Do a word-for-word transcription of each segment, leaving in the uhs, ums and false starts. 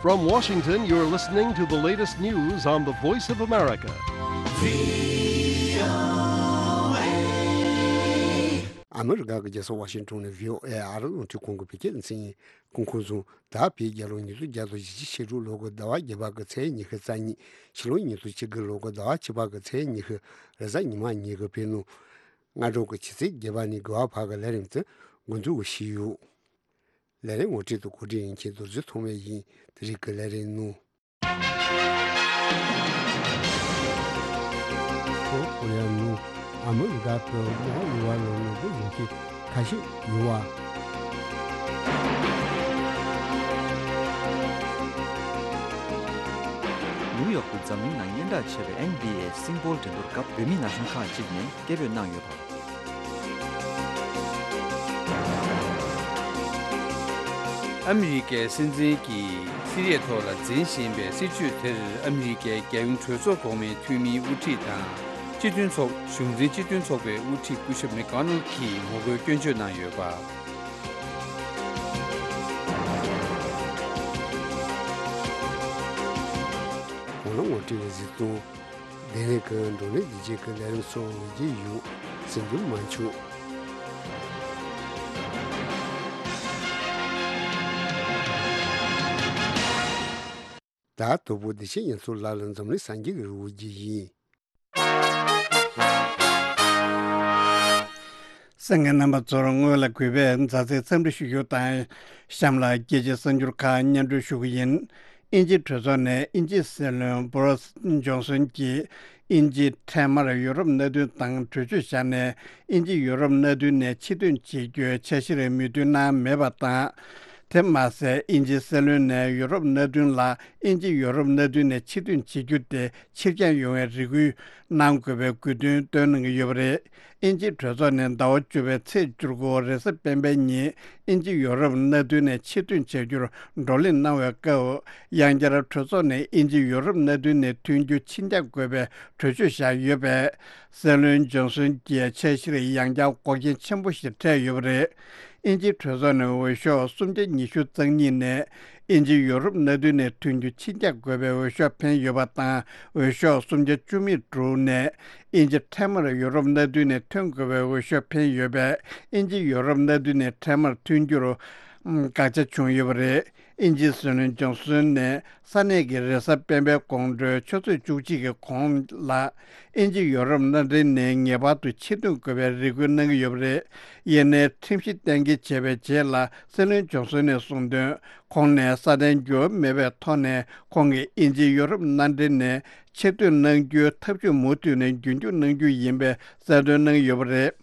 From Washington, you're listening to the latest news on the Voice of America. ཨ་མི་རི་ཀ་གི་རྒྱལ་ས་ཝ་ཤིང་ཊོན་ནས་བྷི་ཨོ་ཨེ་ཨ་རི་རླུང་འཕྲིན་ཁང་གི་བོད་སྐད་སྡེ་ཚན་ཡིན། སྐུ་ཁམས་བཟང་། ད་བོད་རྒྱལ་ལོ་ཉིས་སྟོང་བརྒྱ་དང་བཞི་བཅུ་ཞེ་དྲུག་ལོ་གི་ཟླ་བ་བརྒྱད་པ་གི་ཚེས་ཉི་ཤུ་རྩ་གཉིས། ཕྱི་ལོ་ཉིས་སྟོང་ཆིག་གི་ལོ་གི་ཟླ་བ་བཅུ་པ་གི་ཚེས་ཉི་ཤུ་རེས་གཟའ་ཉི་མ་ཉིན་གྱི་བོད་ནང་སྔ་དྲོ་གི་ཆུ་ཚོད་བརྒྱད་པ་ནས་དགུ་པ་བར་གྱི་ལས་རིམ་དེ་འགོ་འཛུགས་ཞུས་ཡོད། ལས་རིམ་ངོ་སྤྲོད་དང་གོ་སྒྲིག་ཡིན་མཁན་རྡོ་རྗེ་ཐོགས་མེད་ཡིན། དེ་རིང་གི་ལས་རིམ་ནང་། ལྷོ་ཀོ་རི་ཡ་ནང་ཨ་མི་རི་ཀ་གི་དམག་འོག་ལ་ངོ་རྒོལ་ཡོང་མཁན་ཁ་ཤས་ཡོད་པ། ནིའུ་ཡོག་ཏུ་འཛམ་གླིང་ནང་སྙན་གྲགས་ཆེ་བའི་ཨེན་བྷི་ཨེ་སིང་པོལ་འགྲན་བསྡུར་སྐབས་བོད་མི་ན་གཞོན་ཁག་ཅིག་ནས་སྐད་འབོད་གནང་ཡོད་པ། ཨ་མི་རི་ཀའི་སྲིད་འཛིན་གྱིས་སི་རི་ཡའི་ཐོག་ལ་འཛིན་བཞིན་པའི་སྲིད་བྱུས་དེར་ཨ་མི་རི་ཀའི་རྒྱལ་ཡོངས་གྲོས་ཚོགས་གོང་མའི་འཐུས་མིའི་དབུ་ཁྲིད་དང་སྤྱི་མཐུན་ཚོགས་གཞུང་འཛིན་སྤྱི་མཐུན་ཚོགས་པའི་དབུ་ཁྲིད་སྐུ་ཞབས་མེག་ཌོ་ནལ་གྱིས་ངོ་རྒོལ་སྐྱོན་བརྗོད་གནང་ཡོད་པ། གོང་ལ་ངོ་སྤྲོད་ཀྱི་གཟིགས་སྟངས། དེ་རིང་གི་བགྲོ་གླེང་འདི་རྗེས་ཀྱི་ལས་རིམ་སོགས་འོང་གི་ཡོད། གཟིགས་འགྱུར་མ་འཆུག། ད་དོ་པོ་བདེ་ཆེན་ཡིན་ཚུལ་ལ་ལ་འཛམ་གླིང་སངས་རྒྱས་ཀྱི་རི་བོ་རྒྱུ་ཡིན། གསན་མཁན་རྣམ་པ་ཚོར་སྔོན་ལ་གུས་པས་མཛའ་བརྩེའི་འཚམས་འདྲི་ཞུ་རྒྱུ་དང་། གཤམ་ལ་རྒྱལ་སྤྱིའི་གསར་འགྱུར་ཁག་སྙན་སྒྲོན་ཞུ་གི་ཡིན། དབྱིན་ཇིའི་གྲོས་ཚོགས་ནས་དབྱིན་ཇིའི་སྲིད་བློན་བོ་རིས་ཇོན་སོན་གྱིས་དབྱིན་ཇི་འཕྲལ་མར་ཡུ་རོབ་མནའ་མཐུན་དང་གྲོས་ཆོད་བཞག་ནས་དབྱིན་ཇི་ཡུ་རོབ་མནའ་མཐུན་ནས་ཕྱིར་ཐོན་བྱེད་རྒྱུའི་འཆར་གཞིར་མོས་མཐུན་གནང་མེད་པ་དང་། དེ་མ་ཟད་དབྱིན་ཇིའི་སྲིད་བློན་ནས་ཡུ་རོབ་མནའ་མཐུན་ལ་དབྱིན་ཇི་ཡུ་རོབ་མནའ་མཐུན་ནས་ཕྱིར་ཐོན་བྱེད་རྒྱུ་དེ་ཕྱིར་འགྱངས་ཡོང་བའི་རེ་སྐུལ་གནང་དགོས་པའི་དགོས་འདུན་བཏོན་གནང་གི་ཡོད་པ་རེད། དབྱིན་ཇིའི་གྲོས་ཚོགས་ནས་ཟླ་བ་བཅུ་པའི་ཚེས་བཅུ་དགུ་རེས་གཟའ་སྤེན་པའི་ཉིན་དབྱིན་ཇི་ཡུ་རོབ་མནའ་མཐུན་ནས་ཕྱིར་ཐོན་བྱ་རྒྱུར་བགྲོ་གླེང་གནང་བའི་སྐབས། ཡང་བསྐྱར་གྲོས་ཚོགས་ནས་དབྱིན་ཇི་ཡུ་རོབ་མནའ་མཐུན་ནས་ཐོན་རྒྱུ་ཕྱིར་འགྱངས་དགོས་པའི་གྲོས་ཆོད་བཞག་ཡོད་པས། སྲིད་བློན་ཇོན་སོན་གྱི་འཆར་གཞིར་ཡང་བསྐྱར་འགོག་རྐྱེན་ཆེན་པོ་ཞིག་འཕྲད་ཡོད་པ་རེད། དབྱིན་ཇིའི་གྲོས་ཚོགས་ནས་འོས་ཤོག་སུམ་བརྒྱ་ཉི་ཤུ་རྩ་གཉིས་ནས་དབྱིན་ཇི་ཡུ་རོབ་མནའ་མཐུན་ནས་ཐོན་རྒྱུ་ཕྱིར་འགྱངས་དགོས་པའི་འོས་ཤོག་འཕེན་ཡོད་པ་དང་། འོས་ཤོག་སུམ་བརྒྱ་བཅུ་མེད་དྲུག་ནས་དབྱིན་ཇི་འཕྲལ་མར་ཡུ་རོབ་མནའ་མཐུན་ནས་ཐོན་དགོས་པའི་འོས་ཤོག་འཕེན་ཡོད་པས། དབྱིན་ཇི་ཡུ་རོབ་མནའ་མཐུན་ནས་འཕྲལ་མར་ཐོན་རྒྱུར་ཨམ་དགག་བྱ་བྱུང་ཡོད་པ་རེད། དབྱིན་ཇིའི་སྲིད་བློན་ཇོན་སོན་ནས་ས་གནས་ཀྱི་རེས་གཟའ་སྤེན་པའི་དགོང་དྲོའི་ཆུ་ཚོད་བཅུ་གཅིག་གི་གོང་ལ། དབྱིན་ཇི་ཡོ་རོབ་མནའ་འབྲེལ་ནས་ངེས་པར་དུ་ཕྱིར་ཐོན་དགོས་པའི་རེ་སྐུལ་གནང་གི་ཡོད་པ་རེད། ཡིན་ནའི་ཁྲིམས་གཞི་གཏན་འཁེལ་བྱས་པའི་རྗེས་ལ་སྲིད་བློན་ཇོན་སོན་ནས་གསུངས་དོན། ཁོང་ནས་སྲ་བརྟན་འགྱུར་བ་མེད་པའི་ཐོག་ནས་ཁོང་གིས་དབྱིན་ཇི་ཡོ་རོབ་མནའ་འབྲེལ་ནས་ཕྱིར་ཐོན་གནང་རྒྱུའི་ཐབས་ཇུས་མུ་མཐུད་ནས་རྒྱུན་འཁྱོངས་གནང་རྒྱུ་ཡིན་པའི་གསལ་སྟོན་གནང་ཡོད་པ་རེད།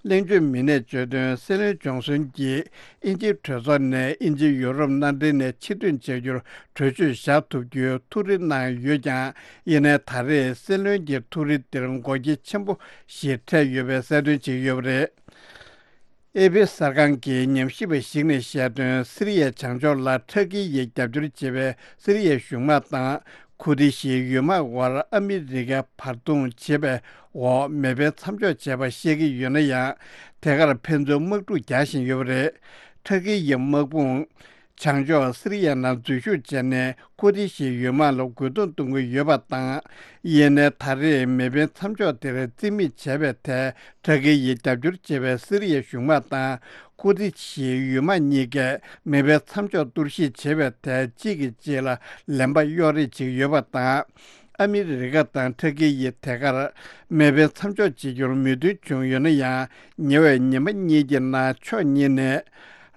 གླེང་བརྗོད་མི་སྣས་བརྗོད་དོན། སྲིད་བློན་ཇོན་སོན་གྱིས་དབྱིན་ཇིའི་གྲོས་ཚོགས་ནས་དབྱིན་ཇི་ཡོ་རོབ་མནའ་འབྲེལ་ནས་ཕྱིར་ཐོན་བྱ་རྒྱུར་གྲོས་ཆོད་བཞག་ཐུབ་རྒྱུའི་ཐུགས་རེ་གནང་ཡོད་ཀྱང་། ཡིན་ནའི་ད་རེས་སྲིད་བློན་གྱི་ཐུགས་རེ་འདིར་འགོག་རྐྱེན་ཆེན་པོ་ཞིག་འཕྲད་ཡོད་པའི་གསལ་སྟོན་བྱས་ཡོད་པ་རེད། ཨེ་པི་གསར་ཁང་གིས་ཉམས་ཞིབ་པ་ཞིག་ནས་བཤད་དོན། སི་རི་ཡའི་བྱང་ཕྱོགས་ལ་ཊར་ཀི་ཡིས་རྒྱབ་སྐྱོར་བྱེད་པའི་སི་རི་ཡའི་གཞུང་དམག་དང་ཁུར་ཏི་ཤིའི་ཡུལ་དམག་དབར་ཨ་མི་རི་ཀས་བར་འདུམ་བྱེད་པའི་འོག་མེ་འཕེན་མཚམས་འཇོག་བྱས་པ་བཤད་ཀྱི་ཡོད་ན་ཡང་། དེ་གར་ཕན་ཚུན་དམག་འཁྲུག་རྒྱག་བཞིན་ཡོད་པ་རེད། ཊར་ཀི་ཡི་དམག་དཔུང་བྱང་ཕྱོགས་སི་རི་ཡའི་ནང་འཛུལ་ཞུགས་བྱས་ནས་ཁུར་ཏི་ཤིའི་ཡུལ་དམག་ལ་རྒོལ་རྡུང་གཏོང་གི་ཡོད་པ་དང་། ཡིན་ནའི་ད་རེས་མེ་འཕེན་མཚམས་འཇོག་དེར་རྩིས་མེད་བྱས་པའི་ཐད། ཊར་ཀི་ཡིས་རྒྱབ་སྐྱོར་བྱེད་པའི་སི་རི་ཡའི་གཞུང་དམག་དང་ཁུར་ཏི་ཤིའི་ཡུལ་དམག་གཉིས་ཀས་མེ་འཕེན་མཚམས་འཇོག་གཏོར་བཤིག་བྱེད་པའི་ཐད་གཅིག་གིས་གཅིག་ལ་ལན་པ་གཡོག་རེས་བྱེད་ཀྱི་ཡོད་པ་དང་། ཨ་མི་རི་ཀ་དང་ཊར་ཀི་ཡིས་དེ་གར་མེ་འཕེན་མཚམས་འཇོག་བྱེད་རྒྱུར་མོས་མཐུན་བྱུང་ཡོད་ན་ཡང་། ཉེ་བའི་ཉི་མ་གཉིས་ཀྱི་ནང་ཕྱོགས་གཉིས་ནས་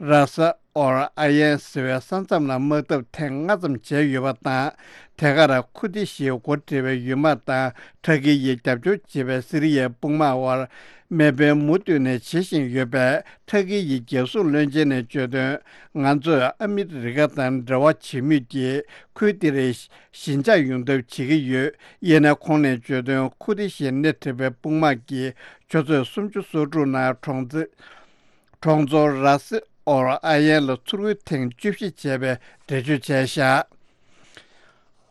ར་ས་ཨོར་ཨ་ཡན་ཟེར་བའི་ས་མཚམས་ལ་དམག་འཐབ་ཐེངས་ལྔ་ཙམ་བྱས་ཡོད་པ་དང་། དེ་གར་ཁུར་ཏི་ཤིའི་འགོ་ཁྲིད་པའི་ཡུལ་དམག་དང་ཊར་ཀི་ཡིས་རྒྱབ་སྐྱོར་བྱེད་པའི་སི་རི་ཡའི་དཔུང་དམག་དབར་མེ་འཕེན་མུ་མཐུད་ནས་བྱེད་བཞིན་ཡོད་པས། ཊར་ཀི་ཡི་རྒྱལ་སྲུང་བློན་ཆེན་ནས་བརྗོད་དོན། ང་ཚོས་ཨ་མི་རི་ཀ་དང་འབྲེལ་བ་བྱེད་མུས་ཀྱི་ཁུལ་དེར་ཞི་འཇགས་ཡོང་ཐབས་བྱེད་ཀྱི་ཡོད། ཡིན་ནའི་ཁོང་ནས་བརྗོད་དོན། ཁུར་ཏི་ཤིས་སྣེ་ཁྲིད་པའི་དཔུང་དམག་གིས་ཆུ་ཚོད་སུམ་ཅུ་སོ་དྲུག་ནང་གྲོང་ཚོ་གྲོང་ཚོ་ར་སི་ཨོར་ཨ་ཡན་ལ་ཚུར་རྒོལ་ཐེངས་བཅུ་བཞི་བྱས་པའི་འགྲེལ་བརྗོད་བྱས་བཞག།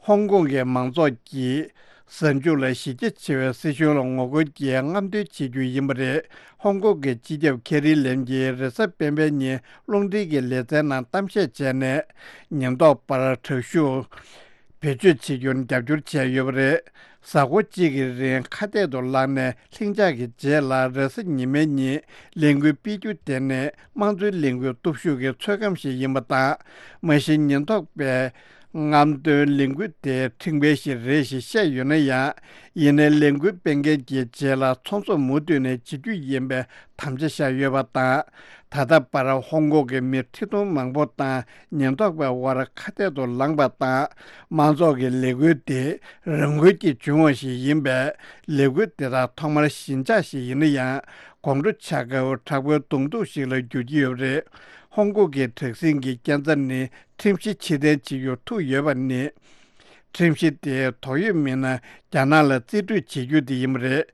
ཧོང་ཀོང་གི་མང་ཚོགས་ཀྱིས་ གཟའ་མཇུག་ལ་གཞི་རྒྱ་ཆེ་བའི་སྲིད་གཞུང་ལ་ངོ་རྒོལ་གྱིས་རྔམ་སྟོན་བྱེད་རྒྱུ་ཡིན་པ་རེད། ཧོང་ཀོང་གི་སྤྱི་ཁྱབ་ཁེ་རི་ལེམ་གྱིས་རེས་གཟའ་སྤེན་པའི་ཉིན་རླུང་འཕྲིན་གྱི་ལེ་ཚན་ནང་གཏམ་བཤད་བྱས་ནས། ཉེན་རྟོག་པར་དྲག་ཤུགས་བེད་སྤྱོད་བྱེད་རྒྱུར་རྒྱབ་སྐྱོར་བྱས་ཡོད་པ་རེད། གཟའ་འཁོར་གཅིག་གི་རིང་ཁ་གཏད་དུ་བླངས་ནས་ལྷིང་འཇགས་ཀྱི་རྗེས་ལ་རེས་གཟའ་ཉི་མའི་ཉིན་ལས་འགུལ་སྤེལ་རྒྱུ་དེ་ནི་དམངས་གཙོའི་ལས་འགུལ་སྟོབས་ཤུགས་ཀྱི་ཚོད་བགམ་ཞིག་ཡིན་པ་དང་། མ་གཞི་ཉེན་རྟོག་པས་རྔམ་སྟོན་ལས་འགུལ་དེ་ཁྲིམས་འགལ་ཞིག་རེད་ཞེས་བཤད་ཡོད་ན་ཡང་། ཡིན་ནའི་ལས་འགུལ་སྤེལ་མཁན་གྱི་རྗེས་ལ་ཚོང་ཟོག་མུ་མཐུད་ནས་བྱེད་རྒྱུ་ཡིན་པའི་དམ་བཅའ་བཞག་ཡོད་པ་དང་། ད་ལྟ་བར་ཧོང་ཀོང་གི་མི་ཁྲི་སྟོང་མང་པོ་དང་ཉེན་རྟོག་པའི་དབར་ཁ་གཏད་དུ་ལངས་པ་དང་། མང་ཚོགས་ཀྱི་ལས་འགུལ་དེ་རང་འགུལ་གྱིས་བྱུང་བ་ཞིག་ཡིན་པས། ལས་འགུལ་དེ་དག་ཐོག་མར་ཞི་འཇགས་ཤིག་ཡིན་ན་ཡང་། དགོང་དྲོ་ཆ་སྐབས་དྲག་པོའི་གདོང་ཐུག་ཞིག་ལ་འགྱུར་གྱི་ཡོད་པ་རེད། ཧོང་ཀོང་གི་དྲག་ཟིང་གི་རྐྱེན་རྩ་ནི་ཁྲིམས་གཞི་ཕྱིར་འཐེན་བྱེད་རྒྱུར་ཐུག་ཡོད་པ་ནི། ཁྲིམས་གཞི་དེ་དོགས་ཡོད་མི་སྣ་རྒྱ་ནག་ལ་རྩིས་སྤྲོད་བྱེད་རྒྱུ་དེ་ཡིན་པ་རེད།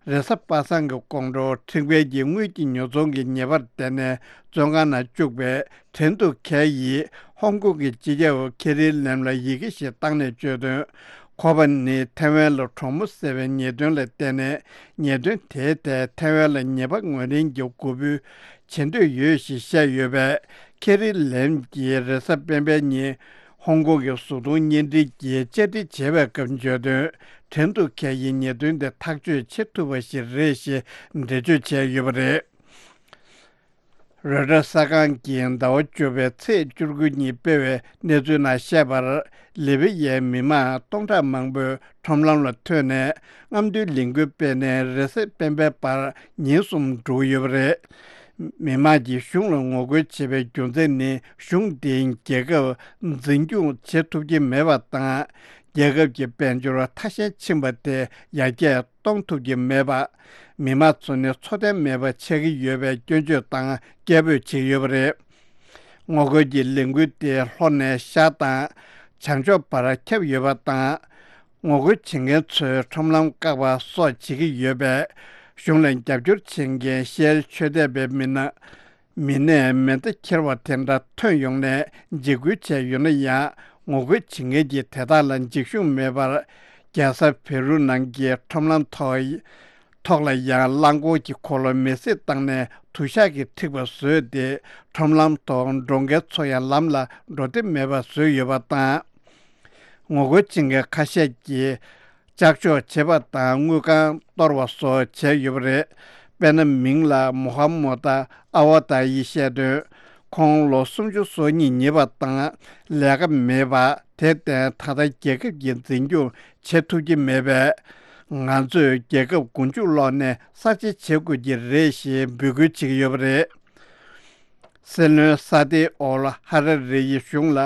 རེས་གཟའ་པ་སངས་ཀྱི་དགོང་དྲོ་ཁྲིམས་འགལ་གྱིས་དངུལ་གྱི་ཉོ་ཚོང་གི་ཉེས་པར་བརྟེན་ནས་བཙོན་ཁང་ནང་བཅུག་པའི་ཁྲེན་ཏུའུ་ཁེ་ཡིས་ཧོང་ཀོང་གི་སྤྱི་ཁྱབ་ཁེ་རི་ལེམ་ལ་ཡི་གེ་ཞིག་བཏང་ནས་བརྗོད་དོན། ཁོ་པ་ནི་ཐའེ་ཝན་ལ་གྲོགས་མོ་ཟེར་བའི་ཉེས་དོན་ལ་བརྟེན་ནས། ཉེས་དོན་དེའི་ཐད་ཐའེ་ཝན་ལ་ཉེས་པ་ངོས་ལེན་གྱི་གོ་བསྡུར་བྱེད་འདོད་ཡོད་ཞེས་བཤད་ཡོད་པས། ཁེ་རི་ལེམ་གྱིས་རེས་གཟའ་སྤེན་པའི་ཉིན་ཧོང་ཀོང་གི་བཟོ་ཚོང་བརྙན་འཕྲིན་གྱིས་བཅར་འདྲི་བྱས་པའི་སྐབས་བརྗོད་དོན། ཁྲེན་ཏུའུ་ཁེ་ཡི་ཉེས་དོན་དེ་ཐག་གཅོད་བྱེད་ཐུབ་པ་ཞིག་རེད་ཞེས་འགྲེལ་བརྗོད་བྱས་ཡོད་པ་རེད། རོའི་ཊར་གསར་ཁང་གིས་ཟླ་བ་བཅུ་པའི་ཚེས་བཅུ་དགུ་ཉིན་སྤེལ་བའི་གནས་ཚུལ་ནང་བཤད་པར། ལི་བི་ཡའི་མི་མང་སྟོང་ཕྲག་མང་པོས་ཁྲོམ་ལམ་ལ་ཐོན་ནས་རྔམ་སྟོན་ལས་འགུལ་སྤེལ་ནས་རེས་གཟའ་སྤེན་པའི་བར་ཉིན་གསུམ་འགྲོ་གི་ཡོད་པ་རེད། མི་མང་གིས་གཞུང་ལ་ངོ་རྒོལ་བྱེད་པའི་རྒྱུ་མཚན་ནི། གཞུང་དེས་རྒྱལ་ཁབ་འཛིན་སྐྱོང་བྱེད་ཐུབ་ཀྱི་མེད་པ་དང་། རྒྱལ་ཁབ་ཀྱི་དཔལ་འབྱོར་ཐ་ཞན་ཕྱིན་པ་དེ་ཡར་རྒྱས་གཏོང་ཐུབ་ཀྱི་མེད་པ། མི་མང་ཚོ་ནི་འཚོ་རྟེན་མེད་པ་ཆགས་ཀྱི་ཡོད་པའི་སྐྱོན་བརྗོད་དང་སྐད་འབོད་བྱས་ཡོད་པ་རེད། ངོ་རྒོལ་གྱི་ལས་འགུལ་དེ་ལྷོ་ནས་ཤར་དང་བྱང་ཕྱོགས་བར་ཁྱབ་ཡོད་པ་དང་། ངོ་རྒོལ་བྱེད་མཁན་ཚོས་ཁྲོམ་ལམ་བཀག་པ་སོགས་བྱེད་ཀྱི་ཡོད་པས། གཞུང་ལ་རྒྱབ་སྐྱོར་བྱེད་མཁན་ཤེལ་མཆོད་གཏད་པའི་མི་སྣ། མི་སྣས་མེ་མདའ་འཁྱེར་བ་དེ་འདྲ་ཐོན་ཡོང་ནས་འཇིགས་སྐུལ་བྱས་ཡོད་ན་ཡང་། ངོ་རྒོལ་བྱེད་མཁན་གྱིས་དེ་དག་ལ་འཇིགས་ཤོག་མེད་པར། རྒྱལ་ས་བེ་རུ་ནང་གི་ཁྲོམ་ལམ་ཐོག་ཐོག་ལ་ཡང་རླངས་འཁོར་གྱི་འཁོར་ལོ་མེ་བསྲེགས་བཏང་ནས་དུ་ཞག་གིས་འཁྲིགས་པ་བཟོས་ཏེ། ཁྲོམ་ལམ་ཐོག་འགྲོ་མཁན་ཚོ་ཡང་ལམ་ལ་འགྲོ་འདོད་མེད་པ་བཟོས་ཡོད་པ་དང་། ངོ་རྒོལ་བྱེད་མཁན་ཁ་ཤས་ཀྱིས་ལྕགས་ཤོག་བྱེད་པ་དང་དངུལ་ཁང་གཏོར་བ་སོགས་བྱས་ཡོད་པ་རེད། དཔེར་ན། མིང་ལ་མོ་ཧ་མོ་ཏཱ་ཨ་ཝ་ཏཱ་ཡིས་བཤད་དོན། ཁོང་ལོ་སུམ་ཅུ་སོ་གཉིས་ཡིན་པ་དང་ལས་ཀ་མེད་པ། དེར་བརྟེན་ད་ལྟ་རྒྱལ་ཁབ་ཀྱི་འཛིན་སྐྱོང་བྱེད་ཐུབ་ཀྱི་མེད་པས། ང་ཚོས་རྒྱལ་ཁབ་མགོ་མཇུག་སློག་ནས་གསར་བརྗེ་བྱེད་དགོས་ཀྱི་རེད་ཞེས་འབོད་སྐུལ་བྱེད་ཀྱི་ཡོད་པ་རེད། སྲིད་བློན་ས་ཏི་ཨོལ་ཧ་ར་རེ་ཡིས་གཞུང་ལ་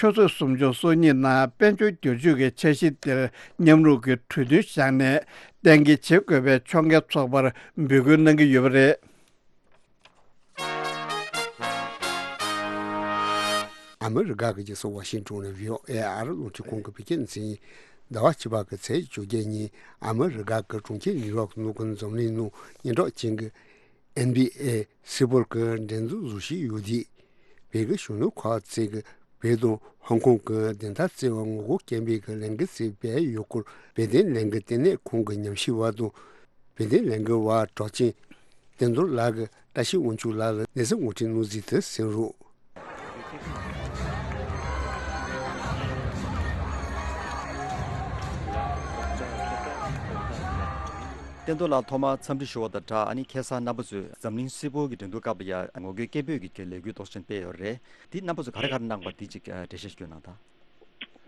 ཆུ་ཚོད་སུམ་ཅུ་སོ་གཉིས་ནང་དཔལ་འབྱོར་བསྒྱུར་བཅོས་ཀྱི་འཆར་གཞི་དེར་མཉམ་རུབ་ཀྱི་གྲོས་མཐུན་བཞག་ནས་གཏན་འཁེལ་བྱེད་དགོས་པའི་ཕྱོགས་འགལ་ཚོགས་པར་འབོད་སྐུལ་གནང་གི་ཡོད་པ་རེད། ཨ་མི་རི་ཀ་གི་རྒྱལ་ས་ཝ་ཤིང་ཏོན་ནས་བྷི་ཨོ་ཨེ་ཨ་རི་རླུང་འཕྲིན་ཁང་གི་བོད་སྐད་སྡེ་ཚན་ཡིན། ཟླ་བ་བཅུ་པ་གི་ཚེས་བཅོ་བརྒྱད་ཉིན་ཨ་མི་རི་ཀ་གི་གྲོང་ཁྱེར་ནིའུ་ཡོག་ནང་གི་འཛམ་གླིང་ནང་སྙན་གྲགས་ཅན་གྱི་ཨེན་བྷི་ཨེ་སུ་པར་གྱི་འགྲན་བསྡུར་བཟོ་བཞིན་ཡོད་དུས། བོད་ཀྱི་གཞོན་ནུ་ཁག་ཅིག་གིས་བོད་དང་ཧོང་ཀོང་གི་བདེན་མཐའ་རྩོད་པར་ངོ་རྒོལ་སྐད་འབོད་ཀྱི་ལས་འགུལ་ཞིག་སྤེལ་ཡོད་སྐོར། བོད་དོན་ལས་འགུལ་ལྟེ་གནས་ཁང་གི་ཉམས་ཞིབ་པ་དང་། བོད་དོན་ལས་འགུལ་བ་གྲགས་ཅན་བསྟན་རྡོར་ལགས་ཀྱིས་བཀྲ་ཤིས་དབང་ཕྱུག་ལགས་ལ་གནས་ཚུལ་ངོ་སྤྲོད་གནང་ཟིན་དུ་གསན་རོགས། བསྟན་རྡོར་ལགས་ཐོག་མར་འཚམས་འདྲི་ཞུ་བ་དང་སྦྲགས། ཨ་ནི་ཁ་སང་རྣམ་པ་ཚོས་འཛམ་གླིང་སུ་པར་གྱི་འགྲན་བསྡུར་སྐབས་ལ་ཡ་ངོ་རྒོལ་སྐད་འབོད་ཀྱི་ལས་འགུལ་རྡོག་ཅན་སྤེལ་ཡོད་རེད། འདི་རྣམ་པ་ཚོས་ག་རེ་ག་རེ་གནང་པ་འདི་གཅིག་འགྲེལ་བཤད་ཞུ་གནང་དང་།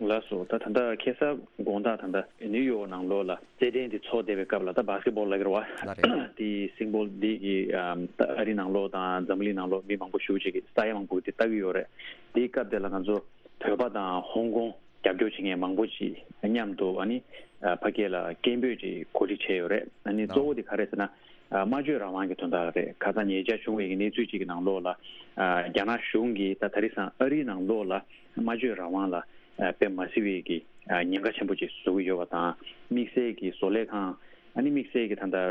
ལགས་སོ། ད་ད་ལྟ་ཁ་སང་དགོང་དག་ད་ལྟ་ནིའུ་ཡོག་ནང་ལོགས་ལ་རྩེད་འགྲན་འདི་ཚོགས་བསྡད་པའི་སྐབས་ལ། ད་བྷ་སི་ཀེ་ཊི་བོལ་ལབ་ཀྱི་རེད་བ། ལགས་རེད། དེ་སིང་པོལ་འདི་གི་ཨམ་ད་ཨ་རི་ནང་ལོགས་དང་འཛམ་གླིང་ནང་ལོགས་མི་མང་པོ་ཞེ་པོ་ཅིག་གིས་ས་ཡ་མང་པོ་གིས་དེ་ལྟ་གི་ཡོད་རེད། དེའི་སྐབས་དེ་ལ་ང་ཚོ་བོད་པ་དང་ཧོང་ཀོང་རྒྱབ་སྐྱོར་བྱེད་མཁན་མང་པོ་ཅིག་མཉམ་དུ་ཨ་ནི་ཨ་ཕ་གི་ལ་སྐད་འབོད་ཅིག་གོ་སྒྲིག་བྱས་ཡོད་རེད། ཨ་ནི་གཙོ་བོ་དེ་ག་རེ་ཟེར་ན། ཨ་སྨྲ་བརྗོད་རང་དབང་གི་དོན་དག་རེད། ཁ་སང་ཉེ་ཆར་བྱུང་བའི་གནས་ཚུལ་ཅིག་གི་ནང་ལོགས་ལ། ཨ་རྒྱ་ནག་གཞུང་གིས་ད་ད་རེས་སང་ཨ་རིའི་ནང་ལོགས་ལ་སྨྲ་བརྗོད་རང་དབང་ལ་ཨ་དཔེ་མ་སྲིད་པའི་གི་ཨ་ཉེན་ཁ་ཆེན་པོ་ཅིག་བཟོ་གི་ཡོད་པ་དང་། དམིགས་བསལ་གྱི་བཟོ་ལས་ཁང་། ཨ་ནི་དམིགས་བསལ་གྱི་ད་ལྟ་ཨ་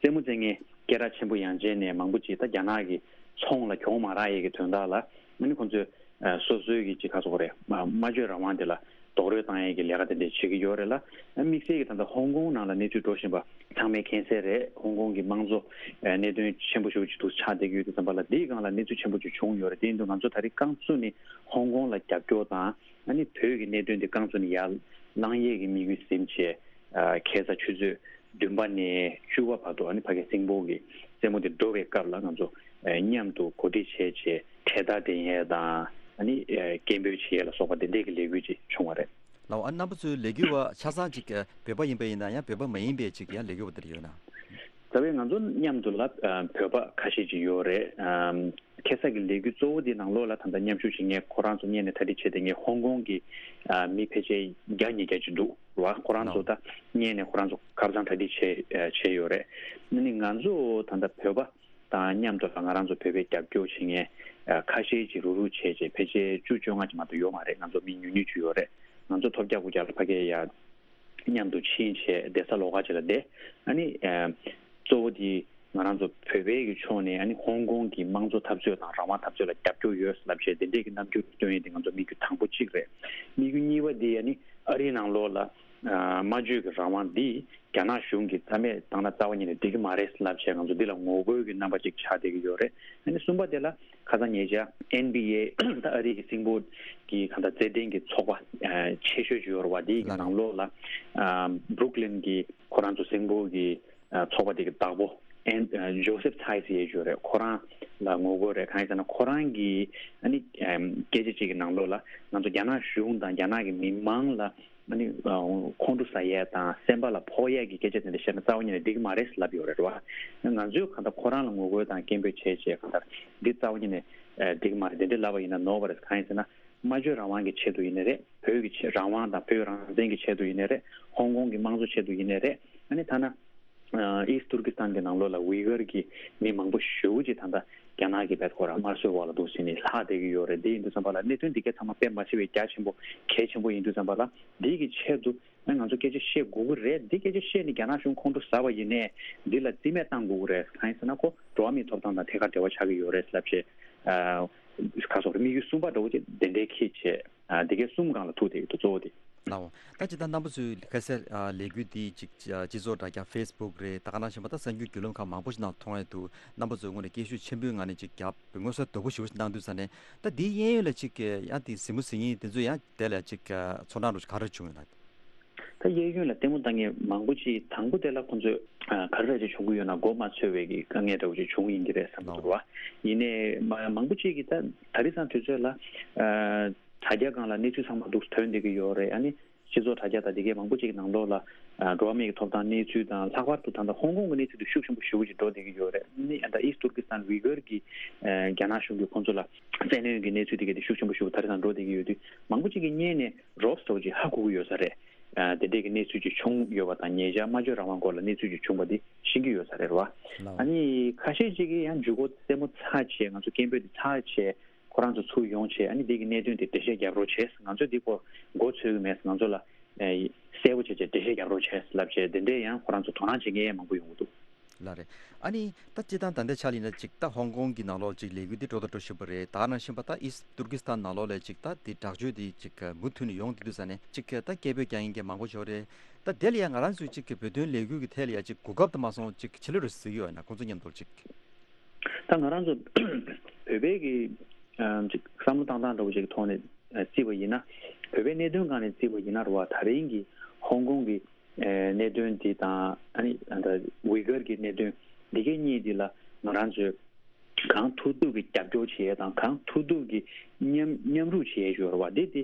རྩེད་མོ་རྩེ་མཁན་སྐད་གྲགས་ཆེན་པོ་ཡང་ཅན་ནས་མང་པོ་ཅིག་ད་རྒྱ་ནག་གི་ཚོང་ལ་གྱོང་མ་རག་ཡས་ཀྱི་དོན་དག་ལ། ཨ་ནི་ཁོང་ཚོས་ཨ་སོ་སོའི་གི་ཅིག་ག་ཟེར་དགོས་རེད། སྨྲ་བརྗོད་རང་དབང་དེ་ལ་ རྡོག་རོལ་བཏང་ཡས་ཀྱི་ལས་ཀ་དེ་འདྲས་བྱེད་ཀྱི་ཡོད་རེད་ལ། དམིགས་བསལ་གྱི་ད་ལྟ་ཧོང་ཀོང་ནང་ལ་གནས་ཚུལ་འགྲོ་བཞིན་པ་ཚང་མས་མཁྱེན་གསལ་རེད། ཧོང་ཀོང་གི་དམངས་གཙོ་ཨ་གནད་དོན་ཆེན་པོ་ཞེ་པོ་ཅིག་འདུག་ཆགས་བསྡད་ཀྱི་ཡོད་དུས་ཙམ་པ་ལ། འདིའི་སྒང་ལ་གནས་ཚུལ་ཆེན་པོ་ཅིག་བྱུང་ཡོད་རེད། དེ་ཡིན་དུས་ང་ཚོ་ད་རེས་རྐང་བཙུགས་ནས་ཧོང་ཀོང་ལ་རྒྱབ་སྐྱོར་དང་། ཨ་ནི་བོད་ཀྱི་གནད་དོན་དེ་རྐང་བཙུགས་ནས་ཡར་བསླང་ཡས་ཀྱི་དམིགས་ཡུལ་ཟིན་བྱས། ཨ་ཁ་སང་ཆུ་ཚོད་བདུན་པ་ནས་བཅུ་པ་བར་དུ། ཨ་ནི་ཕ་གི་སིང་སྤོག་གི་རྩེད་མོ་དེ་འགྲོ་བའི་སྐབས་ལ་ང་ཚོ་ཨ་མཉམ་དུ་གོ་སྒྲིག་བྱས་བྱས་གྲལ་སྟར་འདེགས་ཡས་དང་། ཨ་ནི་ཨ་སྐད་འབོད་བྱེད་ཡས་ལ་སོགས་པ་དེ་འདྲས་ཀྱི་ལས་འགུལ་ཅིག་བྱུང་བ་རེད། ལགས་འོ། ཨ་རྣམ་པ་ཚོའི་ལས་འགུལ་བ་ཆ་ཚང་ཅིག་བོད་པ་ཡིན་པ་ཡིན་ན་ཡང་བོད་པ་མ་ཡིན་པའི་ཅིག་ཡང་ལས་འགུལ་བ་དེ་འདྲ་ཡོད་ན། རྩ་བའི་ང་ཚོ་མཉམ་དུ་ལ་ཨ་བོད་པ་ཁ་ཤས་ཅིག་ཡོད་རེད། ཨམ་ཁ་སང་གི་ལས་འགུལ་གཙོ་བོ་དེ་ནང་ལོགས་ལ་ད་ལྟ་མཉམ་ཞུགས་བྱེད་མཁན་ཁོ་རང་ཚོ་སྔོན་ནས་གྲ་སྒྲིག་བྱས་བསྡད་མཁན་ཧོང་ཀོང་གི་ཨ་མི་ཕལ་ཆེར་བརྒྱ་ཉིས་བརྒྱ་ཅིག་འདུག་ར། ཁོ་རང་ཚོ་ད་སྔོན་ནས་ཁོ་རང་ཚོ་ཁ་སང་གྲ་སྒྲིག་བྱས་ཨ་བྱས་ཡོད་རེད། ཨ་ནི་ང་ཚོ་ད་ལྟ་བོད་པ་དང་མཉམ་དུ་ལ་ང་རང་ཚོ་བོད་པའི་རྒྱབ་སྐྱོར་བྱེད་མཁན་ཨ་ཁ་ཤས་ཅིག་རུག་རུག་བྱས་བྱས་ཕལ་ཆེར་བཅུ་བཅོ་ལྔ་ཅིག་མ་གཏོགས་ཡོད་མ་རེད། ང་ཚོ་མི་ཉུང་ཉུང་ཅིག་ཡོད་རེད། ང་ཚོ་ཐོབ་རྒྱག་དགུ་རྒྱག་ལ་ཕ་གིར་ཡ་མཉམ་དུ་ཕྱིན་བྱས་བསྡད་ས་ལོགས་ཀ་ཅིག་ལ་བསྡད། ཨ་ནི་ཨ་གཙོ་བོ་དེ་ང་རང་ཚོ་བོད་པའི་གི་ཕྱོགས་ནས་ཨ་ནི་ཧོང་ཀོང་གི་དམངས་གཙོ་འཐབ་རྩོད་དང་རང་དབང་འཐབ་རྩོད་ལ་རྒྱབ་སྐྱོར་ཡོད་ལབ་བྱས་དེ་འདྲས་ཀྱི་རྣམ་འགྱུར་སྟོན་ཡས་དེ་ང་ཚོ་དམིགས་ཡུལ་དང་པོ་གཅིག་རེད། དམིགས་ཡུལ་གཉིས་པ་དེ་ཨ་ནི་ཨ་རིའི་ནང་ལོགས་ལ་ཨ་སྨྲ་བརྗོད་ཀྱི་རང་དབང་འདི་རྒྱ་ནག་གཞུང་གིས་རྩ་མེད་བཏང་ན་རྩ་བ་ཉིད་ནས་འགྲིག་གི་མ་རེད་ལབ་བྱས་ང་ཚོ་འདི་ལ་ངོ་རྒོལ་གྱི་རྣམ་པ་ཅིག་ཆགས་བསྡད་ཀྱི་ཡོད་རེད། ཨ་ནི་གསུམ་པ་དེ་ལ་ཁ་སང་ཉེ་ཆར་ཨེན་བི་ཨེ་ད་ཨ་རི་གི་སིང་སྤོག་གི་གང་ལྟར་རྩེད་འགྲན་གྱི་ཚོགས་པ་ཨ་ཆེ་ཤོས་ཅིག་ཡོད་རེད་བ། དེའི་གི་ལགས་རེད། ནང་ལོགས་ལ་ཨ་བྷུ་རུག་ལིན་གྱི་ཁོ་རང་ཚོ་སིང་སྤོག་གི་ཨ་ཚོགས་པ་དེ་གི་བདག་པོ་ཨེན་ཨ་ཇོ་སེབ་ཚའེ་སི་ཡེ་ཅིག་ཡོད་རེད། ཁོ་རང་ལ་ངོ་རྒོལ་རེད། གང་ཡིན་ཟེར་ན་ཁོ་རང་གི་ཨ་ནི་ཨམ་སྐད་ཆ་ཅིག་གི་ནང་ལོགས་ལ་ང་ཚོ་རྒྱ་ནག་གཞུང་དང་རྒྱ་ནག་གི་མི་མང་ལ་ཨ་ནི་ཨ་ཁོང་ཁྲོ་ཟ་ཡས་དང་སེམས་པ་ལ་ཕོག་ཡས་ཀྱི་སྐད་ཆ་དེ་འདྲ་བཤད་ན་རྩ་བ་ཉིད་ནས་འགྲིག་གི་མ་རེད་ལབ་ཡོད་རེད་བ། ང་ཚོས་གང་ལྟར་ཁོ་རང་ལ་ངོ་རྒོལ་དང་སྐད་འབོད་བྱས་བྱས་གང་ལྟར་འདི་རྩ་བ་ཉིད་ནས་ཨ་འགྲིག་གི་མ་རེད། དེ་འདྲ་ལབ་པ་ཡིན་ན་ནོར་བ་རེད། གང་ཡིན་ཟེར་ན་སྨྲ་བརྗོད་རང་དབང་གི་ཆེད་དུ་ཡིན་ནའི་རེད། བོད་ཀྱི་ཆེད་རང་དབང་དང་བོད་རང་བཙན་གྱི་ཆེད་དུ་ཡིན་ནའི་རེད། ཧོང་ཀོང་གི་དམངས་གཙོ་ཆེད་དུ་ཡིན་ནའི་རེད། ཨ་ནི་ཐ་ན་ཨ་ཨིསྟ་ཏུར་ཀི་སི་ཐན་གྱི་ནང་ལོགས་ལ་ཝི་གར་གྱི་མི་མང་པོ་ཞེ་པོ་ཅིག་ད་ལྟ་རྒྱ་ནག་གིས་བེད་ཁོ་རང་དམར་གསོད་འོག་ལ་འདུག་ཟེར་ནས་ལྷག་བསྡད་ཀྱི་ཡོད་རེད། དེ་ཡིན་དུས་ཙམ་པ་ལ་གནད་དོན་འདི་གའི་ཚང་མ་དཔེ་མ་སྲིད་པའི་རྒྱ་ཆེན་པོ་གལ་ཆེན་པོ་ཡིན་དུས་ཙམ་པ་ལ་འདི་གི་ཆེད་དུ་ཨ་ང་ཚོ་སྐད་ཆ་བཤད་དགོས་ཀྱི་རེད། འདི་སྐད་ཆ་བཤད་ནས་རྒྱ་ནག་གཞུང་ཁོང་ཁྲོ་ཟ་བ་ཡིན་ནའི་འདི་ལ་རྩིས་མེད་བཏང་དགོས་ཀྱི་རེད། གང་ཡིན་ཟེར་ན་ཁོ་འགྲོ་བ་མིའི་ཐོབ་ཐང་དང་ཐད་ཀར་འབྲེལ་བ་ཆགས་ཀྱི་ཡོད་རེད་ལབ་བྱས། ཨ་ཁ་སོགས་དམིགས་ཡུལ་གསུམ་པ་འདྲ་བོ་ཅིག་དེ་འདྲའི་ཁྱེད་བྱས། ཨ་འདི་གའི་གསུམ་སྒང་ལ་ཐུག་བསྡད་ཡོད་འདུག་གཙོ་བོ་དེ། ལའོ། ད་ཅི་ད་རྣམ་པ་ཚོའི་ཁ་གསལ་ཨ་ལས་འགུལ་འདི་ཅིག་ཨ་སྤྱི་ཚོགས་དྲ་རྒྱ་ཕེ་སི་བུག་རེད། ད་ག་ནང་བཞིན་པ་ད་གསར་འགྱུར་བརྒྱུད་ལམ་ཁག་མང་པོ་ཞིག་ནང་མཐོང་ཡས་འདུག་རྣམ་པ་ཚོས་དངོས་གནས་སྐད་ཤུགས་ཆེན་པོའི་ངང་ནས་ཅིག་རྒྱབ་ངོ་སོ་དོད་པོ་ཞེ་པོ་ཞིག་གནང་དུས་ཙ་ནས། ད་འདིའི་གཡས་གཡོན་ལ་ཅིག་ཡང་དེ་གཟིགས་མོ་གཟིགས་མཁན་དེ་ཚོ་ཡང་དེ་ལ་ཅིག་ཚོར་སྣང་རུ་ག་རེ་བྱུང་ཡོད་ན། ད་གཡས་གཡོན་ལ་ལྟད་མོ་ལྟ་མཁན་མང་པོ་ཅིག་དང་པོ་དེ་ལ་ཁོང་ཚོས་ཨ་ག་རེ་རེ་ཅིག་བྱུང་གི་ཡོད་ན་མགོ་མ་ཚོས་པའི་གི་དཀའ་ངལ་འདྲ་བོ་ཅིག་བྱུང་ཡིན་གྱི་རེད་བསམ་གྱི་འདུག་རོ། ཡིན་ནའི་མ་མང་པོ་ཅིག་གིས་ད་ད་རེས་སང་དུས་ཚོད་ལ་ཨ་དྲ་རྒྱ་སྒང་ལ་གནས་ཚུལ་ཚང་མ་འདུག་ཐོན་བསྡད་ཀྱི་ཡོད་རེད། ཨ་ནི་སྤྱི་ཚོགས་དྲ་རྒྱ་དང་དེ་གའི་མང་པོ་ཅིག་གི་ནང་ལོགས་ལ་ཨ་འགྲོ་བ་མིའི་གི་ཐོབ་ཐང་གནས་ཚུལ་དང་ལྷག་པར་དུ་ད་ལྟ་ཧོང་ཀོང་གི་གནས་ཚུལ་དེ་ཤུགས་ཆེན་པོ་ཞེ་པོ་ཅིག་འགྲོ་བསྡད་ཀྱི་ཡོད་རེད། ཨ་ནི་ད་ཨིསྟ་ཏུར་ཀི་སི་ཐན་ཝི་གར་གྱི་ཨ་རྒྱ་ནག་གཞུང་གིས་ཁོང་ཚོ་ལ་བཙན་གནོན་གྱི་གནས་ཚུལ་དེ་གའི་དེ་ཤུགས་ཆེན་པོ་ཞེ་པོ་ད་རེས་སང་འགྲོ་བསྡད་ཀྱི་ཡོད་དུས་མང་པོ་ཅིག་གིས་སྔོན་ནས་རོབ་སི་འདྲ་བོ་ཅིག་ཧ་གོ་གི་ཡོད་ས་རེད། ཨ་དེ་འདྲས་ཀྱི་གནས་ཚུལ་ཅིག་བྱུང་ཡོད་པ་དང་ཉེ་ཆར་སྨྲ་བརྗོད་རང་དབང་སྐོར་ལ་གནས་ཚུལ་ཅིག་བྱུང་པ་འདི་ཤེས་ཀྱི་ཡོད་ས་རེད་བ། ལགས། ཨ་ནི་ཁ་ཤས་ཅིག་གིས་ཡང་མཇུག་གུ་རྩེད་མོ་ཚར་བྱས་ང་ཚོ་སྐད་འབོད་འདི་ཚར་བྱས་ཁོ་རང་ཚོ་ཚུར་ཡོང་བྱས་ཨ་ནི་འདི་གི་གནད་དོན་དེ་འགྲེལ་བཤད་རྒྱབ་རོགས་བྱས། ང་ཚོས་འདི་སྐོར་མགོ་ཚོས་ཀྱི་མེད། ང་ཚོ་ལ་ཨེ་གསལ་པོ་བྱས་བྱས་འགྲེལ་བཤད་རྒྱབ་རོགས་བྱས་ལབ་བྱས་དེ་འདྲས་ཡང་ཁོ་རང་ཚོ་དོ་སྣང་བྱེད་མཁན་མང་པོ་ཡོང་གི་འདུག་ལགས་རེད། ཨ་ནི་ད་སྤྱིར་བཏང་ད་ལྟའི་ཆ་ལ་ཡིན་ན་ཅིག་ད་ཧོང་ཀོང་གི་ནང་ལོགས་ཅིག་ལས་འགུལ་འདི་འགྲོ་དང་འགྲོ་བཞིན་པ་རེད། ད་ག་ནང་བཞིན་པ་ད་ཨིསྟ་ཏུར་ཀི་སི་ཐན་ནང་ལོགས་ལ་ཅིག་ད་འདི་དྲག་སྤྱོད་འདི་ཅིག་མུ་མཐུད་ནས་ཡོང་བསྡད་དུས་ཙ་ནས་ཅིག་ད་སྐད་འབོད་རྒྱག་མཁན་གྱི་མང་པོ་ཞིག་རེད། ད་དེ་ལ་ཡང་ང་རང་ཚོས་ཅིག་བོད་དོན་ལས་འགུལ་གྱི་ཐད་ལ་ཡང་ཅིག་གོ་སྐབས་དུ་མ་སོང་ཅིག་ཕྱི་ལོགས་རུ་གཟིགས་ཡོད་ན་ཁོང་ཚོ་མཉམ་དུ་ཅིག་ད་ང་རང་ཚོ་བོད་པའི་གི་ཨམ་ཅིག་བསམ་བློ་བཏང་སྟངས་འདྲ་བོ་ཅིག་གི་ཐོག་ནས་ཨ་བརྩིས་པ་ཡིན་ན། བོད་པའི་གནད་དོན་སྒང་ནས་བརྩིས་པ་ཡིན་ན་རེད་བ། ད་རིང་གི་ཧོང་ཀོང་གི་ཨེ་གནད་དོན་འདི་དང་ཨ་ནི་ཨ་ད་ཝི་གར་གྱི་གནད་དོན་འདི་གའི་གཉིས་འདི་ལ་ང་རང་ཚོས་གང་ཐུབ་ཐུབ་ཀྱི་རྒྱབ་སྐྱོར་བྱེད་ཡས་དང་གང་ཐུབ་ཐུབ་ཀྱི་མཉམ་མཉམ་རུབ་བྱེད་ཡས་ཞུ་བ་རེད་བ། འདི་འདི་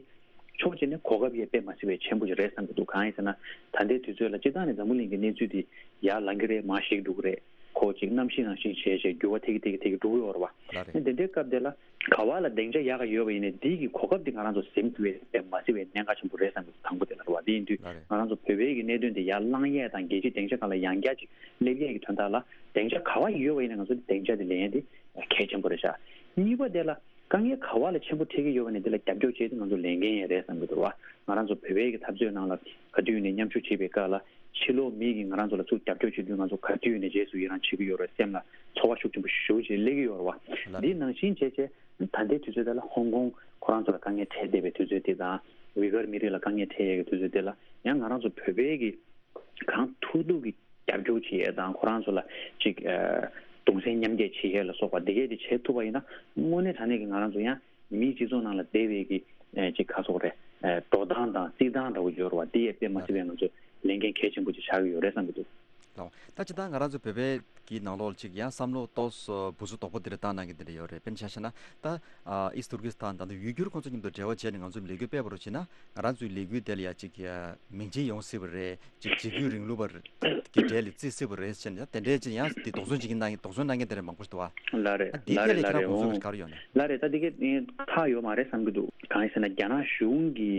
ཕྱོགས་གཅིག་ནས་གོ་སྐབས་ཡས་དཔེ་མ་སྲིད་པའི་ཆེན་པོ་ཞིག་རེད་བསམ་གྱི་འདུག་གང་ཡིན་ཟེར་ན་ད་ལྟའི་དུས་ཚོད་ལ་སྤྱིར་བཏང་ནས་འཛམ་བུ་གླིང་གི་གནས་ཚུལ་འདི་ཡར་ལངས་ཀྱི་རེད། མར་ཞིག་འགྲོ་གི་རེད། ཁོ་ཅིག་གནམ་གཤིས་ནང་བཞིན་བྱས་བྱས་འགྱུར་བ་ཐེབས་ཀྱི་ཐེབས་ཀྱི་ཐེབས་ཀྱི་འགྲོ་གི་ཡོད་རེད་བ། ལགས་རེད། དེ་འདྲའི་སྐབས་དེ་ལ་ག་བ་ལ་སྡིངས་ཆ་ཡག་ག་ཡོད་པ་ཡིན་ནའི་འདི་གི་གོ་སྐབས་འདི་ང་རང་ཚོ་ཟིན་ཐུབ་པའི་དཔེ་མ་སྲིད་པའི་གནད་འགག་ཆེན་པོ་རེད་བསམ་གྱི་འདུག་དང་པོ་དེ་ལ་རེད་བ། དེ་ཡིན་དུས་ལགས་རེད། ང་རང་ཚོ་བོད་པའི་གི་གནད་དོན་དེ་ཡར་བསླང་ཡས་དང་རྒྱལ་སྤྱིའི་སྡིངས་ཆ་སྒང་ལ་ཡང་བསྐྱར་ཅིག་སླེབས་ཡས་ཀྱི་དོན་དག་ལ་སྡིངས་ཆ་ག་བ་ཡོད་པ་ཡིན་ན་ང་ཚོ་སྡིངས་ཆ་དེ་ལེན་ཡས་དེ་གལ་ཆེན་པོ་རེད་ཤག་གཉིས་པ་དེ་ལ་དཀའ་ངལ་ག་བ་ལ་ཆེན་པོ་འཕྲད་ཀྱི་ཡོད་པ་ནས་དེ་ལ་རྒྱབ་སྐྱོར་བྱེད་དུས་ང་ཚོ་ལས་འགན་ཡང་རེད་བསམ་གྱི་འདུག་བ། ང་རང་ཚོ་བོད་པའི་གི་འཐབ་རྩོད་ནང་ལ་ག་དུས་ནས་མཉམ་ཞུགས་བྱེད་པའི་སྐབས་ལ་ཕྱི་ལོགས་མི་གིས་ང་རང་ཚོ་ལ་ཚུར་རྒྱབ་སྐྱོར་བྱེད་དུས་ང་ཚོ་ག་དུས་ནས་རྗེས་སུ་ཡི་རང་བྱེད་ཀྱི་ཡོད་རེད། སེམས་ལ་ཚོར་བ་ཤུགས་ཆེན་པོ་ཞེ་པོ་ཅིག་སླེབས་ཀྱི་ཡོད་རེད་བ། ལགས། འདི་ནང་བཞིན་བྱས་བྱས་ད་ལྟའི་དུས་ཚོད་དེ་ལ་ཧོང་ཀོང་ཁོ་རང་ཚོ་ལ་དཀའ་ངལ་འཕྲད་བསྡད་པའི་དུས་ཚོད་དེ་དང་ ཝི་གར་མི་རིགས་ལ་དཀའ་ངལ་འཕྲད་ཡས་ཀྱི་དུས་ཚོད་དེ་ལ་ཡང་ང་རང་ཚོ་བོད་པའི་གི་གང་ཐུབ་ཐུབ་ཀྱི་རྒྱབ་སྐྱོར་བྱེད་ཡས་དང་ཁོ་རང་ཚོ་ལ་ཅིག་ཨ་གདུང་སེམས་མཉམ་སྐྱེད་བྱེད་ཡས་ལ་སོགས་པ་འདི་གས་དེ་བྱེད་ཐུབ་པ་ཡིན་ན་དངོས་གནས་དྲང་གནས་ཀྱི་ང་རང་ཚོ་ཡང་མིའི་སྤྱི་ཚོགས་ནང་ལ་བསྡད་པའི་གི་ཨ་ཅིག་ག་སོགས་རེད། ཨ་འགྲོ་སྟངས་དང་བརྩི་སྟངས་འདྲ་བོ་ཡོད་རེད་བ། འདི་ཡས་དཔེ་མ་སྲིད་པའི་ང་ཚོ་ལས་འགན་གལ་ཆེན་པོ་ཅིག་ཆགས་ཀྱི་ཡོད་རེད་བསམ་གྱི་འདུག་ལགས། ད་ཅི་ད་ང་རང་ཚོ་བོད་པའི་གི་ནང་ལོགས་ཅིག་ཡང་བསམ་བློ་ཏོག་ཙམ་འབུར་ཚོ་དོག་པོ་དེ་འདྲ་བཏང་གནང་གི་དེ་འདྲ་ཡོད་རེད། དཔེར་ན་ཆ་བཞག་ན་ད་ཨ་ཨིསི་ཏུར་ཀིས་ཐན་ད་ལྟ་ཡུ་གུར་ཁོང་ཚོ་མཉམ་དུ་འབྲེལ་བ་བྱས་ནས་ང་ཚོས་ལས་འགུལ་སྤེལ་བ་རོགས་བྱས་ན་ང་རང་ཚོའི་ལས་འགུལ་དེ་ལ་ཡ་ཅིག་ཡ་མིང་ཆེན་ཡོང་སྲིད་པ་རེད། ཅིག་འཇིགས་སྐུལ་རིང་ལུགས་པ་གི་གྲས་ལ་བརྩི་སྲིད་པ་རེད་ཟེར་ནས་དེ་འདྲའི་ཅིག་ཡང་དེ་དོགས་ཟོན་བྱེད་ཀྱི་གནང་གི་དོགས་ཟོན་གནང་མཁན་དེ་འདྲ་མང་པོ་ཞིག་འདུག་བ། ལགས་རེད། ཨ་འདི་ལགས་ཐད་ལ་རེད་ལགས་ཁྱེད་རང་རེད། དགོངས་ཚུལ་འོང་ག་རེ་ཡོད་ན། ལགས་རེད། ད་འདི་གས་ཁག་ཡོད་མ་རེད་བསམ་གྱི་འདུག་གང་ཡིན་ཟེར་ན་རྒྱ་ནག་གཞུང་གི་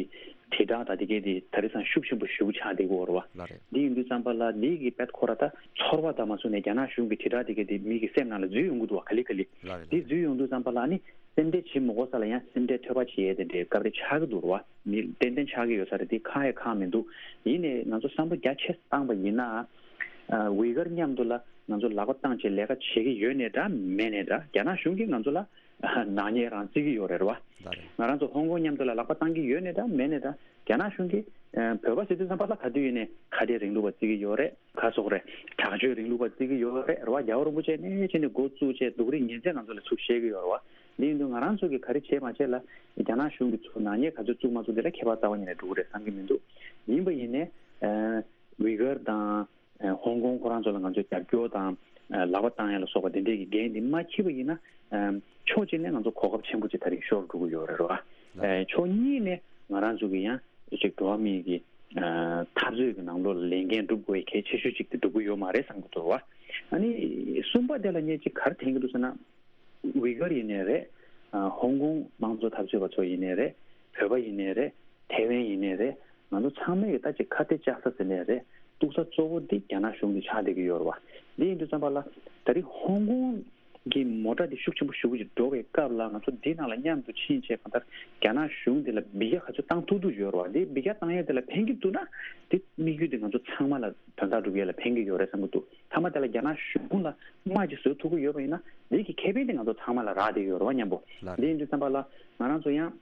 དྲིལ་བསྒྲགས་དང་དེ་གས་དེ་ད་རེས་སང་ཤུགས་ཆེན་པོ་ཞེ་པོ་ཆགས་བསྡད་ཀྱི་ཡོད་རེད་བ། ལགས་རེད། འདི་ཡིན་དུས་ཙམ་པ་ལ་འདི་གི་དཔེ་ཁོ་ར་ད་ཚོར་བ་དང་མ་བཟུང་ནས་རྒྱ་ནག་གཞུང་གི་དྲིལ་བསྒྲགས་དེ་གས་དེ་མི་གི་སེམས་ནང་ལ་འཛུལ་ཡོང་གི་འདུག་བ། ག་ལེ་ག་ལེ། ལགས་རེད། འདི་ལགས་རེད། འཛུལ་ཡོང་དུས་ཙམ་པ་ལ་ནི་སེམས་ཁྲལ་བྱེད་མི་དགོས་ས་ལ་ཡང་སེམས་ཁྲལ་ཐོལ་པ་བྱེད་ཡས་དེ་འདྲའི་སྐབས་རེ་ཆགས་ཀྱི་འདུག་རེད་བ། མི་ཏན་ཏན་ཆགས་ཀྱི་ཡོད་ས་རེད། འདི་ཁག་ཡ་ཁག་མི་འདུག་ཡིན་ནའི་ང་ཚོ་བསམ་བློ་རྒྱ་ཆེ་བཏང་པ་ཡིན་ན། ཨ་ཝི་གར་མཉམ་དུ་ལ་ང་ཚོ་ལག་པ་བཏང་བྱས་ལས་ཀ་བྱེད་ཀྱི་ཡོད་ནའི་འདྲ་མེད་ནའི་འདྲ་རྒྱ་ནག་གཞུང་གིས་ང་ཚོ་ལ་ནག་ཉེས་རང་བརྩི་གི་ཡོད་རེད་བ། ལགས་རེད། ང་རང་ཚོ་ཧོང་ཀོང་མཉམ་དུ་ལ་ལག་པ་བཏང་གི་ཡོད་ནའི་འདྲ་མེད་ནའི་འདྲ་རྒྱ་ནག་གཞུང་གིས་ཨ་བོད་པ་ཟེར་དུས་ཙམ་པ་ལ་ག་དུས་ཡིན་ནའི་ཁ་བྲལ་རིང་ལུགས་པ་བརྩི་གི་ཡོད་རེད། ག་སོགས་རེད། དྲག་སྤྱོད་རིང་ལུགས་པ་བརྩི་གི་ཡོད་རེད་རེད་བ། རྒྱལ་བ་རིན་པོ་ཆེ་ནས་བྱས་ནས་འགོ་བཙུགས་བྱས་སྡུག་རུས་ཉིན་མཚན་ང་ཚོ་ལ་ཚུར་བཤད་གི་ཡོད་རེད་བ། འདི་ཡིན་དུས་ང་རང་ཚོ་གིས་ག་རེ་བྱས་མ་བྱས་ལ་རྒྱ་ནག་གཞུང་གིས་ཚུར་ནག་ཉེས་ག་ཚོད་བཙུགས་མ་བཙུགས་དེ་ལ་ཁྱད་པར་རྩ་བ་ཉིད་ནས་འགྲོ་གི་རེད་བསམ་གི་མི་འདུག་ཡིན་པ་ཡིན་ནའི་ཨ་ཝི་གར་དང་ཨ་ཧོང་ཀོང་ཁོ་རང་ཚོ་ལ་ང་ཚོས་རྒྱབ་སྐྱོར་དང་ཨ་ལག་པ་བཏང་ཡ་ལ་སོགས་པ་དེ་འདྲས་ཀྱི་འགན་འདི་མ་འཁྱེར་བ་ཡིན་ན་ཨ་ཕྱོགས་གཅིག་ནས་ང་ཚོ་གོ་སྐབས་ཆེན་པོ་ཅིག་ད་རིང་ཤོར་འགྲོ་གི་ཡོད་རེད་བ། ལགས། ཨ་ཕྱོགས་གཉིས་ནས་ང་རང་ཚོ་གི་ཡང་ཅིག་འགྲོ་བ་མིའི་གི་ཨ་འཐབ་རྩོད་ཀྱི་ནང་ལོགས་ལ་ལས་འགན་སྒྲུབ་དགོས་ཡ་གལ་ཆེ་ཤོས་ཅིག་དེ་སྒྲུབ་ཀྱི་ཡོད་མ་རེད་བསམ་གྱི་འདུག་བ། ཨ་ནི་གསུམ་པ་དེ་ལ་ངས་ཅིག་ག་རེ་དྲན་གྱི་འདུག་ཟེར་ན། ཝི་གར་ཡིན་ནའི་རེད། ཨ་ཧོང་ཀོང་དམངས་གཙོ་འཐབ་རྩོད་པ་ཚོ་ཡིན་ནའི་རེད། བོད་པ་ཡིན་ནའི་རེད། ཐའེ་ཝན་ཡིན་ནའི་རེད། ང་ཚོ་ཚང་མས་ཀྱི་ད་ཅིག་ཁ་གཏད་བཅག་ས་ཟེར་ནའི་རེད། གཏུག་ས་གཙོ་བོ་འདི་རྒྱ་ནག་གཞུང་གིས་ཆགས་བསྡད་ཀྱི་ཡོད་རེད་བ། འདི་ཡིན་དུས་ཙམ་པ་ལ་ད་རེས་ཧོང་ཀོང་གི་མོ་ཊ་འདི་ཤུགས་ཆེན་པོ་ཞེ་པོ་ཅིག་འགྲོ་བའི་སྐབས་ལ་ང་ཚོ་འདི་ནང་ལ་མཉམ་དུ་ཕྱིན་བྱས་གང་ལྟར་རྒྱ་ནག་གཞུང་འདི་ལ་འབུད་རྒྱག་ག་ཚོད་བཏང་ཐུབ་ཐུབ་ཡོད་རེད་བ། འདི་འབུད་རྒྱག་བཏང་ཡས་འདི་ལ་ཕན་གྱི་འདུག་ན་འདི་དམིགས་ཡུལ་འདི་ང་ཚོ་ཚང་མ་ལ་དོན་དག་སྒྲུབ་ཡས་ལ་ཕན་གྱི་ཡོད་རེད་བསམ་གྱི་འདུག་མཐའ་མ་དེ་ལ་རྒྱ་ནག་གཞུང་ལ་དམག་ཅིག་བཟོ་ཐུབ་ཀྱི་ཡོད་པ་ཡིན་ན་འདི་གི་ཁེ་ཕན་དེ་ང་ཚོ་ཚང་མ་ལ་རག་བསྡད་ཡོད་རེད་བ་མཉམ་པོ། ལགས་རེད། འདི་ཡིན་དུས་ཙམ་པ་ལ་ང་རང་ཚོ་ཡང་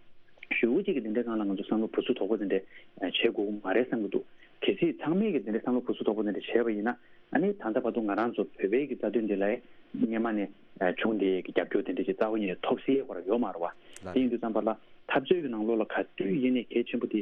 ཞེ་པོ་ཅིག་གི་འདི་འདྲའི་སྒང་ལ་ང་ཚོ་བསམ་བློ་འབུར་ཚུགས་པོ་དེ་འདྲ་བྱེད་དགོས་ཀྱི་མ་རེད་བསམ་གྱི་འདུག་གལ་སྲིད་ཚང་མས་ཀྱི་འདི་འདྲའི་བསམ་བློ་འབུར་ཚུགས་པོ་དེ་འདྲ་བྱས་པ་ཡིན་ན་ཨ་ནི་ད་ལྟ་བར་དུ་ང་རང་ཚོ་བོད་པའི་གི་རྩ་དོན་འདི་ལ་སྔོན་མ་ནས་བྱུང་བསྡད་ཀྱི་རྒྱབ་སྐྱོར་དེ་འདྲ་ཅིག་རྩ་བ་ཉིད་ནས་ཐོབ་སྲིད་ཡས་ཁོ་རང་ཡོད་མ་རེད་བ། ལགས་རེད། དེ་ཡིན་དུས་ཙམ་པ་ལ་འཐབ་རྩོད་ཀྱི་ནང་ལོགས་ལ་ག་དུས་ཡིན་ནའི་གལ་ཆེན་པོ་དེ།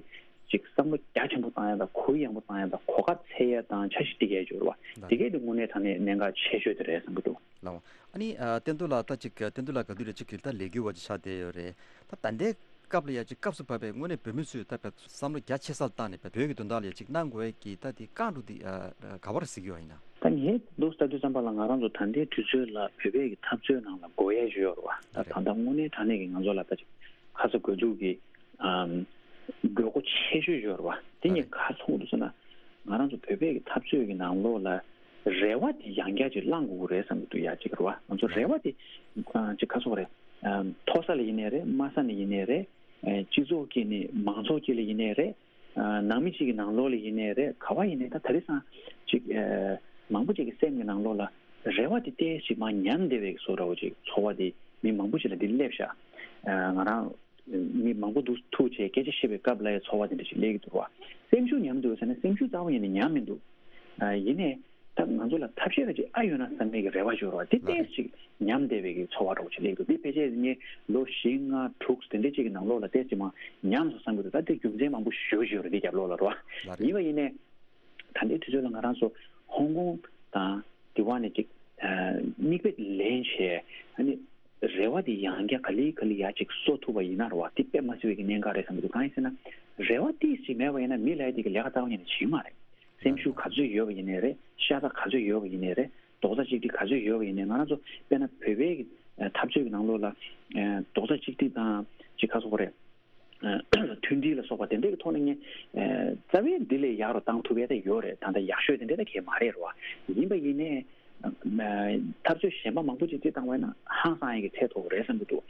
ཅིག་བསམ་བློ་རྒྱ་ཆེན་པོ་བཏང་ཡ་དང་གུ་ཡངས་པོ་བཏང་ཡ་དང་གོ་སྐབས་འཚོལ་ཡ་དང་འཆར་གཞི་སྒྲིག་ཡ་ཡོད་རེད་བ། ལགས། དེ་གས་དེ་དངོས་གནས་དྲང་གནས་གནད་འགག་ཆེ་ཤོས་དེ་རེད་བསམ་གྱི་འདུག་ལགས། ཨ་ནི་ཨ་བསྟན་འཛིན་ལགས་ད་ཅིག་བསྟན་འཛིན་ལགས་ག་དུས་རེད་ཅིག་གིས་ད་ལས་འགུལ་བ་ཅིག་ཆགས་བསྡད་ཡོད་རེད། ད་ད་ལྟའི་སྐབས་ལ་ཡ་ཅིག་སྐབས་སུ་བབས་པའི་དངོས་གནས་བོད་མི་ཚོས་ད་བསམ་བློ་རྒྱ་ཆེ་ས་ལ་བཏང་ནས་བོད་ཀྱི་དོན་དག་ལ་ཡ་ཅིག་གནང་དགོས་ཀྱི་ད་དེ་བསྐང་འགྲོ་དེ་ག་པར་གཟིགས་ཡོད་ཡིན་ན། ད་ངས་འདུག་ལྟ་དུས་ཙམ་པ་ལ་ང་རང་ཚོ་ད་ལྟའི་དུས་ཚོད་ལ་བོད་པའི་གི་འཐབ་རྩོད་ནང་ལ་དགོས་ཡ་ཞིག་ཡོད་རེད་བ། ད་ད་ལྟ་དངོས་གནས་དྲང་གནས་ཀྱི་ང་ཚོ་ལ་ད་ཅིག་ཁ་ཚ་དགོས་གཏུགས་ཀྱི་ཨམ། དགོས་མཁོ་ཆེ་ཤོས་ཡོད་རེད་བ། དེ་ངས་ག་རེ་མཐོང་གི་འདུག་ཟེར་ན། ང་རང་ཚོ་བོད་པའི་གི་འཐབ་རྩོད་ཀྱི་ནང་ལོགས་ལ་རེ་བ་དེ་ཡང་བསྐྱར་ཅིག་བླང་དགོས་ཀྱི་རེད་བསམ་གྱི་འདུག་ཡ་གཅིག་རེད་བ། ང་ཚོ་རེ་བ་དེ་ཨ་ཅིག་ག་རེ་ཟེར་དགོས་རེད། ཨམ། མཐོ་ས་ལ་ཡིན་ནའི་རེད། དམའ་ས་ནས་ཡིན་ནའི་རེད། ཨེ། སྤྱི་ཚོགས་དཀྱིལ་ནས་མང་ཚོགས་དཀྱིལ་ལ་ཡིན་ནའི་རེད། ཨ། ནང་མི་གཅིག་གི་ནང་ལོགས་ལ་ཡིན་ནའི་རེད། ག་པར་ཡིན་ནའི་ད་ད་རེས་སང་ཅིག་ཨེ། མང་པོ་ཅིག་གི་སེམས་ཀྱི་ནང་ལོགས་ལ་རེ་བ་དེ་ཏོག་ཙམ་མར་ཉམས་བསྡད་པའི་བཟོ་འདྲ་བོ་ཅིག་ཚོར་བ་དེ་མི་མང་པོ་ཅིག་ལ་འདི་སླེབས་ཤག་ཨ། ང་རང་མི་མང་པོ་འདུག་ཐུག་བྱས་སྐད་ཆ་བཤད་པའི་སྐབས་ལ་ཡང་ཚོར་བ་དེ་འདྲ་ཞིག་སླེབས་ཀྱི་འདུག་བ། སེམས་ཤུགས་ཉམས་འདུག་ཟེར་ན་སེམས་ཤུགས་རྩ་བ་ཉིད་ནས་ཉམས་མི་འདུག་ཨ། ཡིན་ནའི་ད་ང་ཚོ་ལ་ཐབས་ཤེས་ར་ཅིག་ཨ་ཡོད་ན་བསམ་པའི་གི་རེ་བ་ཡོད་རེད་བ། དེ་ལགས་རེད། ཏོག་ཙམ་ཉམས་བསྡད་པའི་གི་ཚོར་བ་འདྲ་བོ་ཅིག་སླེབས་འདུག་དེ་ཕལ་ཆེར་ངས་ལོ་བཞི་ལྔ་དྲུག་དེ་འདྲ་ཅིག་གི་ནང་ལོགས་ལ་ཏོག་ཙམ་མར་ཉམས་སོང་བསམ་གི་འདུག་ད་དེ་རྒྱུ་མཚན་མང་པོ་ཞེ་པོ་ཅིག་ཡོད་རེད་དེ་རྒྱབ་ལོགས་ལ་རེད་བ། ལགས་རེད། ཡིན་པ་ཡིན་ནའི། ད་ལྟའི་དུས་ཚོད་ལ་ང་རང་ཚོ་ཧོང་ཀོང་དང་དེ་བ་ནས་ཅིག་ཨ། མིག་དཔེ་ལེན་བྱས་ཨ་ནི་རེ་བ་དེ་ཡང་བསྐྱར་ག་ལེ་ག་ལེ་ཡར་ཅིག་གསོ་ཐུབ་པ་ཡིན་ན་རེད་བ། དེ་དཔེ་མ་སྲིད་པའི་གི་གནད་འགག་རེད་བསམ་གི་འདུག་གང་ཡིན་ཟེར་ན་རེ་བ་ཏོག་ཙམ་མེད་པ་ཡིན་ན་མི་ལ་ཡ་དེ་གི་ལས་ཀ་རྩ་བ་ཉིད་ནས་བྱེད་ཀྱི་མ་རེད། སེམས་ཤུགས་ག་ཚོད་ཡོད་པ་ཡིན་ནའི་རེད། ཤ་ཚ་ག་ཚོད་ཡོད་པ་ཡིན་ནའི་རེད། རྡོག་རྩ་གཅིག་སྒྲིལ་ག་ཚོད་ཡོད་པ་ཡིན་ནའི་ང་རང་ཚོ་དཔེར་ན་བོད་པའི་གི་འཐབ་རྩོད་ཀྱི་ནང་ལོགས་ལ་རྡོག་རྩ་གཅིག་སྒྲིལ་དང་ཅིག་ག་རེ་ཟེར་དགོས་རེད། མཐུན་སྒྲིལ་ལ་སོགས་པ་དེ་འདྲའི་གི་ཐོག་ནས་ངས་རྩ་བའི་འདི་ལས་ཡག་རུ་བཏང་ཐུབ་ཡས་ད་ཡོད་རེད། ད་ལྟ་ཡག་ཤོས་དེ་འདྲ་ད་གས་མ་རེད་རོ། ཡིན་པ་ཡིན་ནའི་འཐབ་རྩོད་གཞན་པ་མང་པོ་ཅིག་ཅིག་བཏང་བས་ན་ཧང་སང་ཡས་ཀྱི་ཚད་མཐོ་བོ་རེད་བསམ་གྱི་འདུག་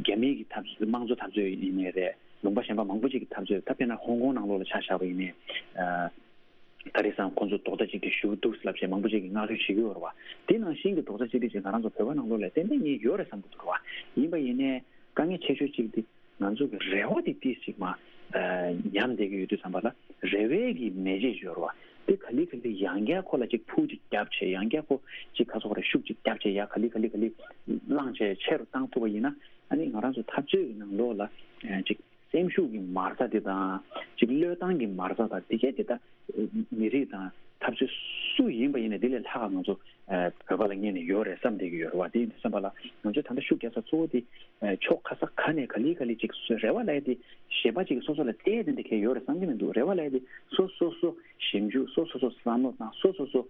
རྒྱ་མིའི་གི་འཐབ་རྩོད་དམངས་གཙོ་འཐབ་རྩོད་ཡིན་ནའི་རེད། ལུང་པ་གཞན་པ་མང་པོ་ཅིག་གི་འཐབ་རྩོད་ད་དཔེར་ན་ཧོང་ཀོང་ནང་ལོགས་ལ་ཆ་བཞག་པ་ཡིན་ནའི། ད་རེས་སང་ཁོང་ཚོ་རྡོག་རྩ་གཅིག་སྒྲིལ་ཞུ་གི་འདུག་ལབ་བྱས་མང་པོ་ཅིག་གིས་ངོ་སྤྲོད་བྱེད་ཀྱི་ཡོད་རེད་བ། དེ་ནང་བཞིན་གྱི་རྡོག་རྩ་གཅིག་སྒྲིལ་ཅིག་ང་རང་ཚོ་བོད་པ་ནང་ལོགས་ལ་ཏན་ཏན་ཡིན་ཡོད་རེད་བསམ་གྱི་འདུག་རེད་བ། ཡིན་པ་ཡིན་ནའི་དཀའ་ངལ་ཆེ་ཤོས་གཅིག་དེ་ ང་ཚོ་གི་རེ་བ་དེ་ཏིས་ཅིག་མ་ཉམས་བསྡད་ཀྱི་ཡོད་དུས་ཙམ་པ་ལ། རེ་བའི་གི་མེ་ལྕེ་ཡོད་རེད་བ། དེ་ག་ལེ་ག་ལེ་ཡང་བསྐྱར་ཁོ་ལ་ཅིག་ཕུ་ཅིག་བརྒྱབ་བྱས། ཡང་བསྐྱར་ཁོ་ཅིག་ག་ཚོད་རེ་ཤུགས་ཅིག་བརྒྱབ་བྱས། ཡ་ག་ལེ་ག་ལེ་ག་ལེ་བླངས་བྱས་ཆེ་རུ་བཏང་ཐུབ་པ་ཡིན་ན། ཨ་ནི་ང་རང་ཚོ་འཐབ་རྩོད་ཀྱི་ནང་ལོགས་ལ་ཅིག་སེམས་ཤུགས་ཀྱི་མར་ཟ་དེ་དང་། ཅིག་བློས་བཏང་གི་མར་ཟ་དང་། དེ་གས་དེ་ད་མི་རིགས་དང་འཐབ་རྩོད་སུ་ཡིན་པ་ཡིན་ནའི་དེ་ལས་ལྷག་ང་ཚོ་བོད་པ་ལ་ངེས་ནས་ཡོད་རེད་བསམ་བསྡད་ཀྱི་ཡོད་རེད་བ། དེ་ཡིན་དུས་ཙམ་པ་ལ་ང་ཚོས་ད་ལྟ་ཤུགས་རྒྱག་ས་གཙོ་བོ་དེ་ཕྱོགས་ག་ས་ག་ནས་ག་ལེ་ག་ལེ་ཅིག་རེ་བ་ལབ་ཡ་དེ་གཞན་པ་ཅིག་སོ་སོ་ལ་བལྟས་ཏེ་འདི་གས་ཡོད་རེད་བསམ་གྱི་མི་འདུག་རེ་བ་ལབ་ཡ་དེ་སོ་སོ་སོ་ཞིབ་འཇུག་སོ་སོ་སོ་བསམ་བློ་བཏང་། སོ་སོ་སོ་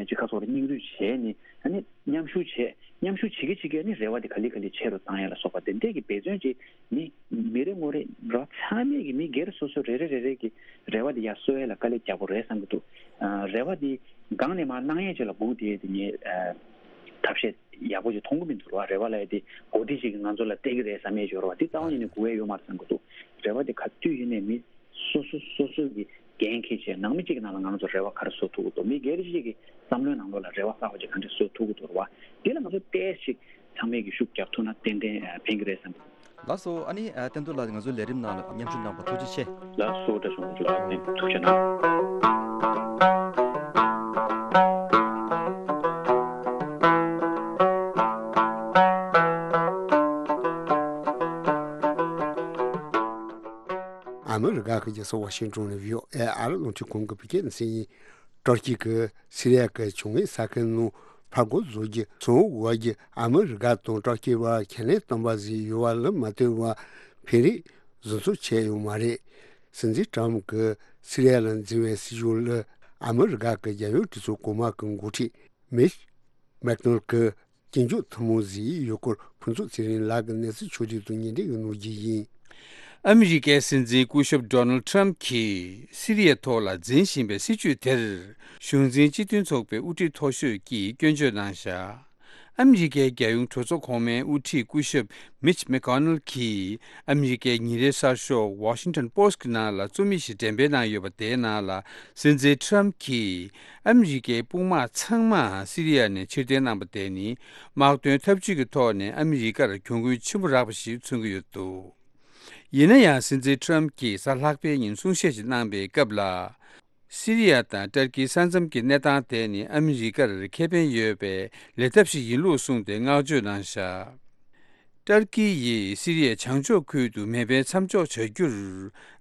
ཅིག་ཁ་སོགས་ལ་སྙིང་བསྡུས་བྱས་ནས། ཨ་ནི་མཉམ་ཞུགས་བྱས། མཉམ་ཞུགས་བྱེད་ཀྱི་བྱེད་ཀྱི་ཨ་ནི་རེ་བ་དེ་ག་ལེ་ག་ལེ་ཆེ་རུ་བཏང་ཡ་ལ་སོགས་པ་དེ་འདྲས་ཀྱི་འབད་བརྩོན་ཅིག་མི་མི་རེ་ངོ་རེ་རོ་ཚང་མས་ཀྱི་མི་སྒེར་སོ་སོ་རེ་རེ་རེ་རེ་གི་རེ་བ་དེ་ཡར་གསོ་ཡ་ལ་དཀའ་ལས་རྒྱག་དགོས་རེད་བསམ་གྱི་འདུག་ཨ། རེ་བ་དེ་སྒང་ནས་མར་གནང་ཡས་ཅིག་ལ་སྒུག་བསྡད་དེ་ངས་ཨ། ཐབས་ཤེས་ཡག་པོ་ཅིག་མཐོང་གི་མི་འདུག་ར། རེ་བ་ལབ་ཡས་དེ་འོ་དེ་ཅིག་གིས་ང་ཚོ་ལ་སྟེར་གི་རེད་བསམ་ཡས་ཅིག་ཡོད་ར་བ། དེ་རྩ་བ་ཉིད་ནས་དགོས་ཡས་ཡོད་མ་རེད་བསམ་གྱི་འདུག་རེ་བ་དེ་ག་དུས་ཡིན་ནའི་མི་སོ་སོ་སོ་སོ་གི་འགན་འཁྱེར་བྱས། ནང་མི་གཅིག་གི་ནང་ལ་ང་རང་ཚོ་རེ་བ་ག་རེ་བཟོ་ཐུབ་ཀྱི་འདུག་མི་སྒེར་གཅིག་གི་བསམ་བློའི་ནང་ལོགས་ལ་རེ་བ་གསར་པ་ཅིག་ག་འདྲ་བཟོ་ཐུབ་ཀྱི་འདུག་ར་བ། དེ་ལ་ང་ཚོ་ཏོག་ཙམ་ཅིག་ཚང་མས་ཀྱི་ཤུགས་རྒྱག་ཐུབ་ན་ཏན་ཏན་ཕན་གྱི་རེད་བསམ་གྱི་འདུག་ལགས་སོ། ཨ་ནི་བསྟན་རྡོར་ལགས་ང་ཚོའི་ལས་རིམ་ནང་ལ་མཉམ་ཞུགས་གནང་བར་ཐུགས་རྗེ་ཆེ། ལགས་སོ། བཀྲ་ཤིས་བདེ་ལེགས། ཐུགས་རྗེ་གནང་། ཨ་མི་རི་ཀ་གི་རྒྱལ་ས་ཝ་ཤིང་ཏོན་ནས་བྷི་ཨོ་ཨེ་ཨ་རི་རླུང་འཕྲིན་ཁང་གི་བོད་སྐད་སྡེ་ཚན་ཡིན། ཏུར་ཀི་གིས་སི་རི་ཡ་གི་བྱུང་བའི་ས་ཁུལ་ནང་ཕར་རྒོལ་བཟོ་རྒྱུ་ཚོང་འུར་བར་གྱི་ཨ་མི་རི་ཀ་དང་ཏུར་ཀི་བར་ཁས་ལེན་བཏང་པ་ཟིན་ཡོད་པ་ལ་མ་ལྟོས་པར་འཕེན་རེས་བཟོ་འཚོལ་བྱས་ཡོད་མ་རེད། སྲིད་འཛིན་ཏྲམ་གྱིས་སི་རི་ཡ་ལ་འཛིན་པའི་སྲིད་ཇུས་ལ་ཨ་མི་རི་ཀ་གི་རྒྱལ་ཡོངས་གྲོས་ཚོགས་གོང་མ་གི་འགོ་ཁྲིད་མིཆ་མེག་ནལ་གྱིས་སྐྱོན་བརྗོད་ཐུན་མོང་བཟོས་ཡོད་སྐོར་ཕུན་ཚོགས་ཚེ་རིང་ལགས་ཀྱིས་གནས་ཚུལ་ཕྱོགས་བསྒྲིགས་དང་སྙན་སྒྲོན་གནང་རྒྱུ་ཡིན། ཨ་མི་རི་ཀའི་སྲིད་འཛིན་སྐུ་ཞབས་ཌོ་ནལ་ཌི་ཊརམ་གྱིས་སི་རི་ཡའི་ཐོག་ལ་འཛིན་བཞིན་པའི་སྲིད་བྱུས་དེར་གཞུང་འཛིན་སྤྱི་མཐུན་ཚོགས་པའི་དབུ་ཁྲིད་མཐོ་ཤོས་ཀྱིས་སྐྱོན་བརྗོད་གནང་བཞག་ཨ་མི་རི་ཀའི་རྒྱལ་ཡོངས་གྲོས་ཚོགས་གོང་མའི་དབུ་ཁྲིད་སྐུ་ཞབས་མིཆ་མེག་ནལ་གྱིས་ཨ་མི་རི་ཀའི་ཉིན་རེའི་གསར་ཤོག་Washington Post གི་ནང་ལ་རྩོམ་ཡིག་ཞིག་འགྲེམས་སྤེལ་གནང་ཡོད་པ་དེའི་ནང་ལ། སྲིད་འཛིན་ཊརམ་གྱིས་ཨ་མི་རི་ཀའི་དཔུང་དམག་ཚང་མ་སི་རི་ཡ་ནས་ཕྱིར་འཐེན་གནང་པ་དེ་ནི་དམག་དོན་འཐབ་ཇུས་ཀྱི་ཐོག་ནས་ཨ་མི་རི་ཀར་གྱོང་གུན་ཆེན་པོ་རག་པ་ཞིག་མཚོན་གྱི་ཡོད་འདུག་ཡིན་ན་ཡང་སྲིད་འཛིན་ཊརམ་གྱིས་གཟའ་ལྷག་པའི་ཉིན་གསུང་བཤད་ཞིག་གནང་པའི་སྐབས་ལ། སི་རི་ཡ་དང་ཏར་ཀིའི་ས་མཚམས་ཀྱི་གནས་སྟངས་དེ་ནི་ཨ་མི་རི་ཀར་ཁེ་ཕན་ཡོད་པའི་ལས་ཐབས་ཤིག་ཡིན་ལུགས་གསུངས་ཏེ་བསྔགས་བརྗོད་གནང་བཞག་ཏར་ཀི་ཡིས་སི་རི་ཡའི་བྱང་ཕྱོགས་ཁུལ་དུ་མེ་འཕེན་མཚམས་འཇོག་བྱ་རྒྱུར་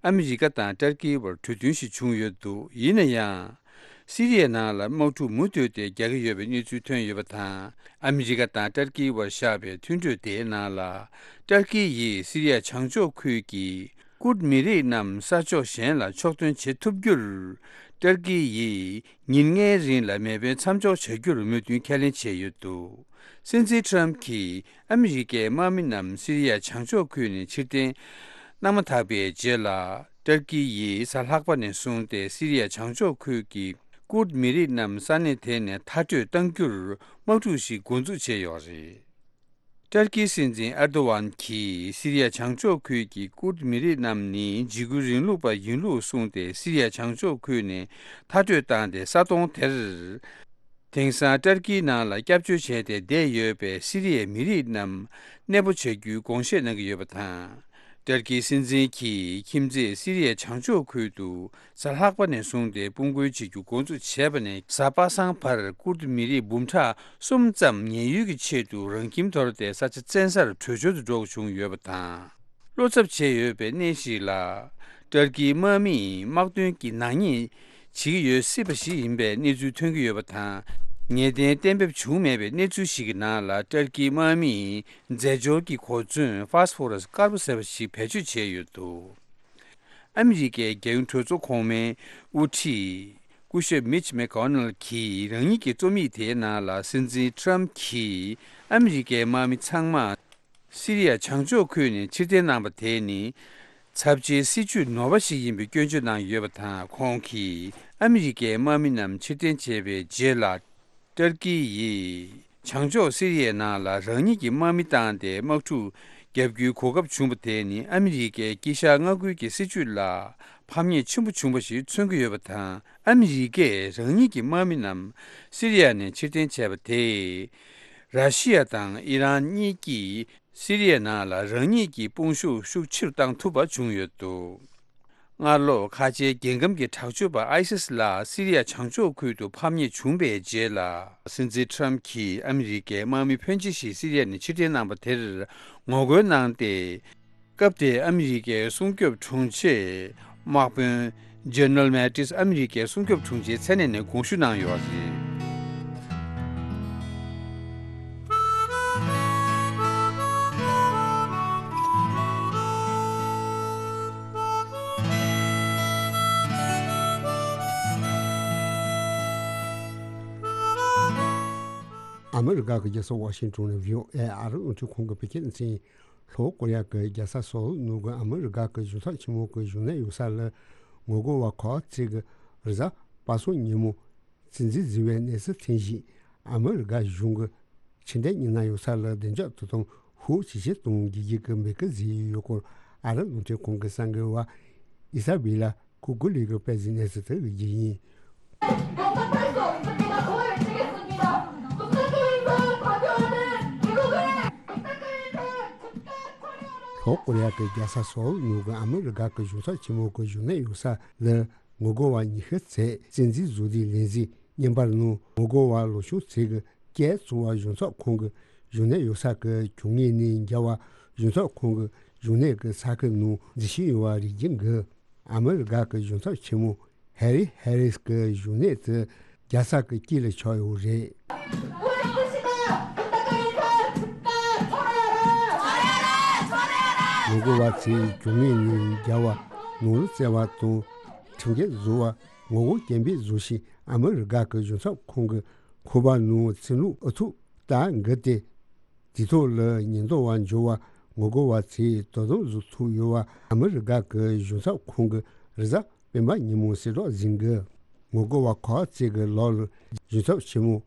ཨ་མི་རི་ཀ་དང་ཏར་ཀིའི་བར་གྲོས་མཐུན་ཞིག་བྱུང་ཡོད་འདུག་ཡིན་ན་ཡང་། སི་རི་ཡའི་ནང་ལ་དམག་འཁྲུག་མུ་མཐུད་དེ་རྒྱག་གི་ཡོད་པའི་གནས་ཚུལ་ཐོན་ཡོད་པ་དང་། ཨ་མི་རི་ཀ་དང་ཏར་ཀིའི་བར་བཞག་པའི་མཐུན་གྲོས་དེའི་ནང་ལ། ཏར་ཀི་ཡིས་སི་རི་ཡ་བྱང་ཕྱོགས་ཁུལ་གྱི་ཀུརྡ་མི་རིགས་རྣམས་ས་ཕྱོགས་གཞན་ལ་ཕྱོགས་ཐོན་བྱེད་ཐུབ་རྒྱུར། ཏར་ཀི་ཡིས་ཉིན་ལྔའི་རིང་ལ་མེ་འཕེན་མཚམས་འཇོག་བྱ་རྒྱུར་མོས་མཐུན་ཁས་ལེན་བྱས་ཡོད་འདུག་སྲིད་འཛིན་ཊརམ་གྱིས་ཨ་མི་རི་ཀའི་དམག་མི་རྣམས་སི་རི་ཡ་བྱང་ཕྱོགས་ཁུལ་ནས་ཕྱིར་འཐེན་གནང་མ་ཐག་པའི་རྗེས་ལ། ཏར་ཀི་ཡིས་གཟའ་ལྷག་པ་ནས་བཟུང་སྟེ་སི་རི་ཡ་བྱང་ཕྱོགས་ཁུལ་གྱི་ཀུརྡ་མི་རིགས་རྣམས་ས་གནས་དེ་ནས་མཐར་སྐྲོད་གཏང་རྒྱུར་དམག་འཁྲུག་ཞིག་འགོ་འཛུགས་བྱས་ཡོད་རེད། ཏར་ཀིའི་སྲིད་འཛིན་ཨར་དོ་ཝན་གྱིས་སི་རི་ཡ་བྱང་ཕྱོགས་ཁུལ་གྱི་ཀུརྡ་མི་རིགས་རྣམས་ནི་འཇིགས་སྐུལ་རིང་ལུགས་པ་ཡིན་ལུགས་གསུངས་ཏེ་སི་རི་ཡ་བྱང་ཕྱོགས་ཁུལ་ནས་མཐར་སྐྲོད་བཏང་སྟེ་ས་སྟོང་དེར། དེང་སང་ཏར་ཀིའི་ནང་ལ་སྐྱབས་བཅོལ་བྱས་ཏེ་བསྡད་ཡོད་པའི་སི་རི་ཡའི་མི་རིགས་རྣམས་གནས་སྤོ་བྱ་རྒྱུའི་དགོངས་བཞེས་གནང་གི་ཡོད་པ་དང་། ཏར་ཀིའི་སྲིད་འཛིན་གྱིས་ཁྱིམ་མཚེས་སི་རི་ཡའི་བྱང་ཕྱོགས་ཁུལ་དུ་གཟའ་ལྷག་པ་ནས་བཟུང་སྟེ་དཔུང་རྒོལ་བྱེད་རྒྱུ་འགོ་འཛུགས་བྱས་པ་ནས་གཟའ་པ་སངས་བར་ཀུརྡ་མི་རིགས་འབུམ་ཕྲག་གསུམ་ཙམ་ཉེན་གཡོལ་གྱི་ཆེད་དུ་རང་ཁྱིམ་དོར་ཏེ་ས་ཆ་བཙན་སར་བྲོས་བྱོལ་དུ་འགྲོ་དགོས་བྱུང་ཡོད་པ་དང་། བློ་འཚབ་བྱས་ཡོད་པའི་གནས་ཤིག་ལ། ཏར་ཀིའི་དམག་མིས་དམག་དོན་གྱི་ནག་ཉེས་བྱེད་ཀྱི་ཡོད་སྲིད་པ་ཞིག་ཡིན་པའི་གནས་ཚུལ་ཐོན་གྱི་ཡོད་པ་དང་། ངེས་གཏན་གཏན་འབེབས་བྱུང་མེད་པའི་གནས་ཚུལ་ཞིག་གི་ནང་ལ་ཏར་ཀིའི་དམག་མིས་རྫས་སྦྱོར་གྱི་གོ་མཚོན་ཕོ་སི་ཕོ་ར་སི་དཀར་པོ་ཟེར་བ་ཞིག་བེད་སྤྱོད་བྱས་ཡོད་འདུག་ཨ་མི་རི་ཀའི་རྒྱལ་ཡོངས་གྲོས་ཚོགས་གོང་མའི་དབུ་ཁྲིད་སྐུ་ཞབས་མིཆ་མེ་ཀོ་ནལ་གྱིས་རང་ཉིད་ཀྱི་རྩོམ་ཡིག་དེའི་ནང་ལ་སྲིད་འཛིན་ཊརམ་གྱིས་ཨ་མི་རི་ཀའི་དམག་མི་ཚང་མ་སི་རི་ཡ་བྱང་ཕྱོགས་ཁུལ་ནས་ཕྱིར་འཐེན་གནང་པ་དེ་ནི་ཚབས་ཆེའི་སྲིད་ཇུས་ནོར་བ་ཞིག་ཡིན་པའི་སྐྱོན་བརྗོད་གནང་ཡོད་པ་དང་། ཁོང་གིས་ཨ་མི་རི་ཀའི་དམག་མི་རྣམས་ཕྱིར་འཐེན་བྱས་པའི་རྗེས་ལ། ཏར་ཀི་ཡིས་བྱང་ཕྱོགས་སི་རི་ཡའི་ནང་ལ་རང་ཉིད་ཀྱི་དམག་མི་བཏང་སྟེ་དམག་འཁྲུག་བརྒྱབ་རྒྱུའི་གོ་སྐབས་བྱུང་བ་དེ་ནི་ཨ་མི་རི་ཀའི་དཀྱིལ་ཤར་མངའ་ཁུལ་གྱི་སྲིད་ཇུས་ལ་ཕམ་ཉེས་ཆེན་པོ་བྱུང་བ་ཞིག་མཚོན་གྱི་ཡོད་པ་དང་། ཨ་མི་རི་ཀས་རང་ཉིད་ཀྱི་དམག་མི་རྣམས་སི་རི་ཡ་ནས་ཕྱིར་འཐེན་བྱས་པ་དེས། ར་ཤི་ཡ་དང་ཨི་རན་གཉིས་ཀྱིས་ སི་རི་ཡའི་ནང་ལ་རང་ཉིད་ཀྱི་དཔུང་ཤུགས་ཤུགས་ཆེ་རུ་བཏང་ཐུབ་པ་བྱུང་ཡོད་འདུག་སྔ་ལོ་ཁ་ཆེའི་རྒྱལ་ཁམས་ཀྱི་དྲག་སྤྱོད་པ་ཨའི་སིས་ལགས་སི་རི་ཡ་བྱང་ཕྱོགས་ཁུལ་དུ་ཕམ་ཉེས་བྱུང་བའི་རྗེས་ལ། སྲིད་འཛིན་ཊྲམ་གྱིས་ཨ་མི་རི་ཀའི་དམག་མི་ཕོན་ཆེ་ཞིག་སི་རི་ཡ་ནས་ཕྱིར་འཐེན་གནང་པ་དེར་ངོ་རྒོལ་གནང་སྟེ། སྐབས་དེའི་ཨ་མི་རི་ཀའི་སྲུང་སྐྱོབ་དྲུང་ཆེ་དམག་དཔོན་ཇེ་ནེ་རལ་མེ་ཏིས་ཨ་མི་རི་ཀའི་སྲུང་སྐྱོབ་དྲུང་ཆེའི་མཚན་གནས་ནས་དགོངས་ཞུ་གནང་ཡོད་རེད། ཨ་མི་རི་ཀ་གི་རྒྱལ་ས་ཝ་ཤིང་ཏོན་ནས་བྷི་ཨོ་ཨེ་ཨ་རི་རླུང་འཕྲིན་ཁང་གི་བོད་སྐད་སྡེ་ཚན། ལྷོ་ཀོ་རི་ཡ་གི་རྒྱལ་ས་སོལ་ནང་གི་ཨ་མི་རི་ཀ་གི་གཞུང་ཚབ་ཆེན་མོ་གི་བཞུགས་གནས་ཡོད་ས་ལ་ངོ་རྒོལ་བ་ཁག་ཅིག་གིས་རེས་གཟའ་པ་སངས་ཉིན་མོ་བཙན་འཛུལ་བཟོས་པའི་གནས་ཚུལ་ཐོན་རྗེས། ཨ་མི་རི་ཀ་གཞུང་གི་ཕྱི་འབྲེལ་མི་སྣ་ཡོད་ས་ལ་བདེ་འཇགས་དོ་དམ་ཤུགས་ཇེ་ཆེར་གཏོང་དགོས་ཀྱི་འབོད་སྐུལ་བཟོས་ཡོད་སྐོར། ཨ་རི་རླུང་འཕྲིན་ཁང་གི་གསར་འགོད་པ་ཨི་ས་བྷེ་ལ་ཀུ་ཀུ་ལི་གིས་སྤེལ་གཟིགས་གནས་ཚུལ་དེ་གི་རྒྱུ་ཡིན། ལྷོ་ཀོ་རི་ཡ་གི་རྒྱལ་ས་སོལ་ནང་གི་ཨ་མི་རི་ཀ་གི་གཞུང་ཚབ་ཆེན་མོ་གི་བཞུགས་གནས་ཡོད་ས་ལ་ངོ་རྒོལ་བ་ཉི་ཤུ་ཙམ་བཙན་འཛུལ་བཟོས་དུས་ལན་གཟིགས་བརྙན་པར་ནང་ངོ་རྒོལ་བ་ལོ་ཆུང་ཚོས་ཀྱི་སྐད་བཙོང་བ་གཞུང་ཚབ་ཁང་གི་བཞུགས་གནས་ཡོད་ས་གི་གྱོང་ངེས་ནས་རྒྱལ་བ་གཞུང་ཚབ་ཁང་གི་བཞུགས་གནས་ཀྱི་ས་ཁུལ་ནང་འཛུལ་བཞིན་ཡོད་པ་རེད་ཀྱི་འདུག་ཨ་མི་རི་ཀ་གི་གཞུང་ཚབ་ཆེན་མོ་ཧེ་རི་ཧེ་རིས་ཀྱི་བཞུགས་གནས་དེ་རྒྱལ་ས་གི་དཀྱིལ་ལ་ཆགས་ཡོད་རེད། ངོ་རྒོལ་བ་ཚོས་གྱོང་ངེས་ནས་རྒྱལ་བ་ནོར་འཛོལ་བ་དང་ཁྲིམས་འགལ་བཟོ་བ་ངོ་རྒོལ་སྐད་འབོད་བཟོ་བཞིན་ཨ་མི་རི་ཀ་གི་གཞུང་ཚབ་ཁང་གི་ཁང་པ་ནང་ཚིག་ལྷུག་ཨུ་ཐུག་རྟ་འགུལ་ཏེ། དེ་ཐོག་ལ་ཉེན་རྟོག་པ་འབྱོར་བ་ངོ་རྒོལ་བ་ཚོས་དོ་དམ་བཟོ་ཐུབ་ཡོད་པ་ཨ་མི་རི་ཀ་གི་གཞུང་ཚབ་ཁང་གི་རེས་གཟའ་སྤེན་པ་ཉིན་མོ་གསལ་བསྒྲགས་ཟིན་གི། ངོ་རྒོལ་བ་ཁག་ཅིག་གི་ལག་ལ་གཞུང་ཚབ་ཆེན་མོ་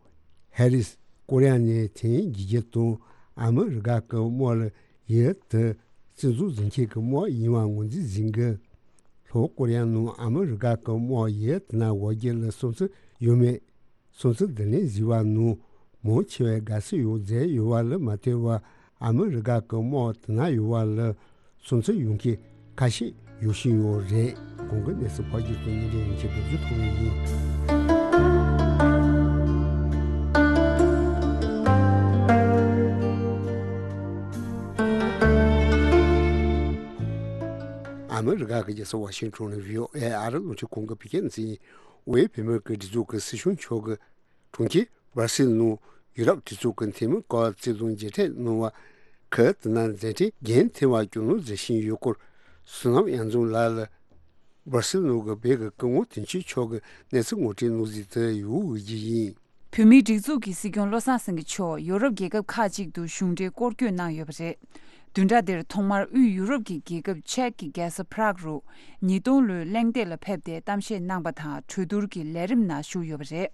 ཧེ་རིས་ཀོ་རི་ཡ་ནས་ཐོན་རྒྱུ་རྒྱུ་དང་ཨ་མི་རི་ཀ་གི་དམག་ལ་ཡུལ་དེ་བཙན་འཛུལ་བཟོ་མཁན་གྱི་དམག་ཡིན་པ་ངོས་འཛིན་ཟིན་གི། ལྷོ་ཀོ་རི་ཡ་ནང་ཨ་མི་རི་ཀ་གི་དམག་ཡུལ་དེ་ན་འོག་རྒྱུ་ལ་སོང་ཚུལ་ཡོད་མེད། སོང་ཚུལ་བསྡུ་ལེན་བཟོས་པ་ནང་མང་ཆེ་བས་དགའ་བསུ་ཡང་མཛད་ཡོད་པ་ལ་མ་ལྟོས་པར་ཨ་མི་རི་ཀ་གི་དམག་དེ་ན་ཡོད་པ་ལ་སོང་ཚུལ་ཡོང་མཁན་ཁ་ཤས་ཡོད་བཞིན་ཡོད་རེད། གོང་གི་གནས་ཚུལ་ཕབ་སྒྱུར་དང་སྙན་སྒྲོན་ཡིན་གཅིག་སྒྲུབ་རྒྱུ་ཐོག་ནས་ཡིན། ཨ་མི་རི་ཀ་གི་རྒྱལ་ས་ཝ་ཤིང་ཊོན་ནས་བྷི་ཨོ་ཨེ་ཨ་རི་རླུང་འཕྲིན་ཁང་གི་བོད་སྐད་སྡེ་ཚན་ཡིན། དབུས་བོད་མིའི་སྒྲིག་འཛུགས་ཀྱི་སྲིད་གཞུང་མཆོག་གིས་གྲོང་ཁྱེར་སྦར་སིལ་ནང་ཡུ་རོབ་སྒྲིག་འཛུགས་ཀྱི་འཐུས་མི་སྐོར་བརྩི་མཐོང་མཇལ་འཕྲད་གནང་བ། ཁུལ་དེ་ན་མཛད་འཕྲིན་རྒྱུན་མཐུད་པར་སྐུལ་སློང་མཛད་བཞིན་ཡོད་སྐོར། བསོད་ནམས་དབྱངས་འཛོམས་ལགས་ལ་སྦར་སིལ་ནང་གི་བོད་ཀྱི་སྐུ་ངོ་དོན་གཅོད་མཆོག་གིས་གནས་ཚུལ་ངོ་སྤྲོད་གནང་གཟིགས་དེ་ཡོང་བའི་རྒྱུ་ཡིན། བོད་མིའི་སྒྲིག་འཛུགས་ཀྱི་སྲིད་སྐྱོང་བློ་བཟང་སེང་གེ་མཆོག་ཡོ་རོབ་རྒྱལ་ཁབ་ཁག་ཅིག་ཏུ་གཞུང་འབྲེལ་སྐོར་སྐྱོད་གནང་ཡོད་པ་རེད། བདུན་ཕྲག་འདིར་ཐོག་མར་དབུས་ཡུ་རོབ་ཀྱི་རྒྱལ་ཁབ་ཅེཀ་གི་རྒྱལ་ས་པ་རག་རུ་ཉིས་སྟོང་ལོའི་གླེང་སྟེགས་ལ་ཕེབས་ཏེ་གཏམ་བཤད་གནང་བ་དང་གྲོས་བསྡུར་གྱི་ལས་རིམ་ནང་ཞུགས་ཡོད་པ་རེད།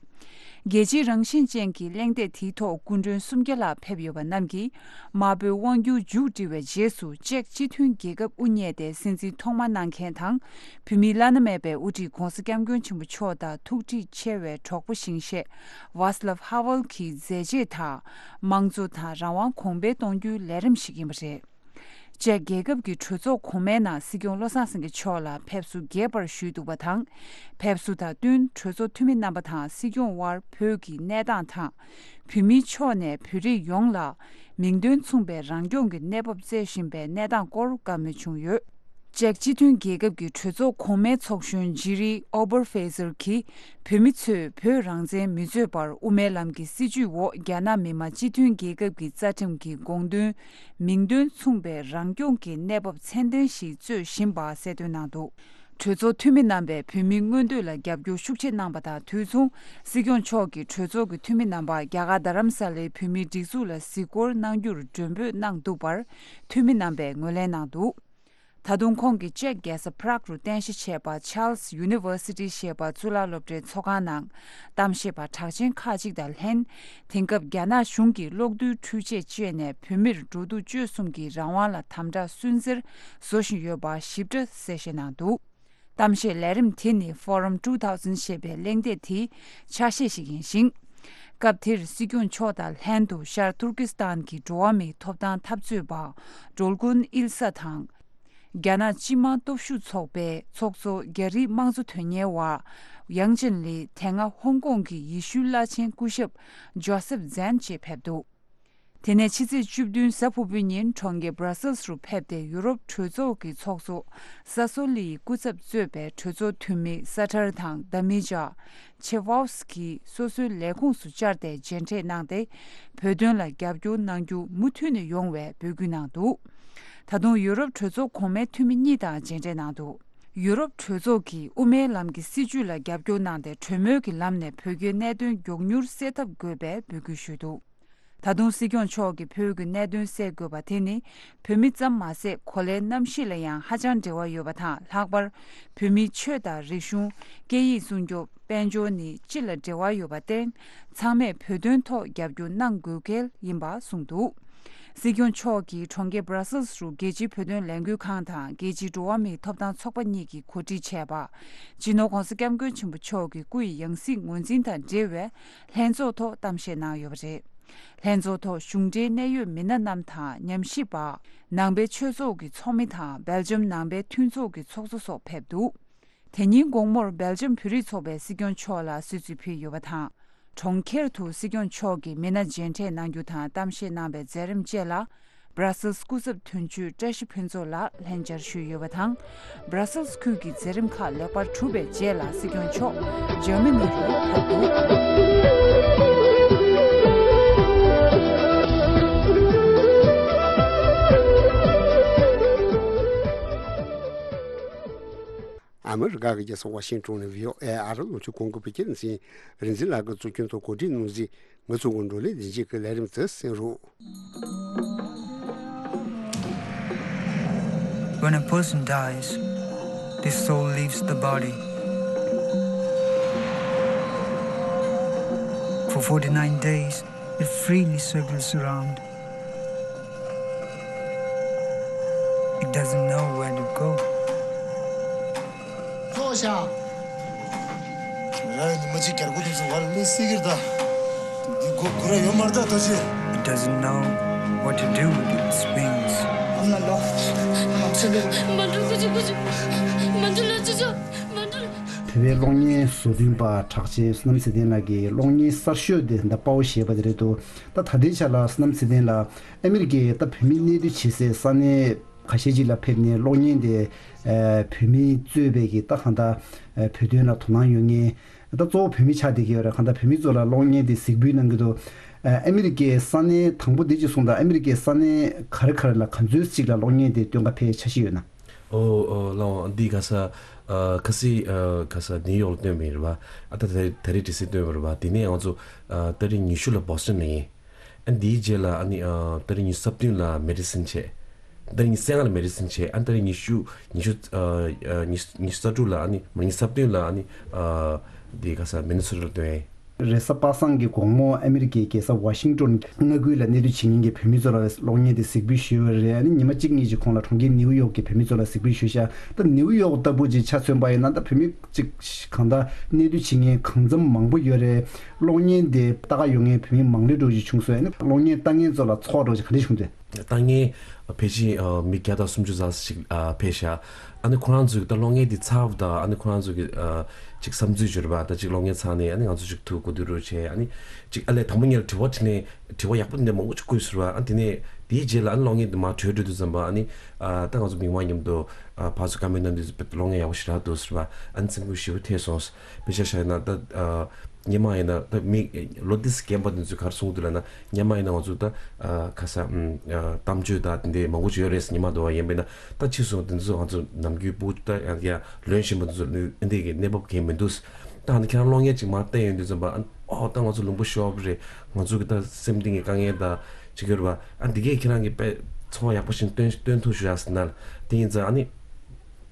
རྒྱལ་སྤྱིའི་རང་བཞིན་ཅན་གྱི་གླེང་སྟེགས་དེའི་ཐོག་སྐུ་མགྲོན་སུམ་བརྒྱ་ལྷག་ཕེབས་ཡོད་པ་རྣམས་ཀྱིས་དམར་པོའི་དབང་སྒྱུར་མཇུག་སྒྲིལ་བའི་རྗེས་སུ་ཅེཀ་སྤྱི་མཐུན་རྒྱལ་ཁབ་དབུ་བརྙེས་ཏེ་སྲིད་འཛིན་ཐོག་མ་གནང་མཁན་དང་། བོད་མིའི་བླ་ན་མེད་པའི་དབུ་ཁྲིད་༧གོང་ས་༧སྐྱབས་མགོན་ཆེན་པོ་མཆོག་དང་ཐུགས་འདྲིས་ཆེ་བའི་གྲོགས་པོ་ཞིང་གཤེགས་ཝཱ་སི་ལབ་ཧ་ཝེལ་གྱི་མཛད་རྗེས་དང་། དམངས་གཙོ་དང་རང་དབང་གོང་འཕེལ་གཏོང་རྒྱུའི་ལས་རིམ་ཞིག་ཡིན་པ་རེད། ཅེཀ་རྒྱལ་ཁབ་ཀྱི་གྲོས་ཚོགས་གོང་མའི་ནང་སྲིད་སྐྱོང་བློ་བཟང་སེང་གེ་མཆོག་ལ་ཕེབས་བསུ་རྒྱས་པར་ཞུས་འདུག་པ་དང་། ཕེབས་བསུ་དང་བསྟུན་གྲོས་ཚོགས་འཐུས་མི་རྣམ་པ་དང་སྲིད་སྐྱོང་དབར་བོད་ཀྱི་གནས་སྟངས་དང་། བོད་མིའི་ཕྱོགས་ནས་བོད་རིགས་ཡོངས་ལ་མིང་དོན་མཚུངས་པའི་རང་སྐྱོང་གི་གནས་བབ་བརྩད་བཞིན་པའི་གནས་སྟངས་སྐོར་བཀའ་མོལ་བྱུང་ཡོད། ཅེཀ་སྤྱི་མཐུན་རྒྱལ་ཁབ་ཀྱི་གྲོས་ཚོགས་གོང་མའི་ཚོགས་གཞོན་ཇི་རི་ཨོ་བར་ཧྥེ་ཟེར་གྱིས། བོད་མི་ཚོས་བོད་རང་བཙན་མི་རྩོད་པར་དབུ་མའི་ལམ་གྱི་སྲིད་བྱུས་འོག་རྒྱ་ནག་མི་དམངས་སྤྱི་མཐུན་རྒྱལ་ཁབ་ཀྱི་རྩ་ཁྲིམས་ཀྱི་དགོངས་དོན། མིང་དོན་མཚུངས་པའི་རང་སྐྱོང་གི་གནས་བབ་ཚད་ལྡན་ཞིག་རྩོད་བཞིན་པ་གསལ་སྟོན་གནང་འདུག་གྲོས་ཚོགས་འཐུས་མི་རྣམ་པས་བོད་མིའི་མངོན་འདོད་ལ་རྒྱབ་སྐྱོར་ཤུགས་ཆེ་གནང་བ་དང་དུས་མཚུངས། སྲིད་སྐྱོང་མཆོག་གིས་གྲོས་ཚོགས་ཀྱི་འཐུས་མི་རྣམ་པ་རྒྱ་གར་རྡ་རམ་ས་ལའི་བོད་མིའི་སྒྲིག་འཛུགས་ལ་གཟིགས་སྐོར་གནང་རྒྱུར་མགྲོན་འབོད་གནང་འདུག་པར། འཐུས་མི་རྣམ་པས་ངོས་ལེན་གནང་འདུག་ད་དུང་ཁོང་གིས་ཅེཀ་རྒྱལ་ས་པ་རག་རུ་རྟེན་གཞི་བྱས་པ་Charles University་ཞེས་པ་གཙུག་ལག་སློབ་གྲྭའི་ཚོགས་ཁང་ནང་གཏམ་བཤད་པ་གྲགས་ཅན་ཁག་ཅིག་དང་ལྷན། དེང་སྐབས་རྒྱ་ནག་གཞུང་གིས་གློག་རྡུལ་འཕྲུལ་ཆས་སྤྱད་ནས་བོད་མིར་འགྲོ་འདུག་སྤྱོད་གསུམ་གྱི་རང་དབང་ལ་དམ་དྲག་སུན་གཙེར་བཟོ་བཞིན་ཡོད་པ་ཞིབ་ཕྲ་གསལ་བཤད་གནང་འདུག་གཏམ་བཤད་ལས་རིམ་དེ་ནི་Forum two thousand ཞེས་པའི་གླེང་སྟེགས་དེའི་ཆ་ཤས་ཤིག་ཡིན་ཞིང་། སྐབས་དེར་སྲིད་སྐྱོང་མཆོག་དང་ལྷན་དུ་ཤར་ཏུར་ཀི་སི་ཐན་གྱི་འགྲོ་བ་མིའི་ཐོབ་ཐང་འཐབ་རྩོད་པ་ཌོལ་གུན་ཨིལ་ས་དང་། རྒྱ་ནག་སྤྱི་དམངས་སྟོབས་ཤུགས་ཚོགས་པའི་ཚོགས་གཙོ་རྒྱ་རིགས་དམངས་གཙོ་དོན་གཉེར་བ་ཡང་ཅིན་ལི། དེ་སྔ་ཧོང་ཀོང་གི་ཡེ་ཤུའི་བླ་ཆེན་སྐུ་ཞབས་ཇོ་སེབ་ཛན་བཅས་ཕེབས་འདུག་དེ་ནས་ཕྱི་ཚེས་བཅུ་བདུན་གཟའ་ཕུར་བུའི་ཉིན་གྲོང་ཁྱེར་སྦྲ་སེལ་སི་རུ་ཕེབས་ཏེ། ཡུ་རོབ་གྲོས་ཚོགས་ཀྱི་ཚོགས་གཙོ་ས་སོ་ལི་ཡི་སྐུ་ཚབ་གཙོས་པའི་གྲོས་ཚོགས་འཐུས་མི་ས་ཐར་དང་ད་མི་ཇ་ཆེ་ཝའོ་སི་ཀི་སོ་སོའི་ལས་ཁུངས་སུ་བཅར་ཏེ་མཇལ་འཕྲད་གནང་སྟེ། བོད་དོན་ལ་རྒྱབ་སྐྱོར་གནང་རྒྱུ་མུ་མཐུད་ནས་ཡོང་བའི་འབོད་སྐུལ་གནང་འདུག་ད་དུང་ཡུ་རོབ་གྲོས་ཚོགས་གོང་མའི་འཐུས་མི་གཉིས་དང་མཇལ་འཕྲད་གནང་འདུག་ཡུ་རོབ་གྲོས་ཚོགས་ཀྱིས་དབུ་མའི་ལམ་གྱི་སྲིད་བྱུས་ལ་རྒྱབ་སྐྱོར་གནང་སྟེ། གྲོས་མོལ་གྱི་ལམ་ནས་བོད་རྒྱའི་གནད་དོན་མགྱོགས་མྱུར་སེལ་ཐབས་དགོས་པའི་འབོད་སྐུལ་ཞུས་འདུག་ད་དུང་སྲིད་སྐྱོང་མཆོག་གིས་བོད་ཀྱི་གནད་དོན་སེལ་དགོས་པ་དེ་ནི་བོད་མི་ཙམ་མ་ཟད། གོ་ལའི་གནམ་གཤིས་ལ་ཡང་ཧ་ཅང་འབྲེལ་བ་ཡོད་པ་དང་། ལྷག་པར་བོད་མིའི་ཆོས་དང་རིག་གཞུང་། སྐད་ཡིག་སྲུང་སྐྱོབ། དཔལ་འབྱོར་ནི་སྤྱི་ལ་འབྲེལ་བ་ཡོད་པར་བརྟེན། ཚང་མས་བོད་དོན་ཐོག་རྒྱབ་སྐྱོར་གནང་དགོས་གལ་ཡིན་པ་གསུངས་འདུག་སྲིད་སྐྱོང་མཆོག་གིས་གྲོང་ཁྱེར་སྦྲ་སེལ་སི་རུ་རྒྱལ་སྤྱིའི་བོད་དོན་ལས་འགུལ་ཁང་དང་རྒྱལ་སྤྱིའི་འགྲོ་བ་མིའི་ཐོབ་ཐང་ཚོགས་པ་གཉིས་ཀྱིས་གོ་སྒྲིག་བྱས་པ། སྤྱི་ནོར་༧གོང་ས་༧སྐྱབས་མགོན་ཆེན་པོ་མཆོག་གི་སྐུ་ཡི་ཡང་སྲིད་ངོས་འཛིན་དང་འབྲེལ་བའི་ལྷན་ཚོགས་ཐོག་གཏམ་བཤད་གནང་ཡོད་པ་རེད། ལྷན་ཚོགས་ཐོག་གཞུང་འབྲེལ་གནད་ཡོད་མི་སྣ་རྣམས་དང་ཉམས་ཞིབ་པ། ནང་པའི་ཆོས་ཚོགས་ཀྱི་ཚོགས་མི་དང་སྦེལ་ཇམ་ནང་པའི་མཐུན་ཚོགས་ཀྱི་ཚོགས་གཙོ་སོགས་ཕེབས་འདུག་དེ་ཉིན་དགོང་མོར་སྦེལ་ཇམ་བོད་རིགས་ཚོགས་པས་སྲིད་སྐྱོང་མཆོག་ལ་གསོལ་ཚིགས་ཕུལ་ཡོད་པ་དང་། གྲོང་ཁྱེར་དུ་སྲིད་སྐྱོང་མཆོག་གིས་མི་སྣ་མཇལ་འཕྲད་གནང་རྒྱུ་དང་གཏམ་བཤད་གནང་བའི་མཛད་རིམ་བཅས་ལ། སྦྲ་སེལ་སི་སྐུ་ཚབ་དོན་གཅོད་བཀྲ་ཤིས་ཕུན་ཚོགས་ལགས་ལྷན་བཅར་ཞུས་ཡོད་པ་དང་། སྦྲ་སེལ་སི་ཁུལ་གྱི་མཛད་རིམ་ཁག་ལེགས་པར་གྲུབ་པའི་རྗེས་ལ། སྲིད་སྐྱོང་མཆོག་འཇར་མ་ནི་རུ་ཕེབས་འདུག་ཨ་མི་རི་ཀ་གི་རྒྱལ་ས་ཝ་ཤིང་ཊོན་ནས་བྷི་ཨོ་ཨེ་ཨ་རི་ལོ་ཆུ་ཀུང་གི་བོད་སྐད་སྡེ་ཚན་རིག་འཛིན་ལགས་ཀྱིས་གཙོ་སྐྱོང་ཐོག་གོ་སྒྲིག་གནང་གཟིགས། ང་ཚོ་གི་བགྲོ་གླེང་ལེན་བྱེད་ཀྱི་ལས་རིམ་དེ་གསན་རོགས། When a person dies, the soul leaves the body. For forty-nine days, it freely circles around. It doesn't know where to go. ལྟོས་ཤག་ར་ཉི་མ་གཅིག་རྒྱལ་སྒོ་དེ་ཚོ་བར་མི་སྲིད་ཀྱི་རེད་ད། འདི་སྒོ་སྒུར་ར་ཡོད་མ་རེད་ད་ལྟོས་ཤིག It doesn't know what to do with its wings. མ་འགྲོ་ཀུ་ཅི་ཀུ་ཅི། མ་འགྲོ་ལ་ཅི་ཅོ། མ་འགྲོ་ལ། བོད་པའི་གློག་བརྙན་བཟོ་སྐྲུན་པ་གྲགས་ཅན་བསོད་ནམས་ཚེ་བརྟན་ལགས་ཀྱི་གློག་བརྙན་གསར་ཤོས་དེ་ད་དཔའ་བོ་ཞེས་པ་དེ་རེད་འདུག་ད་ད་ལྟའི་ཆ་ལ་བསོད་ནམས་ཚེ་བརྟན་ལགས་ཨ་མི་རི་ཀའི་ད་བོད་མི་གནས་སྡོད་བྱེད་སའི་ས་གནས་ཁ་ཤས་ཅིག་ལ་ཕེབས་ནས་གློག་བརྙན་དེ་ཨ་བོད་མིས་གཙོས་པའི་གི་ད་གང་ལྟར་ཨ་བོད་དོན་ལ་དོ་སྣང་ཡོད་མཁན། ད་གཙོ་བོ་བོད་མི་ཆགས་བསྡད་ཀྱི་ཡོད་རེད། གང་ལྟར་བོད་མི་ཚོ་ལ་གློག་བརྙན་དེ་གཟིགས་འབུལ་གནང་གི་འདུག་ཨ་ཨ་མི་རི་ཀའི་ས་གནས་དང་པོ་འདི་ཅིག་གསུངས་དང་། ཨ་མི་རི་ཀའི་ས་གནས་ག་རེ་ག་རེ་ལ་ག་ཚོད་ཅིག་ལ་གློག་བརྙན་དེ་སྟོན་ག་ཕེབས་འཆར་གཞི་ཡོད་ན། ཨོ་ཨོ་ལགས་འདི་ག་ས་ཨ་ཁ་སི་ཨ་ག་ས་ནིའུ་ཡོག་ལ་སྟོན་པ་ཡིན་རེད་པ། ཨ་ད་ད་ད་རེས་ཌི་སི་སྟོན་པ་རེད་པ། དེ་ནས་ང་ཚོ་ཨ་ཏ་རིག་ཉི་ཤུ་ལ་བྷོ་སི་ཊོན་ལ་ཡིན། ཨ་འདིའི་རྗེས་ལ་ཨ་ནི་ཨ་ཏ་རིག་ཉི་ཤུ་རྩ་བདུན་ལ་མེ་ཌི་སན་བྱས། ཏ་རིག་ཉི་ཤུ་རྩ་ལྔ་ལ་མེ་ཌི་སན་བྱས། ཨ་ཏ་རིག་ཉི་ཤུ་ཉི་ཤུ་ཨ་ཨ་ཉི་ཉི་ཤུ་རྩ་དྲུག་ལ་ཨ་ནི་མ་ཉི་ཤུ་རྩ་བདུན་ལ་ཨ་ནི་ཨ་འདི་ག་ས་མི་ནི་སོ་ཊ་ལ་སྟོན། རེས་གཟའ་པ་སངས་ཀྱི་དགོང་མོ་ཨ་མི་རི་ཀའི་རྒྱལ་ས་ཝ་ཤིང་ཊོན་མངའ་ཁུལ་ལ་གནས་སྡོད་བྱེད་མཁན་གྱི་བོད་མི་ཚོ་ལ་གློག་བརྙན་དེ་གཟིགས་འབུལ་ཞུས་པ་རེད། ཨ་ནི་ཉི་མ་གཅིག་གཉིས་ཀྱི་གོང་ལ་གྲོང་ཁྱེར་ནིའུ་ཡོག་གི་བོད་མི་ཚོ་ལ་གཟིགས་འབུལ་ཞུས་ཤག་ད་ནིའུ་ཡོག་ལྟ་བུ་ཅིག་ཆ་མཚོན་པ་ཡིན་ན། ད་བོད་མི་ཅིག་གང་ལྟར་གནས་སྡོད་བྱེད་མཁན་གང་འཚམ་མང་པོ་ཡོད་རེད། གློག་བརྙན་དེ་ལྟ་ག་ཡོང་མཁན་བོད་མི་མང་ལོས་འགྲོ་ཞིག་བྱུང་སོང་། ཨ་ནི་གློག་བརྙན་ལྟ་མཁན་ཚོ་ལ་ཚོར་བ་འདྲ་ཞིག་ག་འདྲ་བྱུང་འདུག་ལྟ་མཁན་ཕལ་ཆེར་མི་བརྒྱ་དང་སུམ་ཅུ་ཙམ་ཞིག་ཕེབས་ཤག་ཨ་ནི་ཁོ་རང་ཚོས་ད་གློག་བརྙན་འདི་ཚར་བ་དང་། ཨ་ནི་ཁོ་རང་ཚོ་གི་ཅིག་བསམ་ཚུལ་བརྗོད་པ་དང་། ཅིག་གློག་བརྙན་ཚར་ནས་ཨ་ནི་ང་ཚོ་ཅིག་ཐུག་གོ་བསྡུར་རོགས་བྱས། ཨ་ནི་ཅིག་ཨ་ལས་དང་པོ་ཉིད་ལ་དྲི་བ་དྲིས་ནས་དྲི་བ་ཡག་པོ་འདི་འདྲ་མང་པོ་ཅིག་བཀོད་ཟེར་བ། ཨ་ནི་དེ་ནས་དེའི་རྗེས་ལ་ཨ་ནི་གློག་བརྙན་འདི་མར་གྲོལ་འགྲོ་དུས་ཙམ་པ། ཨ་ནི་ད་ང་ཚོ་མི་མང་མཉམ་དུ་ཕར་ཚུར་ཀོ་མེན་ཊི་གནང་དུས་ཙམ་པ་གློག་བརྙན་ཡག་པོ་ཞེ་དྲག་འདུག་ཟེར་བ། ཨ་ནི་སེམས་འགུལ་ཞེ་པོ་ཐེབས་སོང་། དཔེ་ཆ་བཞག་ན་ད་ཨ། སྔོན་མ་ཡིན་ན་ད་མི་ལོ་འདི་རྒན་པ་འདི་ཚོས་ག་རེ་གསུང་གི་འདུག་ལབ་ན། སྔོན་མ་ཡིན་ན་ང་ཚོ་ད་ཨ་ཁ་ས་ཨམ་ཨ་གཏམ་བརྗོད་ད་དེ་འདྲའི་མང་པོ་ཅིག་ཡོད་རེད་ཟེར། སྔོན་མ་འདྲ་བ་ཡིན་པས་ན། ད་ཕྱིས་སུ་འདི་ཚོ་ང་ཚོ་ནམ་རྒྱུན་སྤུ་ད་ཡང་ཡང་ལོན་བཞིན་པ་འདི་ཚོ་ལོན་འདི་གི་གནས་བབ་གང་ཡང་མི་འདུག་ད་ཧ་ནི་ཁྱེད་རང་གློག་བརྙན་ཅིག་མར་བལྟས་ཡོང་དུས་ཙམ་པ། ཨ་ཨོ་ད་ང་ཚོ་ལུང་པ་ཤོར་བ་རེད། ང་ཚོ་གི་ད་སེམས་གཏིང་གི་དཀའ་ངལ་ད་ཅིག་ཡོད་རེད་པ། ཨ་འདི་གས་ཁྱེད་རང་གི་དཔེ་ཚོར་བ་ཡག་པོ་ཞིག་སྟོན་སྟོན་ཐུབ་ཤག་ཟེར་ན། དེ་ཡིན་ཙང་ཨ་ནི།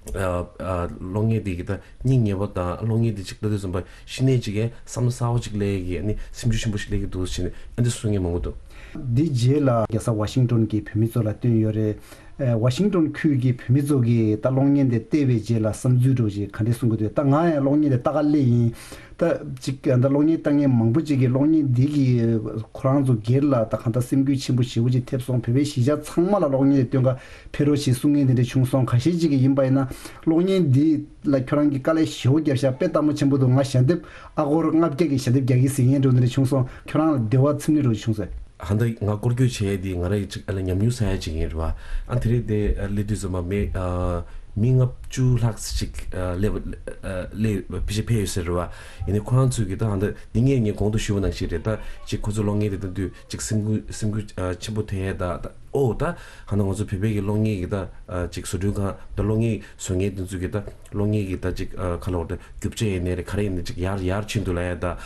ཨ་ཨ་གློག་བརྙན་འདི་གི་ད་སྙིང་ཉེ་བ་དང་། གློག་བརྙན་འདི་ཅིག་ལྟ་དུས་ཙམ་པ་གཞི་ནས་ཅིག་གི་བསམ་བློ་གསར་པ་ཅིག་སླེབས་ཀྱི། ཨ་ནི་སེམས་ཤུགས་ཆེན་པོ་ཞིག་སླེབས་ཀྱི་འདུག་ཟེར་ནས་ཨ་འདི་གསུང་མཁན་མང་པོ་འདུག་འདི་རྗེས་ལ་རྒྱལ་ས་ཝ་ཤིང་ཊོན་གྱི་བོད་མི་ཚོ་ལ་བཏོན་ཡོད་རེད། ཝ་ཤིང་ཏོན་ཁུལ་གྱི་བོད་མི་ཚོ་གིས་ད་གློག་བརྙན་དེ་བལྟས་པའི་རྗེས་ལ་བསམ་ཚུལ་འདྲ་བོ་ཅིག་ག་འདྲས་གསུང་གི་འདུག་ད་ང་ཡང་གློག་བརྙན་དེ་ལྟ་ག་སླེབས་ཡིན། ད་ཅིག་ད་གློག་བརྙན་ལྟ་མཁན་མང་པོ་ཅིག་གིས་གློག་བརྙན་འདི་གིས་ཁོ་རང་ཚོ་སྒེར་ལ་ད་གང་ལྟར་སེམས་འགུལ་ཆེན་པོ་ཞེ་པོ་ཅིག་ཐེབས་སོང་། བོད་པའི་གཞིས་ཆགས་ཚང་མ་ལ་གློག་བརྙན་དེ་སྟོན་ག་ཕེབས་རོགས་ཞེས་གསུང་མཁན་དེ་འདྲ་བྱུང་སོང་། ཁ་ཤས་ཅིག་གིས་ཡིན་པ་ཡིན་ན་གློག་བརྙན་འདི་ལ་ཁྱོད་རང་གིས་དཀའ་ལས་ཞེ་པོ་བརྒྱབ་ཤག་དཔེ་སྟབས་མ་ཆེན་པོ་འདུག་ང་ཞལ་འདེབས་ཨ་སྒོར་ལྔ་བརྒྱ་གི་ཞལ་འདེབས་རྒྱག་གི་ཟེར་མཁན་འདྲ་བོ་འདི་འདྲ་བྱུང་སོང་། ཁྱོད་རང་ལ་འདི་བ་ཚིམ་ནི་འདྲ་བོ་བྱུང་སོང་། ཧ་ད་ང་སྐོར་སྐྱོད་བྱས་དེ་ང་རང་གི་ཅིག་ཨ་ལ་ཉམས་མྱོང་ས་ཡ་ཅིག་ཡིན་རེད་བ། ཨ་དེ་རིང་དེ་ཨ་སླེབས་དུས་ཙམ་པ་མི་ཨ་མི་ལྔ་བཅུ་ལྷག་ཅིག་ཨ་སླེབས་ཨ་སླེབས་ཕལ་ཆེར་ཕེབས་ཡོད་ཟེར་རེད་བ། ཡིན་ནའི་ཁོ་རང་ཚོས་གི་ད་ཧ་ད་འདི་ངས་ངས་གོང་དུ་ཞུས་པ་ནང་བཞིན་རེད། ད་ཅིག་ཁོ་ཚོ་གློག་བརྙན་དེ་ལྟ་དུས་ཅིག་སེམས་འགུལ་སེམས་འགུལ་ཨ་ཆེན་པོ་ཐེབས་ཡས་ད་ད་ཨོ་ད་ཧ་ན་ང་ཚོ་བོད་པའི་གི་གློག་བརྙན་གི་ད་ཨ་ཅིག་བཟོ་སྐྲུན་ཁང་ད་གློག་བརྙན་བཟོ་མཁན་དེ་ཚོས་གི་ད་གློག་བརྙན་གི་ད་ཅིག་ཨ་ཁ་ལོ་ད་རྒྱུ་ཆ་ཡིན་ནའི་རེད་ག་རེ་ཡིན་ནའི་ཅིག་ཡར་ཡར་ཕྱིན་འདུག་ལབ་ཡས་ད།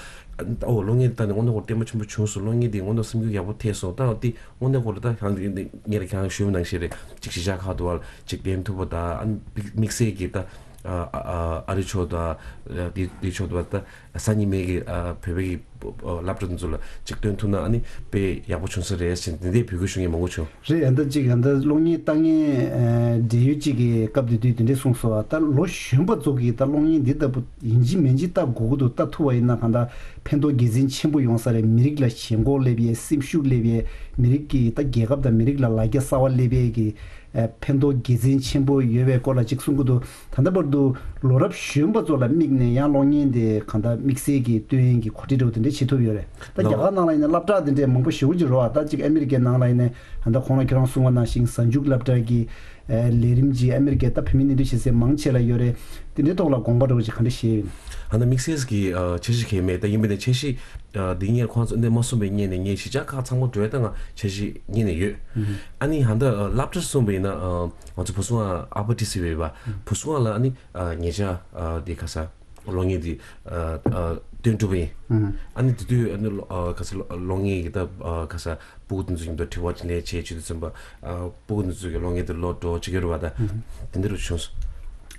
ཨོ་གློག་བརྙན་དེ་ད་ནི་དངོས་གནས་ཁོ་བརྟན་པོ་ཆེན་པོ་བྱུང་སོང་། གློག་བརྙན་དེ་དངོས་གནས་སེམས་འགུལ་ཡག་པོ་ཐེབས་སོང་། ད་འོ་དེ་དངོས་གནས་ཁོ་ལ་ད་གང་དེ་ངས་རེད་ཁྱེད་རང་ཞུས་པ་ནང་བཞིན་རེད། ཅིག་གཞིས་ཆགས་ཁག་ཏུ་བ་ཅིག་བསྟན་ཐུབ་པ་ད་ཨ་ནི་དམིགས་བསལ་གྱི་ད་ཨ་ཨ་ཨ་རི་ཕྱོགས་ད་དེ་དེ་ཕྱོགས་ད་ད་སང་ཉིན་མའི་གི་ཨ་བོད་པའི་གི་སློབ་གྲྭ་དེ་ཚོ་ལ་ཅིག་སྟོན་ཐུབ་ན་ཨ་ནི་དཔེ་ཡག་པོ་བྱུང་ས་རེད་ཟེར་དེ་འདྲའི་འབོད་སྐུལ་ཞུ་མཁན་མང་པོ་བྱུང་། རེད། ཨ་ད་ཅིག་ཨ་ད་གློག་བརྙན་ལྟ་མཁན་ཨ་འབྲེལ་ཡོད་ཅིག་གིས་སྐབས་དེ་དུས་དེ་འདྲས་གསུངས་སོང་། ཨ་ད་ལོ་གཞོན་པ་ཚོ་གིས་ད་གློག་བརྙན་འདི་ལྟ་བུ་ཡིན་གཅིག་མིན་གཅིག་ལྟ་དགོས་ཀྱི་འདུག་ལྟ་ཐུབ་པ་ཡིན་ན་གང་ལྟར་ཕན་ཐོགས་དགེ་མཚན་ཆེན་པོ་ཡོང་ས་རེད། མི་རིགས་ལ་ཞེན་ཁོག་སླེབས་ཡས། སེམས་ཤུགས་སླེབས་ཡས། མི་རིགས་ཀྱི་ད་རྒྱལ་ཁབ་དང་མི་རིགས་ལ་ལ་རྒྱ་གསར་པ་སླེབས་ཡས་ཀྱི་ཨ་ཕན་ཐོགས་དགེ་མཚན་ཆེན་པོ་ཡོད་པའི་སྐོར་ལ་ཅིག་གསུང་གི་འདུག་ད་ལྟ་བར་དུ་ལོ་རབས་གཞོན་པ་ཚོ་ལ་དམིགས་ནས་ཡང་གློག་བརྙན་དེ་གང་ལྟར་དམིགས་བསལ་གྱི་སྟོན་ཡས་ཀྱི་གོ་སྒྲིག་འདྲ་བོ་དེ་འདྲས་བྱེད་ཐུབ་ཡོད་རེད། ད་རྒྱ་གར་ནང་ལ་ཡིན་ན་སློབ་གྲྭ་དེ་འདྲས་མང་པོ་ཞེ་པོ་ཅིག་རེད་བ། ད་ཅིག་ཨ་མི་རི་ཀའི་ནང་ལ་ཡིན་ན་ད་ལྟ་ཁོང་ལ་ཁྱེད་རང་གསུངས་པ་ནང་བཞིན་གཟའ་མཇུག་སློབ་གྲྭ་གི་ཨ་ལས་རིམ་གྱི་ཨ་མི་རི་ཀའི་ད་བོད་མི་གནས་སྡོད་བྱེད་སའི་མང་ཆེ་ལ་ཡོད་རེད། དེ་འདྲའི་ཐོག་ལ་དགོངས་པ་འདྲ་བོ་ཅིག་ག་འདྲ་བཞེས་ཡོད། ཨ་ན་དམིགས་བསལ་གྱི་ཨ་འཆར་གཞི་གང་ཡང་མེད། ད་ཡིན་པ་ཡིན་ན་འཆར་གཞི་ཨ་འདི་ངས་ཁོང་ཚོ་འདི་མ་གསུངས་པའི་སྔོན་ནས་ངས་གཞིས་ཆགས་ཁག་ཚང་མ་འགྲོ་ཡ་ད་ང་འཆར་གཞི་སྔོན་ནས་ཡོད། ཨ་ནི་ཧ་ད་ཨ་སློབ་གྲྭར་སོང་པ་ཡིན་ན་ཨ་ང་ཚོ་བུ་སྲུང་ཨ་ཨ་པ་ཏི་སི་བའི་བ་བུ་སྲུང་ཨ་ལ་ཨ་ནི་ཨ་ཉེ་ཆར་ཨ་འདི་ཁ་ས་གློག་བརྙན་འདི་ཨ་ཨ་སྟོན་གྲུབ་པ་ཡིན། ཨ་ནི་དེ་དུས་ཨ་ནི་ལོ་ཨ་ཁ་ས་གློག་བརྙན་གྱི་ད་ཨ་ཁ་ས་སྤུ་གུ་དེ་ཚོ་མཉམ་དུ་དྲི་བ་དྲིས་ལན་བྱས་བྱས་དུས་ཙམ་པ་ཨ་སྤུ་གུ་དེ་ཚོ་གི་གློག་བརྙན་དེ་ལོག་འགྲོ་བྱེད་ཀྱི་རེད་བ། ད་དེ་འདྲ་རུ་བྱུང་སོང་།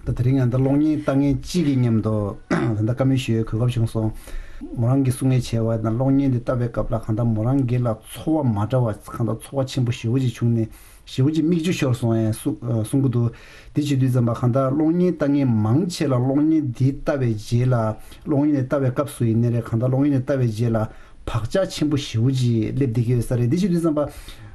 ད་དེ་རིང་ང་ད་གློག་བརྙན་ལྟ་མཁན་གཅིག་གི་མཉམ་དུ་ད་ལྟ་བཀའ་མོལ་ཞུ་ཡའི་གོ་སྐབས་བྱུང་སོང་། མོ་རང་གིས་གསུང་ངེས་བྱས་པ་ན་གློག་བརྙན་དེ་ལྟ་བའི་སྐབས་ལ་གང་ལྟར་མོ་རང་སྒེར་ལ་ཚོར་བ་མ་འདྲ་བ་གང་ལྟར་ཚོར་བ་ཆེན་པོ་ཞེ་པོ་ཅིག་བྱུང་ནས་ཞེ་པོ་ཅིག་མིག་ཆུ་ཤོར་སོང་ཡང་གསུང་གསུང་གི་འདུག་དེ་བྱེད་དུས་ཙམ་པ་གང་ལྟར་གློག་བརྙན་ལྟ་མཁན་མང་ཆེ་ལ་གློག་བརྙན་འདི་ལྟ་བའི་རྗེས་ལ་གློག་བརྙན་དེ་ལྟ་བའི་སྐབས་སུ་ཡིན་ནའི་རེད། གང་ལྟར་གློག་བརྙན་དེ་ལྟ་བའི་རྗེས་ལ་བག་ཆགས་ཆེན་པོ་ཞེ་པོ་ཅིག་སླེབས་བསྡད་ཀྱི་ཡོད་ས་རེད། འདི་བྱེད་དུས་ཙམ་པ་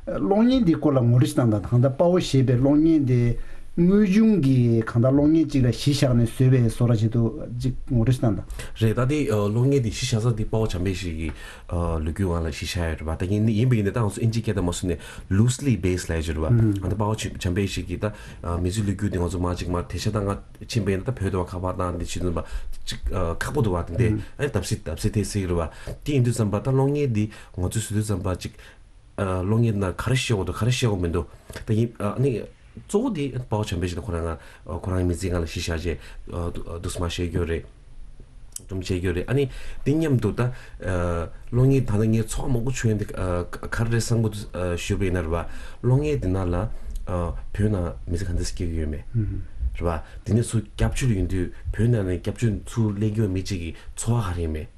གློག་བརྙན་འདིའི་སྐོར་ལ་ངོ་སྤྲོད་ཅིག་བཏང་དང་། གང་ལྟར་དཔའ་བོ་ཞེས་པའི་གློག་བརྙན་དེ་དངོས་བྱུང་གི་གང་ལྟར་གློག་བརྙན་ཅིག་ལ་གཞི་བཞག་ནས་བཟོས་པའི་བཟོ་འདྲ་ཅིག་འདུག་ཅིག་ངོ་སྤྲོད་ཅིག་བཏང་དང་། རེད། ད་དེ་ཨ་གློག་བརྙན་དེ་གཞི་བཞག་ས་དེ་དཔའ་བོ་བྱམས་པ་ཡེ་ཤེས་ཀྱི་ཨ་ལོ་རྒྱུས་སྒང་ལ་གཞི་བཞག་ཡོད་རེད་པ། ད་ཡིན་ཡིན་པ་ཡིན་ན་ད་ང་ཚོ་ཨིན་ཇིའི་སྐད་དང་མ་སོང་ནས་loosely based ལབ་ཡ་ཅིག་རེད་པ། ཨ་ད་དཔའ་བོ་བྱམས་པ་ཡེ་ཤེས་ཀྱི་ད་ཨ་མི་ཚེའི་ལོ་རྒྱུས་དེ་ང་ཚོ་མ་ཅིག་མ་དེ་ཤ་ད་ང་ཕྱིན་པ་ཡིན་ན་ད་བོད་དུ་བ་ཁ་པར་བཏང་འདི་བྱེད་དུས་པ་ཅིག་ཨ་ཁག་པོ་འདུག་བ། དེ་འདྲས་ཨ་ནི་བརྡབ་གསིག་བརྡབ་གསིག་ཐེབས་སྲིད་རེད་བ། དེ་ཡིན་དུས་ཙམ་པ་ད་གློག་བརྙན་འདི་ང་ཚོས་བཟོ་དུས་ཙམ་པ་ཅིག་ཨ་གློག་བརྙན་ནང་ག་རེ་བཤད་དགོས་འདུག་ག་རེ་བཤད་དགོས་མི་འདུག་ད་ཡིན་ཨ་ནི་གཙོ་བོ་དེ་དཔའ་བོ་བྱམས་པ་ཡེ་ཤེས་དང་ཁོ་རང་ང་ཁོ་རང་མི་ཚེའི་སྒང་ལ་གཞི་བཞག་བྱས་འདུག་སེ་མར་བཤད་རྒྱུ་རེད། སྒྲུང་བཤད་རྒྱུ་རེད། ཨ་ནི་དེ་མཉམ་དུ་ད་ཨ་གློག་བརྙན་ད་ལྟ་ངས་ཚོར་བ་མང་པོ་བྱུང་ཡ་འདི་ཨ་ག་རེ་རེད་བསམ་གི་འདུག་ཨ་ཞུས་པ་ཡིན་ན་རེད་བ། གློག་བརྙན་འདི་ནང་ལ་ཨ་བོད་ནང་མི་ཚེ་ག་འདྲ་སེ་སྐྱེལ་གི་ཡོད་མེད་རེད་བ། དེ་ནས་ཚུར་སྐྱབས་བཅོལ་ཡོང་དུས་བོད་ནང་ནས་སྐྱབས་བཅོལ་ཚུར་སླེབས་ཀྱི་ཡོད་མེད་ཅིག་གི་ཚོར་བ་ག་རེ་ཡོད་མེད་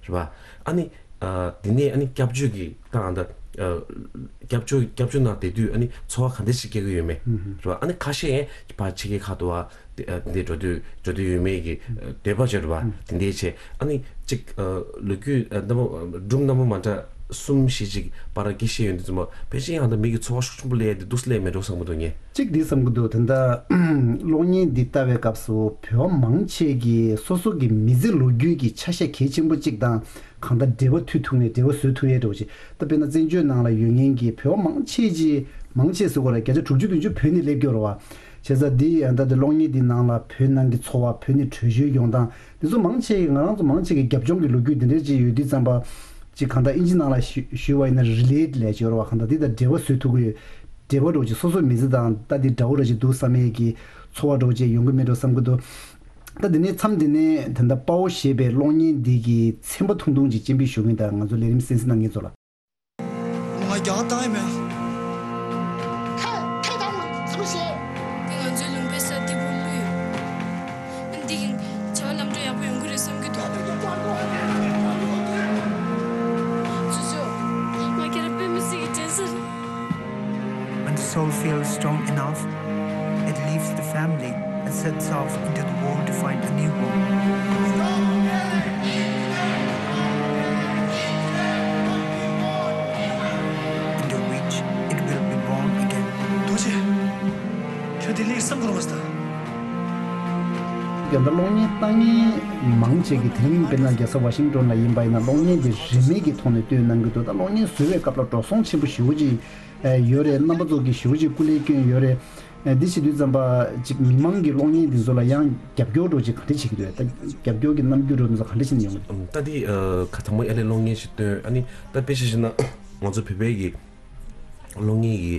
རེད་བ། ཨ་ནི་ཨ་དེ་ནས་ཨ་ནི་སྐྱབས་བཅོལ་གྱི་ད་ཨ་ད་ཨ་སྐྱབས་བཅོལ་སྐྱབས་བཅོལ་ནང་བསྡད་དུས་ཨ་ནི་ཚོར་བ་ག་འདྲ་ཞིག་སྐྱེ་གི་ཡོད་མེད་རེད་བ། ཨ་ནི་ཁ་ཤས་ཕར་ཕྱི་རྒྱལ་ཁག་ཏུ་བ་དེ་ཨ་དེ་འདྲས་འགྲོ་དུས་འགྲོ་དུས་ཡོད་མེད་ཀྱི་འདོད་པ་བྱེད་རེད་བ། དེ་འདྲས་བྱས་ཨ་ནི་གཅིག་ཨ་ལོ་རྒྱུས་ཨ་རྣམ་པ་སྒྲུང་རྣམ་པ་མ་འདྲ་གསུམ་བཞི་ཅིག་པར་སྐྱེལ་བཞིན་ཡོད་དུས་ཙམ་པ་ཕལ་ཆེར་ཡང་ད་མི་གི་ཚོར་བ་ཤུགས་ཆེན་པོ་སླེབས་ཡ་དེ་འདུག་སེ་སླེབས་མེད་འགྲོ་བསམ་གི་འདུག་ངས། གཅིག་འདི་བསམ་གི་འདུག་ད་ལྟ་གློག་བརྙན་འདི་ལྟ་བའི་སྐབས་སུ་བོད་པ་མང་ཆེ་གིས་སོ་སོ་གི་མི་ཚེ་ལོ་རྒྱུས་ཀྱི་ཆ་ཤས་གལ་ཆེན་པོ་གཅིག་དང་གང་ལྟར་འབྲེལ་བ་མཐུད་ཐུབ་ནས་འབྲེལ་བ་བཟོ་ཐུབ་ཡས་འདྲ་བོ་ཅིག་ད་དཔེར་ན་བཙན་བྱོལ་ནང་ལ་ཡོད་མཁན་གྱི་བོད་པ་མང་ཆེ་ཅིག་མང་ཆེ་ཟེར་དགོས་རེད། བརྒྱ་ཆ་དྲུག་ཅུ་བདུན་ཅུ་བོད་ནས་སླེབས་ཀྱི་ཡོད་རེད་བ། བྱས་ཙང་འདི་ཡང་ད་འདི་གློག་བརྙན་འདི་ནང་ལ་བོད་ནང་གི་འཚོ་བ། བོད་ནས་བྲོས་བྱོལ་ཡོང་སྟངས་འདི་ཚོ་མང་ཆེ་གི་ང་རང་ཚོ་མང་ཆེ་གི་རྒྱབ་ལྗོངས་ཀྱི་ལོ་རྒྱུས་འདི་འདྲས་ཅིག་ཡོད་དུས་ཙམ་པ་ཅིག་གང་ལྟར་ཨིན་ཇི་ནང་ལ་ཞུ་ཞུས་པ་ཡིན་ན་relate ལབ་ཀྱི་ཡོད་རེད་བ། གང་ལྟར་འདི་དང་འབྲེལ་བ་བཟོ་ཐུབ་ཀྱི་ཡོད། འབྲེལ་བ་འདྲ་བོ་ཅིག་སོ་སོའི་མི་ཚེ་དང་ད་འདི་འདྲ་བོ་འདྲ་ཅིག་འདུག་བསམ་ཡས་ཀྱི་ཚོར་བ་འདྲ་བོ་ཅིག་ཡོང་གི་མེད་འགྲོ་བསམ་གྱི་འདུག་ད་འདི་ནས་མཚམས་འདི་ནས་ད་ལྟ་དཔའ་བོ་ཞེས་པའི་གློག་བརྙན་འདི་གི་ཚན་པ་ཐུང་ཐུང་ཅིག་སྤྱན་འབུལ་ཞུ་གི་ཡིན། ད་ང་ཚོ་ལས་རིམ་གསན་གཟིགས་གནང་མཁན་ཚོ་ལ། ང་རྒྱག་བཏང་ཡིན་མེད། ཁ་ཁ་ཐང་མ་ཚུགས་ཤེས། འདི་ང་ཚོའི་ལུང་པའི་ས་འདི་བུ་ལུས། འདི་གིན་བྱ་བ་ལམ་འགྲོ་ཡག་པོ་ཡོང་གི་རེད་བསམ་གྱི་འདུག་ཚུ་ཚོ། ང་ཁྱེད་རང་དཔེ་མི་སྲིད་ཀྱི་དྲན་ས་རེད། feels strong enough, it leaves the family and sets off into the world to find a new home, into which it will be born again. རྡོ་རྗེ། ཁྱོད་དེ་ལས་བསམ་གོ་མ་སྟ། རྒྱ་ད་གློག་བརྙན་ལྟ་མཁན་མང་ཆེ་གི་དེ་རིང་དཔེར་ན་རྒྱལ་ས་ཝ་ཤིང་ཏོན་ལ་ཡིན་པ་ཡིན་ན་གློག་བརྙན་དེ་རིན་མེད་ཀྱི་ཐོག་ནས་སྟོན་གནང་གི་འདུག་ད་གློག་བརྙན་བཟོ་བའི་སྐབས་ལ་འགྲོ་སོང་ཆེན་པོ་ཞེ་པོ་ཅིག་ཡོད་རེད། རྣམ་པ་ཚོ་གིས་ཞེ་པོ་ཅིག་སྐུ་ལས་བསྐྱོན་ཡོད་རེད། འདི་བྱེད་དུས་ཙམ་པ་ཅིག་མི་མང་གི་གློག་བརྙན་འདི་ཚོ་ལ་ཡང་རྒྱབ་སྐྱོར་འདྲ་ཅིག་ག་འདྲ་བྱེད་ཀྱི་འདུག་ད་རྒྱབ་སྐྱོར་གྱི་རྣམ་འགྱུར་འདྲ་འདི་ཚོ་ག་འདྲ་བྱེད་ནས་ཡོང་གི་འདུག་ད་འདི་ཁ་ཚང་མ་ཨ་ལས་གློག་བརྙན་ཞིག་སྟོན་ཨ་ནི་ད་དཔེ་ཆ་བཞག་ན་ང་ཚོ་བོད་པའི་གི་གློག་བརྙན་གྱི་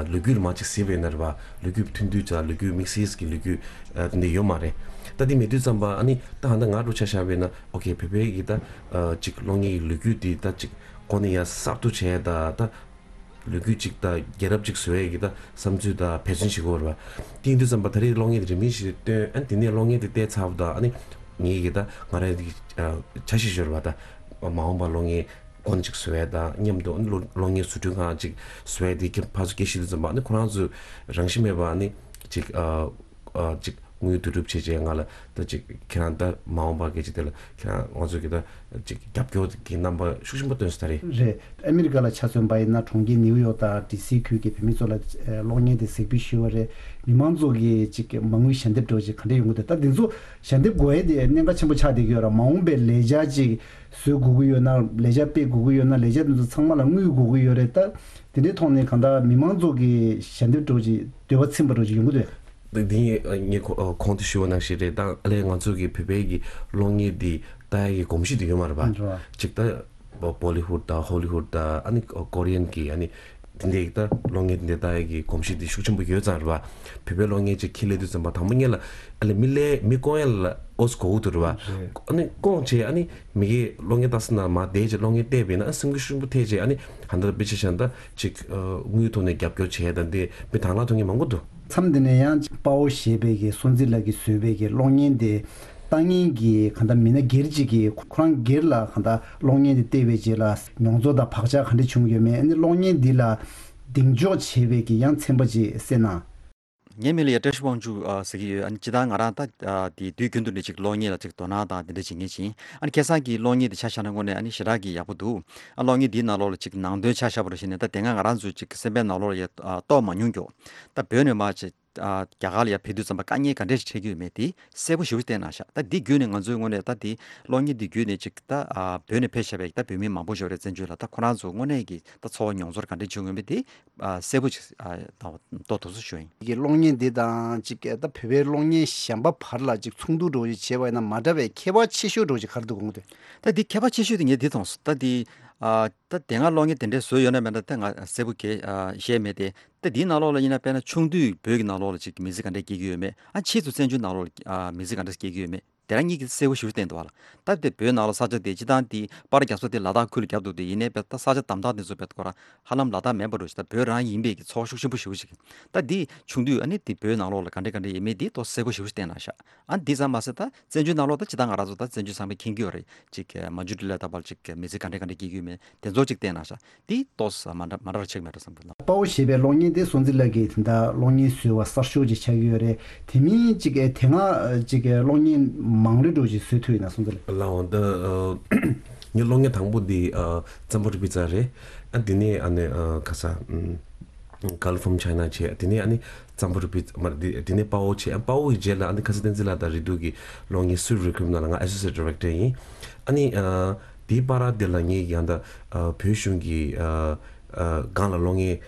ལོ་རྒྱུས་ལ་མ་ཅིག་གཟིགས་པ་ཡིན་ན་རེད་པ། ལོ་རྒྱུས་ཐུང་ཐུང་ཅིག་ལོ་རྒྱུས་དམིགས་བསལ་གྱི་ལོ་རྒྱུས་དེ་འདྲ་ཡོད་མ་རེད། ད་འདི་མེད་དུས་ཙམ་པ་ཨ་ནི་ད་ཧ་ད་ང་འདྲ་ཆ་བཞག་པ་ཡིན་ན་ཨོ་ཁེ་བོད་པའི་གི་ད་ཅིག་གློག་བརྙན་གྱི་ལོ་རྒྱུས་དེ་ད་ཅིག་གོ་ནས་ཡང་གསར་གཏོད་བྱས་ད་ད་ལོ་རྒྱུས་ཅིག་ད་རྒྱལ་རབས་ཅིག་བཟོ་ཡས་ཀྱི་ད་བསམ་ཚུལ་ད་འབད་བརྩོན་བྱེད་དགོས་རེད་པ། དེ་ཡིན་དུས་ཙམ་པ་ད་རེས་གློག་བརྙན་དེ་རིན་མེད་ཞིག་སྟོན་ཨ་ནི་དེ་ནས་གློག་བརྙན་དེ་བལྟས་ཚར་བ་ད་ཨ་ནི་ངེད་ཀྱི་ད་ང་རང་གི་འཆར་གཞི་ཤོར་བ་ད་མ་འོངས་པ་གློག་བརྙན་དགོན་ཅིག་བཟོ་ཡས་དང་མཉམ་དུ་ཨ་ནི་གློག་གློག་བརྙན་བཟོ་སྐྲུན་ཁང་ཅིག་བཟོ་ཡས་དེ་ཁྱེད་ཕར་ཚུར་སྐད་བཤད་དུས་ཙམ་པ་ཨ་ནི་ཁོ་རང་ཚོས་རང་བཞིན་མེད་པ་ཨ་ནི་ཅིག་ཨ་ཨ་ཅིག་དངུལ་བསྡུ་རུབ་བྱས་རྗེས་ང་ལ་ད་ཅིག་ཁྱེད་རང་ད་མ་འོངས་པ་སྐད་ཅིག་དེ་ལ་ཁྱེད་རང་ང་ཚོ་གི་ད་ཅིག་རྒྱབ་སྐྱོར་གྱི་རྣམ་པ་ཤུགས་ཆེན་པོ་སྟོན་སྲིད་ད་རེད། རེད། ཨ་མི་རི་ཀ་ལ་ཆ་མཚོན་པ་ཡིན་ན་གྲོང་ཁྱེར་ནིའུ་ཡོག་དང་ཌི་སི་ཁུལ་གྱི་བོད་མི་ཚོ་ལ་གློག་བརྙན་དེ་གཟིགས་འབུལ་ཞུས་པ་རེད། མི་མང་ཚོ་གི་ཅིག་མ་དངུལ་ཞལ་འདེབས་འདྲ་ཅིག་ག་འདྲ་ཡོང་གི་འདུག་ད་འདི་ཚོ་ཞལ་འདེབས་དགོས་ཡས་དེ་གནད་འགག་ཆེན་པོ་ཆགས་བསྡད་ཀྱི་ཡོད་ར། མ་འོངས་པའི་ལས་འཆར་ཅིག་བཟོ་དགོས་ཀྱི་ཡོད་ན། ལས་འཆར་སྤེལ་དགོས་ཀྱི་ཡོད་ན། ལས་འཆར་དེ་ཚོ་ཚང་མ་ལ་དངུལ་དགོས་ཀྱི་ཡོད་རེད། ད་དེ་འདྲའི་ཐོག་ནས་གང་ལྟར་མི་མང་ཚོ་གི་ཞལ་འདེབས་འདྲ་ཅིག་འདོད་པ་ཚིམ་པ་འདྲ་ཅིག་ཡོང་གི་འདུག་དེ་ངས་ངས་གོང་དུ་ཞུས་པ་ནང་བཞིན་རེད། ད་ཨ་ལས་ང་ཚོ་གི་བོད་པའི་གི་གློག་བརྙན་འདི་ལྟ་ཡ་གི་གོམས་གཤིས་དེ་ཡོད་མ་རེད་པ། ཅིག་ད་བོ་ལི་ཧུད་དང་ཧོ་ལི་ཧུད་དང་ཨ་ནི་ཀོ་རི་ཡན་གི་ཨ་ནི་དེ་འདྲའི་ད་གློག་བརྙན་དེ་འདྲ་ལྟ་ཡ་གི་གོམས་གཤིས་དེ་ཤུགས་ཆེན་པོ་ཡོད་ཙང་རེད་པ། བོད་པའི་གློག་བརྙན་ཅིག་ཁྱེར་སླེབས་དུས་ཙམ་པ་དང་པོ་ཉིད་ལ་ཨ་ལས་མི་ལས་མི་སྐོང་ཡ་ལ་ཨོ་ཙི་གོ་གི་འདུག་རེད་པ། ཨ་ནི་སྐོང་བྱས་ཨ་ནི་མི་གི་གློག་བརྙན་ལྟ་ས་ན་མ་བསྡད་ཅིག་གློག་བརྙན་བལྟས་པས་ན་ཨ་སེམས་འགུལ་ཤུགས་ཆེན་པོ་ཐེབས་བྱས་ཨ་ནི་ཧ་ད་དཔེ་ཆ་བཞག་ན་ད་ཅིག་དངུལ་ཐོག་ནས་རྒྱབ་སྐྱོར་བྱས་ད་འདི་མི་དང་བླངས་ཐོབ་མཁན་མང་པོ་འདུག་མཚམས་འདི་ནས་ཡང་དཔའ་བོ་ཞེས་པའི་གི་སོན་རྩི་ལགས་ཀྱིས་བཟོས་པའི་གི་གློག་བརྙན་དེ་ལྟ་མཁན་གྱི་གང་ལྟར་མི་སྣ་སྒེར་གཅིག་གིས་ཁོ་རང་སྒེར་ལ་གང་ལྟར་གློག་བརྙན་དེ་བལྟས་པའི་རྗེས་ལ་མྱོང་ཚོར་དང་བག་ཆགས་ག་འདྲ་བྱུང་ཡོད་མེད། ཨ་ནི་གློག་བརྙན་འདི་ལ་གདེང་འཇོག་བྱས་པའི་གི་ཡང་ཚན་པ་ཅིག་གསན་ན། ངའི་མིང་ལ་ཡ་བཀྲ་ཤིས་དབང་ཕྱུག་ཨ་ཟེར་གྱི་ཡོད། ཨ་ནི་སྤྱིར་བཏང་ང་རང་ད་ཨ་དེ་དུས་རྒྱུན་དུ་ནི་ཅིག་གློག་བརྙན་ལ་ཅིག་དོ་སྣང་དང་དེ་འདྲ་བྱེད་མཁན་ཅིག་ཨ་ནི་ཁ་སང་གི་གློག་བརྙན་དེ་ཆ་བཞག་ན་དངོས་གནས་ཨ་ནི་ཞེ་དྲག་གི་ཡག་པོ་འདུག་ཨ་གློག་བརྙན་འདིའི་ནང་ལོགས་ལ་ཅིག་ནང་དོན་ཆ་བཞག་པ་རེད་བྱས་ནས་ད་དེ་སྔ་ང་རང་ཚོའི་ཅིག་སེམས་པའི་ནང་ལོགས་ལ་ཡ་ཨ་རྟོགས་མ་མྱོང་མགྱོགས། ད་བོད་ནས་མར་ཅིག་ཨ་རྒྱ་གར་ལ་ཡ་ཕེབས་དུས་ཙམ་པ་དཀའ་ངལ་ག་འདྲས་ཤིག་འཕྲད་ཀྱི་ཡོད་མེད་དེ་གསལ་པོ་ཞེ་པོ་བསྟན་གནང་ཤག་ད་འདི་བརྒྱུད་ནས་ང་ཚོའི་དངོས་གནས་ད་དེ་གློག་བརྙན་འདི་བརྒྱུད་ནས་ཅིག་ད་ཨ་བོད་ནས་ཕེབས་བཞག་པའི་ད་བོད་མི་མང་པོ་ཞིག་ཡོད་རེད། བཙན་བྱོལ་ལ་ད་ཁོ་རང་ཚོ་དངོས་གནས་ཀྱི་ད་ཚོར་བ་མྱོང་ཚོར་ག་འདྲས་བྱུང་ཡོད་མེད་དེ་ཨ་གསལ་པོ་ཅིག་ཨ་ད་རྟོགས་ཐུབ་སོང་ཞུ་ཡིན། གི་གློག་བརྙན་འདི་དང་ཅིག་ད་བོད་པའི་གློག་བརྙན་གཞན་པ་བར་ལ་ཅིག་ཚོགས་འདུ་འདྲ་བོ་ཞིག་བྱས་པ་ཡིན་ན་མ་འདྲ་བའི་ཁྱད་པར་ཆེ་ཤོས་འདྲ་བོ་ཞིག་ག་རེ་འདུག་དགོངས་འདུག་ད་འདི་ཁྱད་པར་ཆེ་ཤོས་དེ་ངས་འདི་མཐོང་སོང་། ད་འདི་ཨ་ད་དེ་སྔ་གློག་བརྙན་དེ་འདྲས་བཟོས་ཡོད་ན་མེད་ན་ད་ང་གསལ་པོ་གས་ཨ་ཤེས་མེད་དེ། ད་འདིའི་ནང་ལོགས་ལ་ཡིན་ན་དཔེར་ན་ཆུང་དུས་བོད་ཀྱི་ནང་ལོགས་ལ་ཅིག་མི་ཚེ་ག་འདྲས་སྐྱེལ་གྱི་ཡོད་མེད། ཨ་ཕྱིས་སུ་བཙན་བྱོལ་ནང་ལོགས་ལ་ཨ་མི་ཚེ་ག་འདྲས་སྐྱེལ་གྱི་ཡོད་མེད། དེ་རང་གཉིས་ཀྱིས་གསལ་པོ་ཞེ་པོ་བསྟན་འདུག་བ་ལ། ད་དེ་བོད་ནང་ལ་ས་ཆ་དེ་སྤྱིར་བཏང་དེ་པར་རྒྱབ་ས་དེ་ལ་དྭགས་ཁུལ་ལ་རྒྱབ་འདུག་དེ་ཡིན་ནའི་དཔེ་ད་ས་ཆ་དམ་དྲག་དེ་ཚོ་དཔེ་ཁོ་རང་ཧ་ལམ་ལ་དྭགས་མིན་པ་འདྲ་ཞིག་ད་བོད་རང་ཡིན་པའི་གི་ཚོར་བ་ཤུགས་ཆེན་པོ་ཞེ་པོ་ཞིག་ད་དེ་ཆུང་དུས་ཨ་ནི་དེ་བོད་ནང་ལོགས་ལ་ག་འདྲས་ག་འདྲས་ཡིན་མིན་དེ་ཏོག་གསལ་པོ་ཞེ་པོ་ཞིག་བསྟན་གནང་ཤག་ཨ་འདི་ཙམ་མ་ཟད་ད་བཙན་བྱོལ་ནང་ལོགས་ད་སྤྱིར་བཏང་ང་རང་ཚོ་ད་བཙན་བྱོལ་ཚང་མས་མཁྱེན་གྱི་ཡོད་རེད། ཅིག་མ་འཇུ་འདི་ལ་ད་བར་ཅིག་མི་ཚེ་ག་འདྲས་ག་འདྲས་སྐྱེལ་གྱི་ཡོད་མེད་དེ་ཚོ་ཅིག་བསྟན་གནང་ཤག་དེ་ཏོག་ཙམ་མ་འདྲ་མ་འདྲ་བ་ཆགས་མེད་འགྲོ་བསམ་གྱི་འདུག་དཔའ་བོ་ཞེས་པའི་གློག་བརྙན་དེ་སོན་རྩི་ལགས་ཀྱིས་དེ་འདྲ་གློག་བརྙན་བཟོས་པ་གསར་ཤོག་ཅིག་ཆགས་ཀྱི་ཡོད་རེད། དེ་མིན་ཅིག་ཨེ་དེ་སྔ་ཅིག་གློག་བརྙན་མང་རེ་འགྲོ་ཅིག་བཟོས་ཐུབ་ཡིན་ན་སོན་རྩི་ལགས། ལའོ་ད་ངའི་གློག་བརྙན་དང་པོ་དེ་ཙམ་པོ་རི་པི་ཙ་རེད། ཨ་དེ་ནས་ཨ་ནི་ཁ་ས་Girl from China་བྱས། དེ་ནས་ཨ་ནི་ཙམ་པོ་རི་པི་ཙ་མ་དེ་དེ་ནས་དཔའ་བོ་བྱས། ཨ་དཔའ་བོ་ཡི་རྗེས་ལ་ཨ་ནི་ཁ་ས་བསྟན་འཛིན་ལགས་དང་རེ་དུ་གི་གློག་བརྙན་Sweet Requiem་ནང་ལ་ང་Associate Director་ཡིན། ཨ་ནི་དེའི་བར་དེ་ལ་ངས་ཡང་ད་བོད་གཞུང་གི་སྒང་ལ་གློག་བརྙན་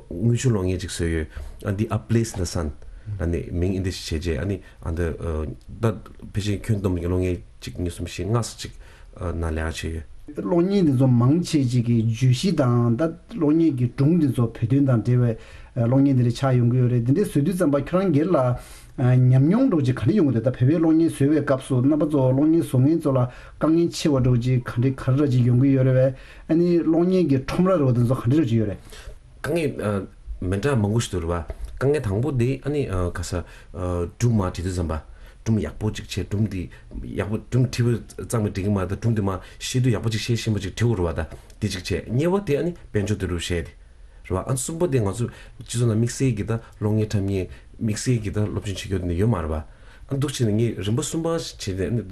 དངུལ་ཆུ་གློག་བརྙན་ཅིག་བཟོས་ཡོད། ཨ་འདི་A Place in the Sun་ལ་ནི་མིང་ཨིན་དེ་ཞིག་བྱས་རྗེས་ཨ་ནི་ཨ་ད་ད་ཕལ་ཆེར་ཁྱོན་བསྡོམས་ཀྱི་གློག་བརྙན་གཅིག་གཉིས་གསུམ་བཞི་ལྔ་ཙམ་ཅིག་ནང་ལས་ཀ་བྱས་ཡོད། གློག་བརྙན་འདི་ཚོ་མང་ཆེ་ཅིག་གི་བརྗོད་གཞི་དང་ད་གློག་བརྙན་གྱི་སྒྲུང་འདི་ཚོ་བོད་དོན་དང་འབྲེལ་བའི་གློག་བརྙན་འདི་འདྲ་ཆགས་ཡོང་གི་ཡོད་རེད། འདི་འདྲ་བཟོ་དུས་ཙམ་པ་ཁྱོད་རང་སྒེར་ལ་ཉམས་མྱོང་འདྲ་ཅིག་ག་འདྲ་ཡོང་གི་འདུག་ད་བོད་པའི་གློག་བརྙན་བཟོ་བའི་སྐབས་སུ་རྣམ་པ་ཚོ་གློག་བརྙན་བཟོ་མཁན་ཚོ་ལ་དཀའ་ངལ་ཆེ་བ་འདྲ་ཅིག་ག་འདྲ་ག་རེ་འདྲ་ཅིག་ཡོང་གི་ཡོད་རེད་བས། ཨ་ནི་གློག་བརྙན་གྱི་ཁྲོམ་ར་འདྲ་བོ་འདི་ཚོ་ག་འདྲ་འདྲ་ཅིག་ཡོད་རེད། དཀའ་ངལ་མི་འདྲ་མང་པོ་ཞིག་འདུག་རེད་བ། དཀའ་ངལ་དང་པོ་དེ་ཨ་ནི་ག་ས་སྒྲུང་མར་བྲིས་དུས་ཙམ་པ་སྒྲུང་ཡག་པོ་ཅིག་བྱས། སྒྲུང་དེ་ཡག་པོ་སྒྲུང་བྲིས་པ་ཙམ་གྱིས་འགྲིག་གི་མ་རེད། ད་སྒྲུང་དེ་མར་ཤེས་དུས་ཡག་པོ་ཅིག་ཤེས་ཤེས་པ་ཅིག་བྲིས་དགོས་རེད་བ། ད་དེ་གཅིག་བྱས། གཉིས་པ་དེ་ཨ་ནི་དཔལ་འབྱོར་བསྡུ་རུབ་བྱས་ཏེ་ རེད་བ། ཨ་གསུམ་པོ་དེ་ང་ཚོ་སྤྱི་ཚོགས་ནང་དམིགས་བསལ་གྱི་ད་གློག་བརྙན་འཁྲབ་མཁན་དམིགས་བསལ་གྱི་ད་སློབ་སྦྱོང་བྱེད་རྒྱུ་དེ་འདྲ་ཡོད་མ་རེད་བ། ཨ་འདུག་བྱས་ནས་ངས་རིམ་པ་གསུམ་པ་བྱས་ནས་ཨ་ནི་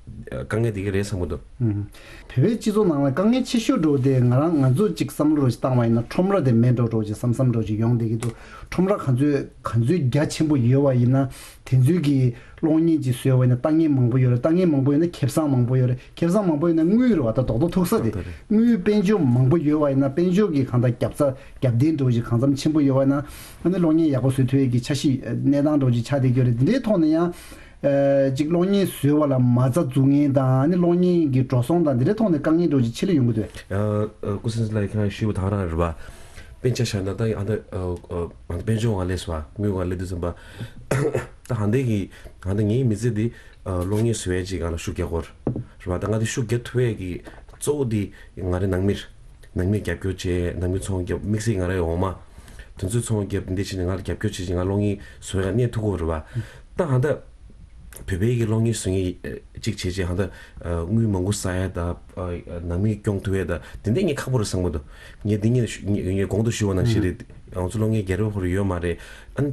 དཀའ་ངལ་དེ་ག་རེད་བསམ་གྱི་འདུག། ཨུམ། བོད་པའི་སྤྱི་ཚོགས་ནང་ལ་དཀའ་ངལ་ཆེ་ཤོས་འདྲ་བོ་དེ་ང་རང་ང་ཚོ་གཅིག་བསམ་བློ་རོ་ཞིག་བཏང་བ་ཡིན་ན་ཁྲོམ་ར་དེ་མེད་འགྲོ་འགྲོ་ཅིག་བསམ་བསམ་འདྲ་བོ་ཅིག་ཡོང་བསྡད་ཀྱི་འདུག། ཁྲོམ་ར་ག་ཚོད་ག་ཚོད་རྒྱ་ཆེན་པོ་ཡོད་བ་ཡིན་ན་དེ་ཚོའི་གི་གློག་བརྙན་ཅིག་བཟོས་པ་ཡིན་ན་ལྟ་མཁན་མང་པོ་ཡོད་རེད། ལྟ་མཁན་མང་པོ་ཡོད་ན་ཁེ་བཟང་མང་པོ་ཡོད་རེད། ཁེ་བཟང་མང་པོ་ཡོད་ན་དངུལ་རེད་བ། ད་རྡོག་རྡོག་ཐུག་ས་དེ། ལྟ་རེད། དངུལ་དཔལ་འབྱོར་མང་པོ་ཡོད་བ་ཡིན་ན་དཔལ་འབྱོར་གྱི་གང་ལྟར་རྒྱབ་རྩ་རྒྱབ་རྟེན་འདྲ་བོ་ཞིག་གང་འཚམ་ཆེན་པོ་ཡོད་བ་ཡིན་ན་ཨ་ནི་གློག་བརྙན་ཡག་པོ་བཟོ་ཐུབ་ཡས་ཀྱི་འཆར་གཞི་གནས་སྟངས་འདྲ་བོ་ཞིག་ཆགས་བསྡད་ཀྱི་ཡོད་རེད། འདི་འདྲའི་ཐོག་ནས་ཡང་ཅིག་གློག་བརྙན་བཟོས་པ་ལ་མ་རྩ་འཛུགས་མཁན་དང་ཨ་ནི་གློག་བརྙན་གྱི་འགྲོ་སོང་དང་འདི་འདྲའི་ཐོག་ནས་དཀའ་ངལ་འདྲ་བོ་ཞིག་ཆེ་ལོས་ཡོང་གི་འདུག། ཨ་ཨ་སྐུ་སྲུང་ལགས་ཁྱེད་རང་ཞུས་པ་དང་རང་རེད་བ། དཔེ་ཆ་བཞག་ན་ད་ཨ་ད་ཨ་ཨ་དཔལ་འབྱོར་ང་ལས་སོ་དངུལ་ང་ལས་དུས་ཙམ་པ། ད་ཧ་འདས་ཀྱི་ཧ་འདས་ངའི་མི་ཚེ་འདི་ཨ་གློག་བརྙན་བཟོ་ཡས་ཅིག་ང་ལ་ཤུགས་རྒྱག་གོ་རེད་བ། ད་ང་འདི་ཤུགས་རྒྱག་ཐུབ་ཡས་ཀྱི་གཙོ་བོ་འདི་ང་རའི་ནང་མིར་ནང་མིར་རྒྱབ་སྐྱོར་བྱས། ནང་མི་ཚོང་རྒྱབ་དམིགས་བསལ་ང་རའི་འོག་མ་དེ་ཚོས་ཚོང་རྒྱབ་འདི་བྱས་ནས་ང་ལ་རྒྱབ་སྐྱོར་བྱས་ཅིག་ང་གློག་བརྙན་བཟོ་ཡས་གནས་ཐུབ་གོ་རེད་བ། ད་ཧ་འདས་བོད་པའི་གི་གློག་བརྙན་བཟོ་མཁན་ཅིག་བྱས་རྗེས་ཧ་འདས་དངུལ་མང་པོ་བསགས་ཡས་ད་ནང་མི་སྐྱོང་ཐུབ་ཡས་ད་དེ་འདྲས་ངས་ཁག་པོ་རེད་བསམ་གི་འདུག། ངས་འདི་ངས་ངས་གོང་དུ་ཞུས་པ་ནང་བཞིན་རེད། ང་ཚོ་གློག་བརྙན་རྒྱལ་རབས་ཁོ་རང་ཡོད་མ་རེད། ཨ་ནི་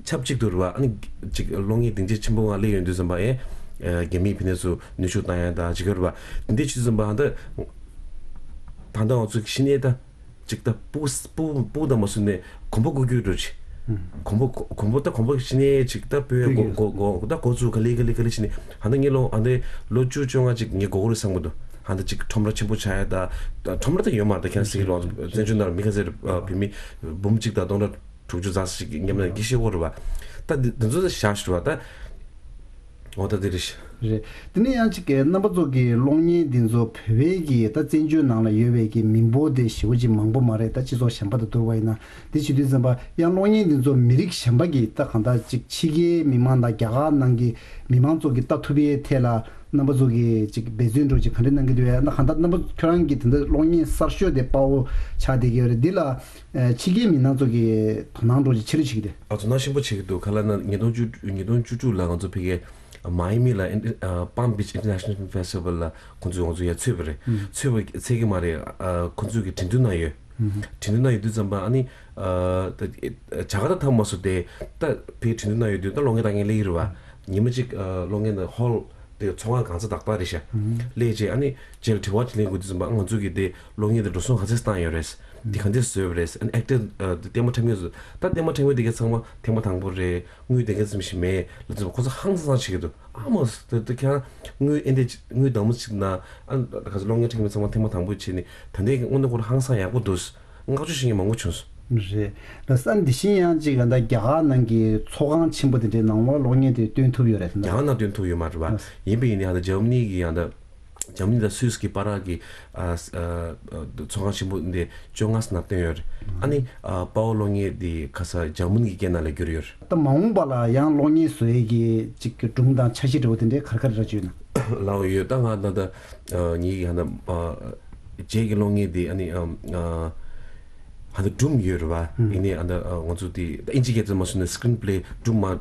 ཆབས་ཅིག་ཏུ་རེད་བ། ཨ་ནི་ཅིག་གློག་བརྙན་སྡིངས་ཆ་ཆེན་པོ་ང་སླེབས་ཡོང་དུས་ཙམ་པ་ཨེ་རྒྱ་མིའི་ཕི་ནས་སུ་ནུས་ཤུགས་བཏང་ཡ་ད་ཅིག་ཡོད་རེད་བ། འདི་འདྲས་བྱས་དུས་ཙམ་པ་ད་ད་ལྟ་ང་ཚོ་གི་ཤི་ནས་ད་ཅིག་ད་སྤུ་སྤུ་སྤུ་ད་མ་སུ་ནས་གོམ་པ་སྐུ་རྒྱུ་འགྲོ་ཅི། གོམ་པ་གོམ་པ་ད་གོམ་པ་ཤི་ནས་ཅིག་ད་སྤོས་གོ་གོ་གོ་ད་གོ་ཚུ་ག་ལེ་ག་ལེ་ག་ལེ་ཤི་ནས་ཧ་ད་ངས་ལོ་ཨ་འདི་ལོ་བཅུ་བཅོ་ལྔ་ཅིག་ངས་གོ་གོ་རེད་བསམ་གི་འདུག། ཧ་ད་ཅིག་ཁྲོམ་ར་ཆེན་པོ་ཆགས་ཡ་ད་ཁྲོམ་ར་ད་ཡོད་མ་རེད། ད་ཁྱེད་རང་སྲིད་ལོ་བཙན་བྱོལ་ནང་ལ་མི་ཁ་ཟེར་བུད་མེད་འབུམ་གཅིག་དང་སྟོང་ཕྲག་དྲུག་ཅུ་རྩ་ཞིག་མཉམ་ལས་ཀྱི་ཤེས་གོ་རེད་བ། ད་འདི་འདི་ཚོ་ད་བཞག་ཤི་བ་ད་འོ་ད་འདི་རེད་ཤི། རེད། དེ་ནས་ཡང་གཅིག་གི་རྣམ་པ་ཚོ་གི་གློག་བརྙན་འདི་ཚོ་བོད་པའི་གི་ད་བཙན་བྱོལ་ནང་ལ་ཡོད་པའི་གི་མི་འབོར་དེ་ཞེ་པོ་ཅིག་མང་པོ་མ་རེད། ད་སྤྱི་ཚོགས་གཞན་པ་དང་བསྡུར་བ་ཡིན་ན་དེ་བྱེད་དུས་ཙམ་པ་ཡང་གློག་བརྙན་འདི་ཚོ་མི་རིགས་གཞན་པ་གི་ད་གང་ལྟར་ཅིག་ཕྱི་རྒྱལ་མི་མང་དང་རྒྱ་གར་ནང་གི་མི་མང་ཚོ་གི་ལྟ་ཐུབ་པའི་ཐད་ལ་རྣམ་པ་ཚོ་གི་ཅིག་འབད་བརྩོན་འདྲ་ཅིག་ག་འདྲ་གནང་གི་འདུག་ཡ། ད་གང་ལྟར་རྣམ་པ་ཁྱོད་རང་གི་དེ་འདྲ་གློག་བརྙན་གསར་ཤོས་དེ་དཔའ་བོ་ཆགས་བསྡད་ཀྱི་ཡོད་རེད། འདི་ལ་ཨ་ཕྱི་རྒྱལ་མི་སྣ་ཚོ་གིས་དོ་སྣང་འདྲ་ཅིག་ཆེ་རུ་བྱེད་ཀྱི་འདུག། ཨ་དོ་སྣང་ཆེན་པོ་བྱེད་ཀྱི་འདུག། ག་ལ་ན་ཉིས་སྟོང་བཅུ་ཉིས་སྟོང་བཅུ་དྲུག་ལ་ང་ཚོ་ཕ་གིའི་མ་ཡ་མི་ལ་ཨིན་ཨ་Palm Beach International Festival ལ་ཁོང་ཚོས་ང་ཚོ་ཡར་ཚུད་པ་རེད། ཚུད་པ་ཚད་ཀྱི་མ་རེད། ཨ་ཁོང་ཚོས་ཀྱི་འགྲན་བསྡུར་གནང་ཡོད། འགྲན་བསྡུར་གནང་ཡོད་དུས་ཙམ་པ་ཨ་ནི་ཨ་ད་ཇ་ཀར་ཏ་ཐང་མ་སུ་དེ་ད་ཕ་གིའི་འགྲན་བསྡུར་གནང་ཡོད་དུས་ད་གློག་བརྙན་ལྟ་མཁན་སླེབས་ཀྱི་རེད་བ། ཉི་མ་གཅིག་ཨ་གློག་བརྙན་ཧོལ་དེ་ཚོང་ཁང་གང་ཚ་དག་དག་རེད་ཤག། སླེབས་རྗེས་ཨ་ནི་རྗེས་ལ་དྲི་བ་ཅིག་ལེན་དགོས་དུས་ཙམ་པ་ང་ཚོ་གི་དེ་གློག་བརྙན་དེ་འགྲོ་སོང་ག་ཚད་བཏང་ཡོད་རེད། དེ་ག་འདྲས་བཟོས་པ་རེད། ཨ་ནི་ཨེག་ཊར་ཨ་དེ་ལྟད་མོ་འཁྲབ་མཁན་ཚོ་ད་ལྟད་མོ་འཁྲབ་མཁན་དེ་ག་ཚང་མ་ཐེངས་མ་དང་པོ་རེད། དངུལ་དེ་ག་ཙམ་ཞིག་མེད་ལབ་དུས་ཙམ་པ་ཁོ་ཚོ་ཧང་སང་སང་བྱེད་ཀྱི་འདུག། ཨ་མ་དེ་དེ་ཁྱེད་རང་དངུལ་ཨེ་འདྲས་དངུལ་དང་པོ་ཅིག་ན་ཨ་ག་ཚོད་གློག་བརྙན་འཁྲབ་མཁན་ཚང་མ་ཐེངས་མ་དང་པོ་བྱས་ནས་ད་ལྟའི་དངོས་གནས་ཁོ་རང་ཧང་སང་ཡག་པོ་འདུག། བསྔགས་བརྗོད་བྱེད་མཁན་མང་པོ་བྱུང་སོང་། རེད། ལགས་སོ། འདི་བཞིན་ཡང་ཅིག་ད་ལྟ་རྒྱ་གར་ནང་གི་ཚོགས་ཁང་ཆེན་པོ་དེ་འདྲའི་ནང་ལོགས་གློག་བརྙན་དེ་སྟོན་ཐུབ་ཡོད་རེད་ཟེར་ན། རྒྱ་གར་ནང་སྟོན་ཐུབ་ཡོད་མ་རེད་བ། ཡིན་པ་ཡིན་ནའི་ད་ལྟ་འཇར་མ་ནི་གི་ཡང་ད་འཇར་མ་ནི་དང་སུད་སི་གི་བར་གྱི་ཨ་ཨ་ཚོགས་ཁང་ཆེན་པོ་འདི་བཅོ་ལྔ་ཙམ་ནང་སྟོན་ཡོད་རེད། ཨ་ནི་ཨ་དཔའ་བོ་གློག་བརྙན་འདི་ཁ་ས་འཇར་མ་ནི་གི་སྐད་ནང་ལ་བསྒྱུར་ཡོད་རེད། ད་མ་འོངས་པ་ལ་ཡང་གློག་བརྙན་བཟོ་ཡས་ཀྱི་ཅིག་གི་སྒྲུང་དང་འཆར་གཞི་འདྲ་བོ་དེ་འདྲའི་ག་རེ་ག་རེ་རག་གི་ཡོད་ན། ལའོ་ཡོད། ད་ང་ད་ལྟ་ཨ་ངེད་ཀྱི་ཧ་ན་ཨ་རྗེས་ཀྱི་གློག་བརྙན་འདི་ཨ་ནི་ཨ་ཨ་ཧ་ད་སྒྲུང་ཡོད་རེད་བ། ཨ་ནི་ཨ་ད་ཨ་ང་ཚོ་དེ་ད་ཨིན་ཇི་སྐད་ཚོ་མ་སོང་ན་སི་ཀི་རིན་པ་ལེ་སྒྲུང་མ་ཨ་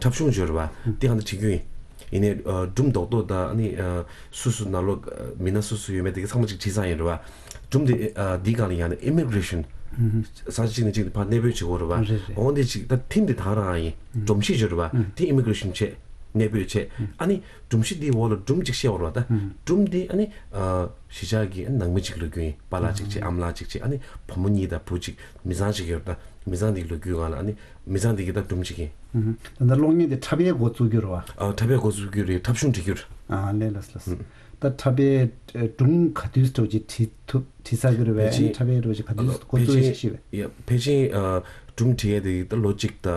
འཁྲབ་གཞུང་ཡོད་རེད་བ། དེ་ཧ་ད་བྲིས་རྒྱུ་ཡིན། ཡིན་ནའི་ཨ་སྒྲུང་རྡོག་རྡོག་ད་ཨ་ནི་ཨ་སུ་སུ་ནང་ལོགས་ཨ་མི་སྣ་སུ་སུ་ཡོད་མེད་དེ་ག་ཚང་མ་ཅིག་བྲིས་ཚར་ཡིན་རེད་བ། སྒྲུང་དེ་ཨ་འདིའི་སྒང་ལ་ཡང་ན་ཨི་མི་གྷི་རེ་ཤན་ས་ཆ་གཅིག་ནས་གཅིག་ཏུ་ཕར་གནས་སྤོས་བྱེད་དགོས་རེད་བ། རེད་རེད། འོ་འདི་ཅིག་ད་ཐིམ་དེ་ད་རང་ཡིན། སྒྲོམ་གཞི་ཡོད་རེད་བ། དེ་ཨི་མི་གྷི་རེ་ཤན་བྱས་གནས་སྤོས་བྱས། ཨ་ནི་སྒྲོམ་གཞི་འདིའི་འོག་ལ་སྒྲུང་གཅིག་བཤད་དགོས་རེད་བ། ད་སྒྲུང་འདི་ཨ་ནི་ཨ་གཞིས་ཆགས་ཀྱི་ཨ་ནི་ནང་མི་གཅིག་ལོས་སྐྱོན་ཡིན། པཱ་ལགས་གཅིག་བྱས་ཨ་མ་ལགས་གཅིག་བྱས་ཨ་ནི་བུ་མོ་གཉིས་དང་བུ་གཅིག་མི་ཚང་གཅིག་ཡོད་རེད། ད་མི་ཚང་འདིའི་ལོ་རྒྱུས་སྒང་ལ་ཨ་ནི་མི་ཚང་འདི་གི་ད་སྒྲུང་གཅིག་ཡིན། ད་ལྟ་གློག་བརྙན་དེ་འཁྲབ་ཡས་འགོ་བཙུགས་རྒྱུ་རེད་བ། ཨ་འཁྲབ་ཡས་འགོ་བཙུགས་རྒྱུ་རེད། འཁྲབ་གཞུང་བྲིས་རྒྱུ་རེད། ཨ་ལས་ལགས་ལགས། ད་འཁྲབ་ཡས་སྒྲུང་ག་དུས་འགྲོ་ཅིག་བྲིས་ཐུབ་བྲིས་ཚར་གི་རེད་བས། ཕལ་ཆེར་འཁྲབ་ཡས་འགྲོ་ཅིག་ག་དུས་འགོ་བཙུགས་ཡས་ཤིག་ཤེས་བས། ཕལ་ཆེར་ཨ་སྒྲུང་བྲིས་ཡས་དེ་ད་ལོ་གཅིག་ད་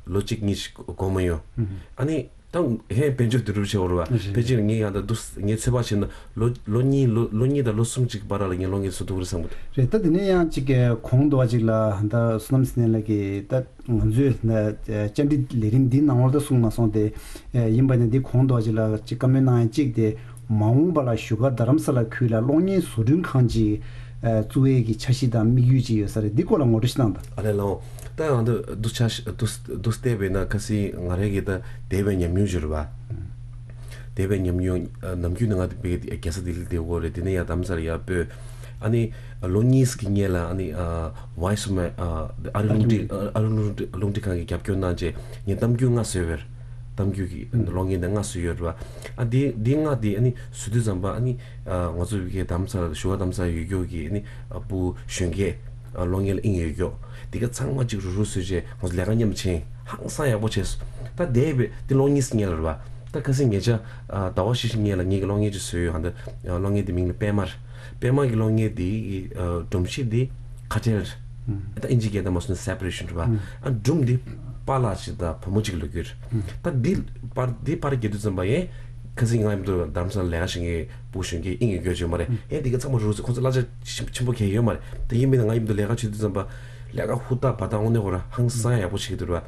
ལོ་གཅིག་གཉིས་ཤིག་འགོར་མ་ཡོང་། ཨ་ནི་ད་ཧེ་དཔལ་འབྱོར་བསྡུ་རུབ་བྱས་འོ་རེད་བ། ཕལ་ཆེར་ངས་ཡང་ད་འདུག་ངས་ཚོད་དཔག་བྱས་ན་ལོ་ལོ་གཉིས་ལོ་ལོ་གཉིས་དང་ལོ་གསུམ་གཅིག་བར་ལ་ངས་གློག་བརྙན་བཟོ་ཐུབ་ཀྱི་རེད་བསམ་གི་འདུག། རེད། ད་དེ་ནས་ཡང་གཅིག་གི་གོང་དུ་བ་གཅིག་ལ་ད་བསོད་ནམས་ཟེར་མཁན་ལགས་ཀྱིས་ད་ང་ཚོས་བཅར་འདྲི་ལས་རིམ་འདིའི་ནང་ལོགས་ད་གསུངས་མ་སོང་སྟེ། ཡིན་པ་ནི་འདི་གོང་དུ་བ་གཅིག་ལ་གཅིག་བཀའ་མོལ་གནང་ཡ་གཅིག་དེ། མ་འོངས་པ་ལ་བཞུགས་སྒར་རྡ་རམ་ས་ལ་ཁུལ་ལ་གློག་བརྙན་བཟོ་སྐྲུན་ཁང་ཅིག་ཨ་བཙུགས་ཡས་ཀྱི་འཆར་གཞི་དང་དམིགས་ཡུལ་ཅིག་ཡོད་ས་རེད། འདི་སྐོར་ལ་ངོ་སྤྲོད་ཞིག་གནང་དང་། ཨ་ལས་ལགས་འོང་། ད་ང་ཚོ་འདུག་ཆ་ཤ་འདུག་འདུག་བལྟས་པས་ན་ཁ་སང་ང་རང་གི་ད་འདས་པའི་ཉམས་མྱོང་ཅིག་རེད་བ། འདས་པའི་ཉམས་མྱོང་ཨ་ནམ་རྒྱུན་ནས་ང་དེ་བས་རྒྱལ་ས་ལྡི་ལི་བསྡད་ཡོད་རེད། དེ་ནས་ཡང་རྡ་རམ་ས་ལ་ཡར་སྤོས། ཨ་ནི་ལོ་གཉིས་ཀྱི་སྔོན་ལ་ཨ་ནི་ཨ་Voice of America ཨ་ཨ་རི་རླུང་འཕྲིན་ཨ་ཨ་རི་རླུང་འཕྲིན་རླུང་འཕྲིན་ཁང་གིས་རྒྱབ་སྐྱོར་གནང་རྗེས་ངས་གཏམ་རྒྱུད་ལྔ་བཟོས་པ་རེད། གཏམ་རྒྱུད་ཀྱི་ཨ་ནི་གློག་བརྙན་དེ་ལྔ་བཟོས་ཡོད་རེད་པ། ཨ་འདི་འདི་ལྔ་དེ་ཨ་ནི་བཟོ་དུས་ཙམ་པ་ཨ་ནི་ཨ་ང་ཚོ་བོད་སྐད་རྡ་རམ་ས་ལ་བཞུགས་སྒར་རྡ་རམ་ས་ལ་ཡོད་རྒྱུ་གི་ཨ་ནི་ཨ་བུ་གཞོན་སྐྱེས་ཨ་གློག་བརྙན་ལ་དབྱིངས་ཡོད་རྒྱུ་དེ་ག་ཚང་མ་གཅིག་རུ་རུ་བཟོས་རྗེས་ང་ཚོ་ལས་ཀ་མཉམ་དུ་བྱས། ཧང་སང་ཡག་པོ་བྱས་སོང་། ད་འདས་པའི་འདི་གློག་བརྙན་ཞིག་རྙེད་ལ་རེད་པ། ད་ཁ་སང་ཉེ་ཆར་ཨ་ཟླ་བ་བཞི་ཞིག་སྔོན་ལ་ངེད་ཀྱི་གློག་བརྙན་ཅིག་བཟོས་ཡོད། ཧ་འདི་ཨ་གློག་བརྙན་དེ་མིང་ལ་པད་མ་རེད། པད་མ་གི་གློག་བརྙན་དེ་གི་ཨ་སྒྲོམ་གཞི་དེ་ཁ་བྲལ་རེད། ད་ཨིན་ཇི་སྐད་དུ་མ་སོང་ན་separation རེད་པ། ཨ་སྒྲུང་དེ་པཱ་ལགས་ཤིག་དང་བུ་མོ་གཅིག་ལོ་རྒྱུས་རེད། ད་འདི་པར་འདི་པར་རྒྱག་དུས་ཙམ་པ་ཡང་ཁ་སང་ང་མཉམ་དུ་རྡ་རམ་ས་ལ་ལས་ཀ་བྱེད་མཁན་བུ་གཞོན་སྐྱེས་དབྱིངས་ཡོད་རྒྱུ་ཅིག་ཡོད་མ་རེད། ཡང་འདི་ག་ཚང་མ་རུ་ཁོང་ཚོ་གླ་ཆ་ཆེན་པོ་གང་ཡང་ཡོད་མ་རེད། ད་ཡིན་མིན་ན་ང་མཉམ་དུ་ལས་ཀ་བྱེད་དུས་ཙམ་པ། ལས་ཀ་ཧུར་ཐག་བར་ཐག་དངོས་གནས་ཁོ་རང་ཧང་སང་ཡག་པོ་བྱེད་ཀྱི་འདུག་ར།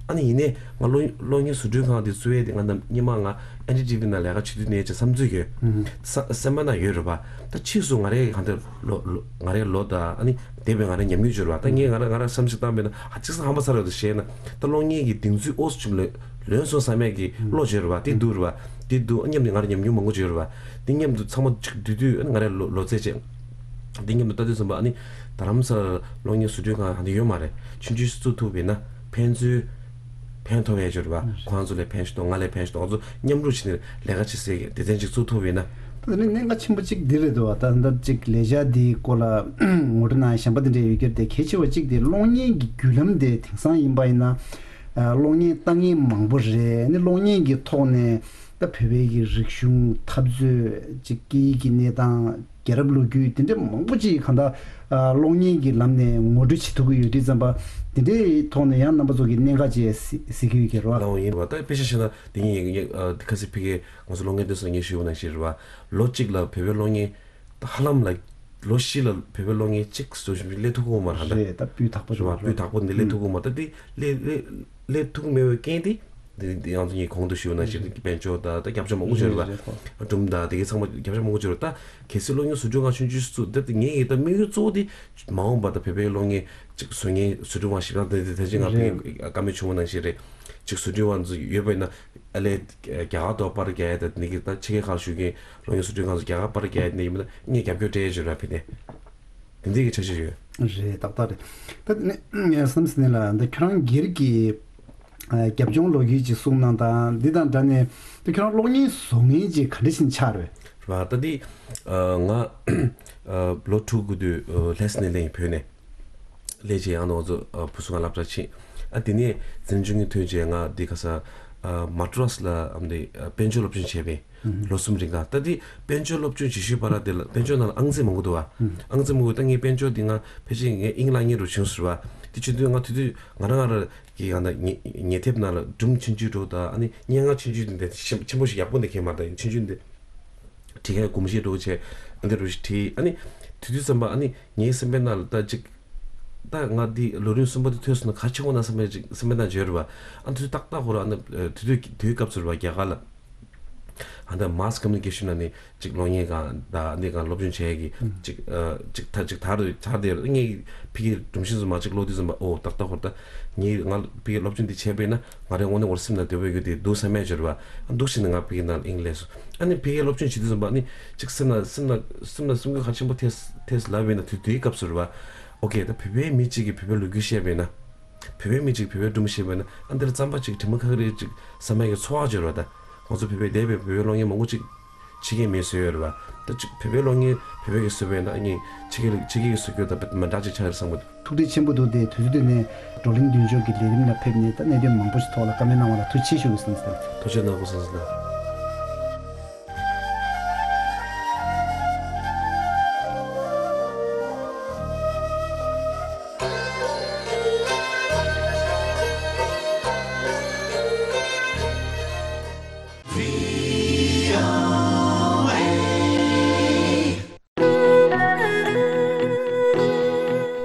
ཨ་ནི་ཡིན་ནའི་ང་གློག་གློག་བརྙན་བཟོ་སྐྲུན་ཁང་དེ་བཙུགས་ཡས་དེ་ང་ནམ་སྔོན་མ་ང་ཨེན་ཌི་ཊི་ཝི་ནང་ལས་ཀ་བྱེད་དུས་ནས་ཅིག་བསམ་ཚུལ་ཡོད། ས་སེམས་པ་ནང་ཡོད་རེད་པ། ད་ཕྱིས་སུ་ང་རའི་གང་ལྟར་ལོ་ལོ་ང་རའི་ལོ་དང་ཨ་ནི་འདས་པའི་ང་རའི་ཉམས་མྱོང་བརྗོད་རེད་པ། ད་ངས་ང་ར་ང་ར་བསམ་གཞིག་བཏང་བས་ན་ཨ་ཅིག་ས་ཧམ་པ་ཚ་རེད་འདུག་བཤད་ན། ད་གློག་བརྙན་གྱི་གདེང་ཚོད་ཨོ་ཙམ་ལོན་ལོན་སོང་བསམ་ཡས་ཀྱི་བློ་བྱོས་རེད་པ། དེ་འདུག་རེད་པ། དེ་འདུག་ཨ་མཉམ་དུ་ང་ར་ཉམས་མྱོང་མང་པོ་བརྗོད་རེད་པ། དེ་མཉམ་དུ་ཚང་མ་ཅིག་བསྡུས་དུས་ཨ་ནི་ང་རའི་ལོ་ལོ་ཚད་བྱས། འདི་མཉམ་དུ་ལྟ་དུས་ཙམ་པ་ཨ་ནི་རྡ་རམ་ས་ལ་གློག་བརྙན་བཟོ་སྐྲུན་ཁང་ཧ་འདི་ཡོད་མ་རེད། ཆུང་ཆུང་ཞིག་བཙུགས་ཐུབ་པ་ཡིན་ན་ཕན་ཚུན་ཕན་ཐོགས་ཡས་ཅིག་རེད་པ། ཁོང་ཚོ་ལ་ཕན་ཞིག་གཏོང་ང་ལ་ཕན་ཞིག་གཏོང་ང་ཚོ་མཉམ་རུབ་བྱས་ནས་ལས་ཀ་བྱེད་སའི་སྡེ་ཚན་ཅིག་བཙུགས་ཐུབ་པ་ཡིན་ན། ད་ནི་གནད་འགག་ཆེན་པོ་གཅིག་འདི་རེད་འདུག་བ། ད་ལྟ་གཅིག་ལས་འཆར་འདིའི་སྐོར་ལ་ངོ་སྤྲོད་གནང་ཡ་གཞན་པ་དེ་འདྲ་ཡོད་ཀྱི་རེད་དེ། གལ་ཆེ་བ་གཅིག་དེ་གློག་བརྙན་གྱི་བརྒྱུད་ལམ་དེ་དེང་སང་ཡིན་པ་ཡིན་ན་གློག་བརྙན་ལྟ་མཁན་མང་པོ་རེད། ནི་གློག་བརྙན་གྱི་ཐོག་ནས་ད་བོད་པའི་གི་རིག་གཞུང་འཐབ་རྩོད་ཅིག་སྐད་ཡིག་གི་གནས་སྟངས། རྒྱལ་རབས་ལོ་རྒྱུས་དེ་འདྲ་མང་པོ་ཅིག་གང་ལྟར་ཨ་གློག་བརྙན་གྱི་ལམ་ནས་ངོ་སྤྲོད་བྱེད་ཐུབ་ཀྱི་ཡོད་དུས་ཙམ་པ། དེ་འདྲའི་ཐོག་ནས་ཡང་རྣམ་པ་ཚོ་གི་གནད་འགག་ཅིག་གཟིགས་གཟིགས་ཀྱི་ཡོད་ཀྱི་རེད་བ། ལའོ་ཡིན་རེད་བ། ད་དཔེ་ཆ་བཞག་ན་དེ་ཉིད་ཡིན་ཨ་ཁ་སང་ཕ་གིར་ང་ཚོ་གློག་བརྙན་སྡེ་ཚོ་ངས་ཞུས་པ་ནང་བཞིན་རེད་བ། ལོ་གཅིག་ལ་བོད་པའི་གློག་བརྙན་ད་ཧ་ལམ་ལ་ལོ་བཞི་ལ་བོད་པའི་གློག་བརྙན་གཅིག་བཟོ་བཞིན་པའི་སླེབས་ཐུབ་ཀྱི་ཡོད་མ་རེད་ད། རེད། ད་སྤུས་དག་པོ་རེད་བ། ཞིག་སྤུས་དག་པོ་འདི་སླེབས་ཐུབ་ཀྱི་ཡོད་མ་རེད། ད་དེ་སླེབས་སླེབས་སླེབས་ཐུབ་ཀྱི་མེད་པའི་རྐྱེན་དེ། འདི་འདི་ང་ཚོ་གཉིས་གོང་དུ་ཞུས་པ་ནང་བཞིན་དཔལ་འབྱོར་དང་ད་རྒྱབ་ལྗོངས་མང་པོ་བྱོས་རེད་པ། རེད་རེད། སྒྲུང་དང་དེ་གའི་ཚང་མ་རྒྱབ་ལྗོངས་མང་པོ་བྱོས་རེད། ད་གལ་སྲིད་གློག་བརྙན་བཟོ་སྐྲུན་ཁང་ཆུང་ཆུང་ཞིག་བཙུགས། ད་དེ་ངའི་ཡིན་ད་དམིགས་ཡུལ་གཙོ་བོ་དེ་མ་འོངས་པ་ད་བོད་པའི་གློག་བརྙན་ཅིག་བཟོ་མཁན་བཟོ་སྐྲུན་པ་ཞིག་ད་དེ་དེ་ད་ཅི་ང་ཕ་གིའི་བཀའ་མོལ་བྱུང་བ་ནང་བཞིན་རེད། ཅིག་བཟོ་སྐྲུན་པ་ཚོ་ཡོད་པ་ཡིན་ན་ཨ་ལས་རྒྱ་གར་དུ་པར་རྒྱག་ཡ་ད་ནི་གི་ད་ཕྱི་རྒྱལ་ཁག་བཞུགས་མཁན་གློག་བརྙན་བཟོ་སྐྲུན་ཁང་ཚོ་རྒྱ་གར་པར་རྒྱག་ཡ་དེ་ཡིན་ན་ངས་རྒྱབ་སྐྱོར་སྤྲད་ཡ་བྱོས་ར་ཕི་ནས། དེ་འདྲའི་གི་འཆར་གཞི་ཡོད། རེད། ཏག་ཏག་རེད། ད་ནི་བསམ་སྲིད་ནས་ལ་འདི་ཁྱོད་རང་སྒེར་གྱི་ཨ་རྒྱབ་ལྗོངས་ལོ་རྒྱུས་ཅིག་གསུངས་གནང་དང་། འདི་དང་འདྲ་ནས་ད་ཁྱོད་རང་གློག་བརྙན་བཟོ་མཁན་ཅིག་ག་འདྲ་ཞིག་ཆགས་རེད། རེད་བ། ད་འདི་ཨ་ང་ཨ་ལོ་དྲུག་འགོར་དུས་ཨ་ལྷ་ས་ནས་སླེབས་ཡིན་བོད་ནས། སླེབས་རྗེས་ཡང་ང་ཚོ་ཨ་བུ་གསུམ་ང་སློབ་གྲྭ་ཕྱིན། ཨ་དེ་ནས་འཛིན་སྐྱོང་གི་ཐོན་རྗེས་ང་འདི་ག་ས་ཨ་མ་ཏྲོས་ལ་ཨ་འདི་ཨ་དཔལ་འབྱོར་སློབ་སྦྱོང་བྱས་པས། ལོ་གསུམ་རིང་ག་ད་འདི་དཔལ་འབྱོར་སློབ་སྦྱོང་བྱེད་ཤུལ་བར་དེ་ལ་དཔལ་འབྱོར་ནང་ལ་ཨང་རྩིས་མང་པོ་འདུག་བ། ཨང་རྩིས་མང་པོ། ད་ངས་དཔལ་འབྱོར་འདི་ང་ཕལ་ཆེར་ངས་དབྱིངས་ལ་ངེས་རུ་བྱུང་ཟེར་བ། དེ་བྱེད་དུས་ང་དེ་དུས་ང་རང་ང་རང་གི་ཡང་ན་ཉེ་ཉེ་དེབ་ནང་ལ་སྒྲུང་ཆུང་ཆུང་འདྲ་བོ་དང་ཨ་ནི་སྙན་ངག་ཆུང་ཆུང་འདི་འདྲ་ཆེན་ཆེན་པོ་ཞིག་ཡག་པོ་འདི་གས་མ་རེད། ད་ཆུང་ཆུང་འདི་བྲིས་མཁན་གོམས་གཤིས་འདྲ་བོ་བྱས་ཨ་འདི་འདྲ་བོ་ཞིག་བྲིས། ཨ་ནི་དེ་དུས་ཙམ་པ་ཨ་ནི་ངའི་སེམས་པའི་ནང་ལ་ད་ཅིག་ད་ང་འདི་ལོ་རིམ་གསུམ་པ་དེ་ཐོན་སོང་ན་ག་ཆེ་བོ་ན་བསམ་པའི་ཅིག་སེམས་པའི་ནང་བརྗོད་རེད་བ། ཨ་དེ་དུས་ཏག་ཏག་ཁོ་ར་ཨ་ནི་དེ་དུས་དེའི་སྐབས་སུ་རེད་བ། རྒྱ་གར་ལ་ཨ་ད་mass communication ནང་ནས་ཅིག་གློག་བརྙན་སྒང་དང་འདི་སྒང་སློབ་སྦྱོང་བྱས་ཀྱི་ཅིག་ཨ་ཅིག་ད་ཅིག་དར་དུ་དར་དེ་ངའི་ཕ་གིའི་སྒྲོམ་གཞི་ཚོ་མ་ཅིག་ཀློག་དུས་ཙམ་པ་ཨོ་ཏག་ཏག་ཁོ་ར་ད་ངའི་ང་ཕ་གིའི་སློབ་སྦྱོང་འདི་བྱས་པས་ན་ང་རའི་དངོས་གནས་ཁོ་ར་སེམས་ནང་བདེ་པོ་ཡོད་རྒྱུ་དེ་འདུག་བསམ་ཡ་བརྗོད་རེད་བ། ཨ་འདུག་བྱས་ནས་ང་ཕ་གིའི་ནང་ལ་དབྱིངས་སླེབས་སོང་། ཨ་ནི་ཕ་གིའི་སློབ་སྦྱོང་བྱེད་དུས་ཙམ་པ་ཨ་ནི་ཅིག་སེམས་ལ་སེམས་ལ་སེམས་ལ་སེམས་འགུལ་ག་ཆེན་པོ་ཐེབས་ཐེབས་ལབ་པས་ན་དུས་དེའི་སྐབས་སུ་རེད་བ། ཨོ་ཀེ་ད་བོད་པའི་མི་གཅིག་གིས་བོད་པའི་ལོ་རྒྱུས་བཤད་པས་ན། བོད་པའི་མི་གཅིག་བོད་པའི་སྒྲུང་བཤད་པས་ན་ཨ་འདིར་རྩམ་པ་གཅིག་དྲི་མ་ཁ་ཁ་རེ་གཅིག་བསམ་ཡག་གི་ཚོར་བ་བརྗོད་རེད་བ། ད་ཁོང་ཚོ་བོད་པའི་འདས་པའི་བོད་པའི་གློག་བརྙན་མང་པོ་གཅིག་ཕྱི་རྒྱལ་མིས་བཟོས་ཡོད་རེད་བ། ད་གཅིག་བོད་པའི་གློག་བརྙན་བོད་པའི་གིས་བཟོས་པས་ན་ཨ་ནི་ཕྱི་རྒྱལ་ཕྱི་རྒྱལ་གྱིས་བཟོ་རྒྱུ་དང་མི་འདྲ་གཅིག་ཆགས་ཡོད་བསམ་གི་འདུག་ཐུགས་འདོད་ཆེན་པོ་འདུག་སྟེ། དུས་ཚོད་འདི་ནས་བགྲོ་གླེང་མདུན་ལྕོག་གི་ལས་རིམ་ལ་ཕེབས་ནས་ད་གནད་དོན་མང་པོ་ཞིག་ཐོག་ལ་བཀའ་མོལ་གནང་བ་ལ་ཐུགས་རྗེ་ཆེ་ཞུ་གི་ཟེར་ཟེར། ཐུགས་རྗེ་གནང་དགོས་ཟེར་ཟེར།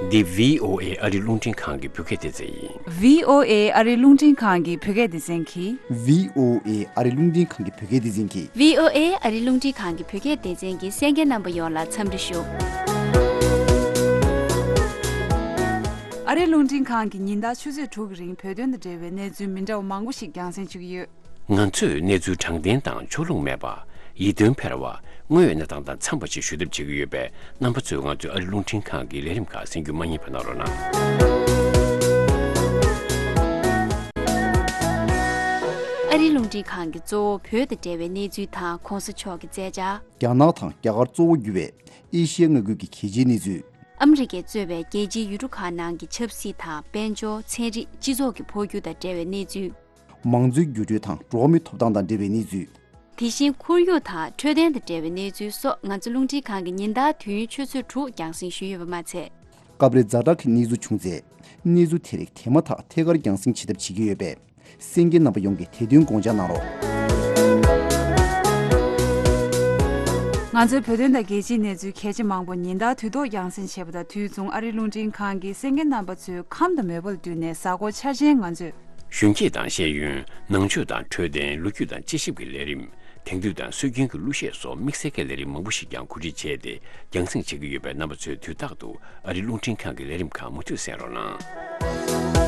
འདི་བྷི་ཨོ་ཨེ་ཨ་རི་རླུང་འཕྲིན་ཁང་གི་བོད་སྐད་སྡེ་ཚན་ཡིན། བྷི་ཨོ་ཨེ་ཨ་རི་རླུང་འཕྲིན་ཁང་གི་བོད་སྐད་སྡེ་ཚན་གྱིས། བྷི་ཨོ་ཨེ་ཨ་རི་རླུང་འཕྲིན་ཁང་གི་བོད་སྐད་སྡེ་ཚན་གྱིས། བྷི་ཨོ་ཨེ་ཨ་རི་རླུང་འཕྲིན་ཁང་གི་བོད་སྐད་སྡེ་ཚན་གྱི་གསན་མཁན་རྣམ་པ་ཡོངས་ལ་འཚམས་འདྲི་ཞུ། ཨ་རི་རླུང་འཕྲིན་ཁང་གིས་ཉིན་ལྟར་ཆུ་ཚོད་དྲུག་གི་རིང་བོད་དོན་དང་འབྲེལ་བའི་གནས་ཚུལ་མི་འདྲ་བ་མང་པོ་ཞིག་རྒྱང་སྲིང་ཞུ་གི་ཡོད། ང་ཚོས་གནས་ཚུལ་དྲང་བདེན་དང་ཕྱོགས་ལྷུང་མེད་པ། ཡིད་རྟོན་འཕེར་བ། དངོས་ཡོད་གནས་སྟངས་དང་འཚམས་པ་ཞིག་ཞུ་ཐབས་བྱེད་ཀྱི་ཡོད་པས། རྣམ་པ་ཚོས་ང་ཚོའི་ཨ་རི་རླུང་འཕྲིན་ཁང་གི་ལས་རིམ་ཁག་གསན་རྒྱུ་མ་བསྙེལ་བ་གནང་རོགས་གནང་། ཨ་རིའི་རླུང་འཕྲིན་ཁང་གིས་གཙོ་བོ་བོད་དང་འབྲེལ་བའི་གནས་ཚུལ་དང་གོང་ས་མཆོག་གི་མཛད་འཆར། རྒྱ་ནག་དང་རྒྱ་གར་གཙོ་བོ་གྱུར་བའི་ཨེ་ཤི་ཡའི་མངའ་ཁུལ་གྱི་གལ་ཆེའི་གནས་ཚུལ། ཨ་མི་རི་ཀས་གཙོས་པའི་རྒྱལ་སྤྱིའི་ཡུལ་གྲུ་ཁག་ནང་གི་ཆབ་སྲིད་དང་དཔལ་འབྱོར། ཚན་རིག་སྤྱི་ཚོགས་ཀྱི་འཕོ་འགྱུར་དང་འབྲེལ་བའི་གནས་ཚུལ། མང་གཙོའི་འགྱུར་འགྲོས་དང་འགྲོ་བ་མིའི་ཐོབ་ཐང་དང་འབྲེལ་བའི་གནས་ཚུལ། དེ་བཞིན་ཁོར་ཡུག་དང་འཕྲོད་བསྟེན་དང་འབྲེལ་བའི་གནས་ཚུལ་སོགས། ང་ཚོ་རླུང་འཕྲིན་ཁང་གིས་ཉིན་ལྟར་དུས་ཡུན་ཆུ་ཚོད་དྲུག་རྒྱང་སྲིང་ཞུས་ཡོད་པ་མ་ཚད། སྐབས་རེ་ཛ་དྲག་གི་གནས་ཚུལ་བྱུང་ཚེ། གནས་ཚུལ་དེ་རིགས་དེ་མ་ཐག་ཐད་ཀར་རྒྱང་སྲིང་བྱེད་ཐབས་བྱེད་ཀྱི་ཡོད་པས། གསན་མཁན་རྣམ་པ་ཡོངས་ཀྱིས་དེ་དོན་དགོངས་འཇགས་གནང་རོགས། ང་ཚོའི་བོད་དོན་དང་རྒྱལ་སྤྱིའི་གནས་ཚུལ་གལ་ཆེ་མང་པོ་ཉིན་ལྟར་དུས་ཐོག་རྒྱང་སྲིང་བྱེད་པ་དང་དུས་མཚུངས། ཨ་རིའི་རླུང་འཕྲིན་ཁང་གིས་གསན་མཁན་རྣམ་པ་ཚོའི་ཁམས་དང་མོས་པ་ལ་བསྟུན་ནས། གཟའ་འཁོར་འཆར་ཅན་ང་ཚོས། གཞོན་སྐྱེས་དང་ཤེས་ཡོན། ནང་ཆོས་དང་འཕྲོད་བསྟེན། ལོ་རྒྱུས་དང་དཔྱད་ཞིབ་ཀྱི་ལས་རིམ། དེང་དུས་དང་སྲོལ་རྒྱུན་གྱི་གླུ་གཞས་སོགས་དམིགས་བསལ་གྱི་ལས་རིམ་མང་པོ་ཞིག་ཀྱང་གོ་སྒྲིག་བྱས་ཏེ་རྒྱང་སྲིང་བྱེད་ཀྱི་ཡོད་པས། རྣམ་པ་ཚོས་དུས་རྟག་ཏུ་ཨ་རིའི་རླུང་འཕྲིན་ཁང་གི་ལས་རིམ་ཁག་མུ་མཐུད་གསན་རོགས་གནང་།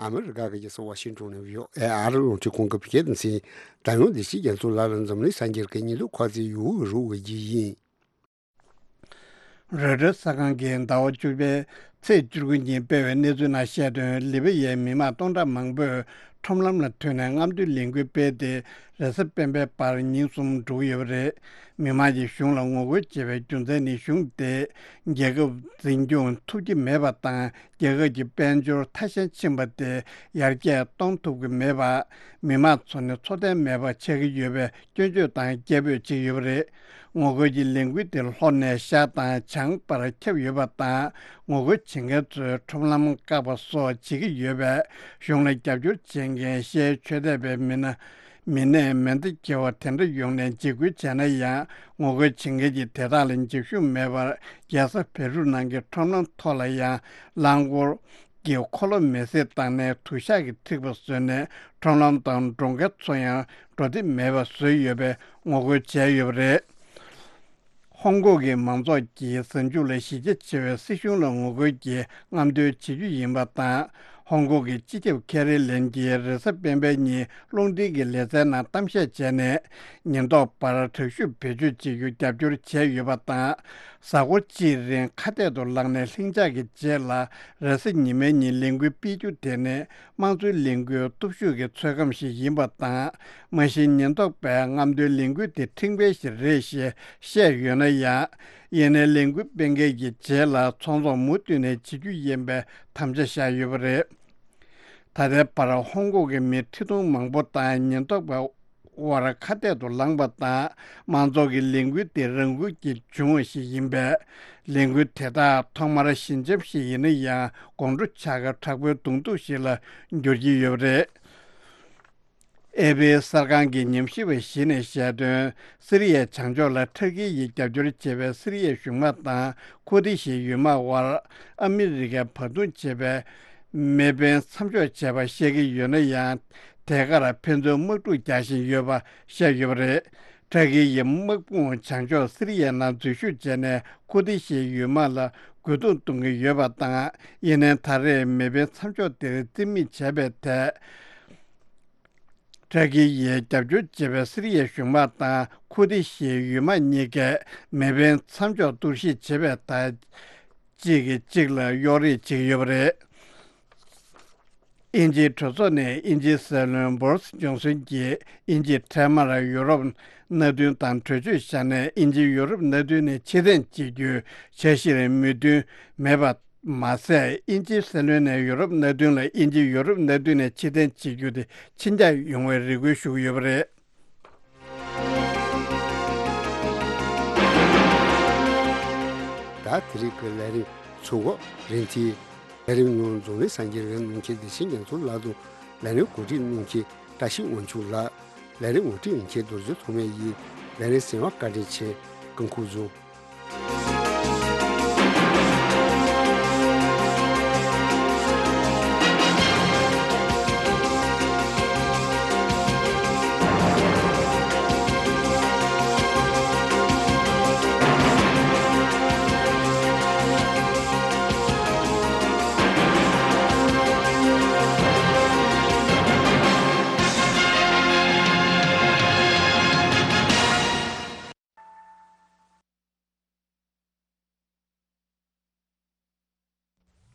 ཨ་མི་རི་ཀ་གི་རྒྱལ་ས་ཝ་ཤིང་ཏོན་ནས་བྷི་ཨོ་ཨེ་ཨ་རི་རླུང་འཕྲིན་ཁང་གི་བོད་སྐད་སྡེ་ཚན། ད་ཡང་བདེ་སྐྱིད་རྒྱ་མཚོ་ལགས་ལ་འཛམ་གླིང་གསར་འགྱུར་གྱི་སྙིང་སྟོབས་ཁག་ཚིག་ཡུ་གུར་རུ་བ་གི་ཡིན། རོའི་ཊར་གསར་ཁང་གིས་ཟླ་བ་བཅུ་པའི་ཚེས་བཅུ་དགུ་ཉིན་སྤེལ་བའི་གནས་ཚུལ་ནང་བཤད་དོན། ལི་བི་ཡའི་མི་མང་སྟོང་ཕྲག་མང་པོས་ཁྲོམ་ལམ་ལ་ཐོན་ནས་རྔམ་སྟོན་ལས་འགུལ་སྤེལ་ཏེ། རེས་གཟའ་སྤེན་པའི་བར་ཉིན་གསུམ་འགྲོ་གི་ཡོད་པ་རེད། མི་མང་གིས་གཞུང་ལ་ངོ་རྒོལ་བྱེད་པའི་རྒྱུ་མཚན་ནི། གཞུང་དེས་རྒྱལ་ཁབ་འཛིན་སྐྱོང་ཐུབ་ཀྱི་མེད་པ་དང་། རྒྱལ་ཁབ་ཀྱི་དཔལ་འབྱོར་ཐ་ཞན་ཕྱིན་པ་དེ་ཡར་རྒྱས་གཏོང་ཐུབ་ཀྱི་མེད་པ། མི་མང་ཚོ་ནི་འཚོ་རྟེན་མེད་པ་ཆགས་ཀྱི་ཡོད་པའི་སྐྱོན་བརྗོད་དང་སྐད་འབོད་བྱེད་ཀྱི་ཡོད་པ་རེད། ངོ་རྒོལ་གྱི་ལས་འགུལ་དེ་ལྷོ་ནས་ཤར་དང་བྱང་བར་ཁྱབ་ཡོད་པ་དང་། ངོ་རྒོལ་བྱེད་མཁན་ཚོས་ཁྲོམ་ལམ་བཀག་པ་སོགས་བྱེད་ཀྱི་ཡོད་པས། གཞུང་ལ་རྒྱབ་སྐྱོར་བྱེད་མཁན་ཤར་ཡུལ་ཆོས་དད་པའི་མི་སྣ་མི་སྣས་མེ་མདའ་འཁྱེར་བ་དེ་འདྲ་ཡོང་ནས་འཇིགས་སྐུལ་བྱས་ན་ཡང་། ངོ་རྒོལ་བྱེད་མཁན་གྱིས་དེ་དག་ལ་འཇིགས་ཤུགས་མེད་པར། རྒྱལ་ས་བེ་རུ་ནང་གི་ཁྲོམ་ལམ་ཐོག་ལ་ཡང་རླངས་འཁོར་གྱི་འཁོར་ལོ་མེ་བསྲེགས་བཏང་ནས་དུ་ཞག་གི་ཐིགས་པ་བཟོས་ནས། ཁྲོམ་ལམ་དང་འགྲོ་མཁན་ཚོ་ཡང་འགྲོ་འདོད་མེད་པ་བཟོས་ཡོད་པའི་ངོ་རྒོལ་བྱས་ཡོད་པ་རེད། ཧོང་ཀོང་གི་མང་ཚོགས་ཀྱིས་གཟའ་མཇུག་ལ་གཞི་རྒྱ་ཆེ་བའི་སྲིད་གཞུང་ལ་ངོ་རྒོལ་གྱིས་རྔམ་སྟོན་བྱེད་རྒྱུ་ཡིན་པ་དང་། ཧོང་ཀོང་གི་སྤྱི་ཁྱབ་ཁེ་རི་ལེམ་གྱིས་རེས་གཟའ་སྤེན་པའི་ཉིན་རླུང་འཕྲིན་གྱི་ལེ་ཚན་ནང་གཏམ་བཤད་བྱས་ནས། ཉེན་རྟོག་པར་དྲག་ཤུགས་བེད་སྤྱོད་བྱེད་རྒྱུ་རྒྱབ་སྐྱོར་བྱས་ཡོད་པ་དང་། གཟའ་འཁོར་གཅིག་རིང་ཁ་གཏད་དུ་ལངས་ནས་ལྷིང་འཇགས་ཀྱི་རྗེས་ལ། རེས་གཟའ་ཉི་མའི་ཉིན་ལས་འགུལ་སྤེལ་རྒྱུ་དེ་ནི་དམངས་གཙོའི་ལས་འགུལ་སྟོབས་ཤུགས་ཀྱི་ཚོད་བགམ་ཞིག་ཡིན་པ་དང་། མ་གཞི་ཉེན་རྟོག་པས་རྔམ་སྟོན་ལས་འགུལ་དེ་ཁྲིམས་འགལ་ཞིག་རེད་ཞེས་བཤད་ཡོད་ན་ཡང་། ཡིན་ནའི་ལས་འགུལ་སྤེལ་མཁན་གྱི་རྗེས་ལ་ཚོང་ཟོག་མུ་མཐུད་ནས་བྱེད་རྒྱུ་ཡིན་པའི་དམ་བཅའ་བཞག་ཡོད་པ་རེད། ད་ལྟའི་བར་ཧོང་ཀོང་གི་མི་ཁྲི་སྟོང་མང་པོ་དང་ཉེན་རྟོག་པའི་དབར་ཁ་གཏད་དུ་ལངས་པ་དང་། མང་ཚོགས་ཀྱི་ལས་འགུལ་དེ་རང་འགུལ་གྱིས་བྱུང་བ་ཞིག་ཡིན་པས། ལས་འགུལ་དེ་དག་ཐོག་མར་ཞི་འཇམ་ཞིག་ཡིན་ན་ཡང་། དགོང་དྲོ་འཆར་ཁ་དྲག་པོའི་གདོང་ཐུག་ཞིག་ལ་འགྱུར་གྱི་ཡོད་པ་རེད། ཨེ་པི་གསར་ཁང་གི་ཉམས་ཞིབ་པ་ཞིག་ནས་བཤད་དོན། སི་རི་ཡའི་བྱང་ཕྱོགས་ལ་ཐར་ཀི་ཡིས་རྒྱབ་སྐྱོར་བྱེད་པའི་སི་རི་ཡའི་གཞུང་དམག་དང་ཁུར་ཏི་ཤའི་ཡུལ་དམག་དབར་ཨ་མི་རི་ཀས་བར་འདུམ་བྱས་པའི་མེ་འཕེན་མཚམས་འཇོག་བྱས་པ་བཤད་ཀྱི་ཡོད་ན་ཡང་། དེ་གར་ཕན་ཚུན་དམག་འཁྲུག་རྒྱག་བཞིན་ཡོད་པ་བཤད་ཡོད་པ་རེད། ཐར་ཀི་ཡིས་དམག་དཔུང་བྱང་ཕྱོགས་སི་རི་ཡའི་ནང་འཛུལ་ཞུགས་བྱས་ནས་ཁུར་ཏི་ཤའི་ཡུལ་དམག་ལ་རྒོལ་རྡུང་གཏོང་གི་ཡོད་པ་དང་། ཡིན་ནའི་ད་རེས་མེ་འཕེན་མཚམས་འཇོག་དེར་རྩིས་མེད་བྱས་པའི་ཐད། ཐར་ཀི་ཡིས་རྒྱབ་སྐྱོར་བྱེད་པའི་སི་རི་ཡའི་གཞུང་དམག་དང་ཁུར་ཏི་ཤའི་ཡུལ་དམག་གཉིས་ཀས་མེ་འཕེན་མཚམས་འཇོག་གཏོར་བཤིག་བྱེད་པའི་ཐད། གཅིག་གིས་གཅིག་ལ་གཡོག་རེས་བྱེད་ཀྱི་ཡོད་པ་རེད། དབྱིན་ཇིའི་གྲོས་ཚོགས་ནས་དབྱིན་ཇིའི་སྲིད་བློན་བོ་རིས་ཇོན་སོན་གྱིས་དབྱིན་ཇིས་འཕྲལ་མར་ཡུ་རོབ་མནའ་མཐུན་དང་གྲོས་ཆོད་བཞག་ནས། དབྱིན་ཇིས་ཡུ་རོབ་མནའ་མཐུན་ནས་ཕྱིར་འཐེན་བྱེད་རྒྱུའི་འཆར་གཞིར་མོས་མཐུན་མེད་པ་མ་ཟད། དབྱིན་ཇིའི་སྲིད་བློན་ནས་ཡུ་རོབ་མནའ་མཐུན་ལ། དབྱིན་ཇི་ཡུ་རོབ་མནའ་མཐུན་ནས་ཕྱིར་འཐེན་བྱེད་རྒྱུ་དེ་ཕྱིར་འགྱངས་ཡོང་བའི་རེ་སྐུལ་ཞུ་གི་ཡོད་པ་རེད། ད་དེ་རིང་གི་ལས་རིམ་ཚུགས་གོ་རིན་ཐིག་ལས་རིམ་ཉུང་འཛོམས་ལས་སངས་རྒྱས་རིག་གནས་ཁྱེད་བདེ་ཆེན་རྒྱ་མཚོ་ལགས་དང་། ལས་རིམ་གོ་སྒྲིག་གནང་མཁན་བཀྲ་ཤིས་དབང་ཕྱུག་ལགས། ལས་རིམ་ངོ་སྤྲོད་མཁན་རྡོ་རྗེ་ཐོགས་མེད་ཡིན། ལས་རིམ་གསན་པར་བཀའ་དྲིན་ཆེ། སྐུ་ཁམས་བཟང་།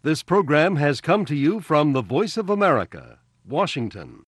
This program has come to you from the Voice of America, Washington.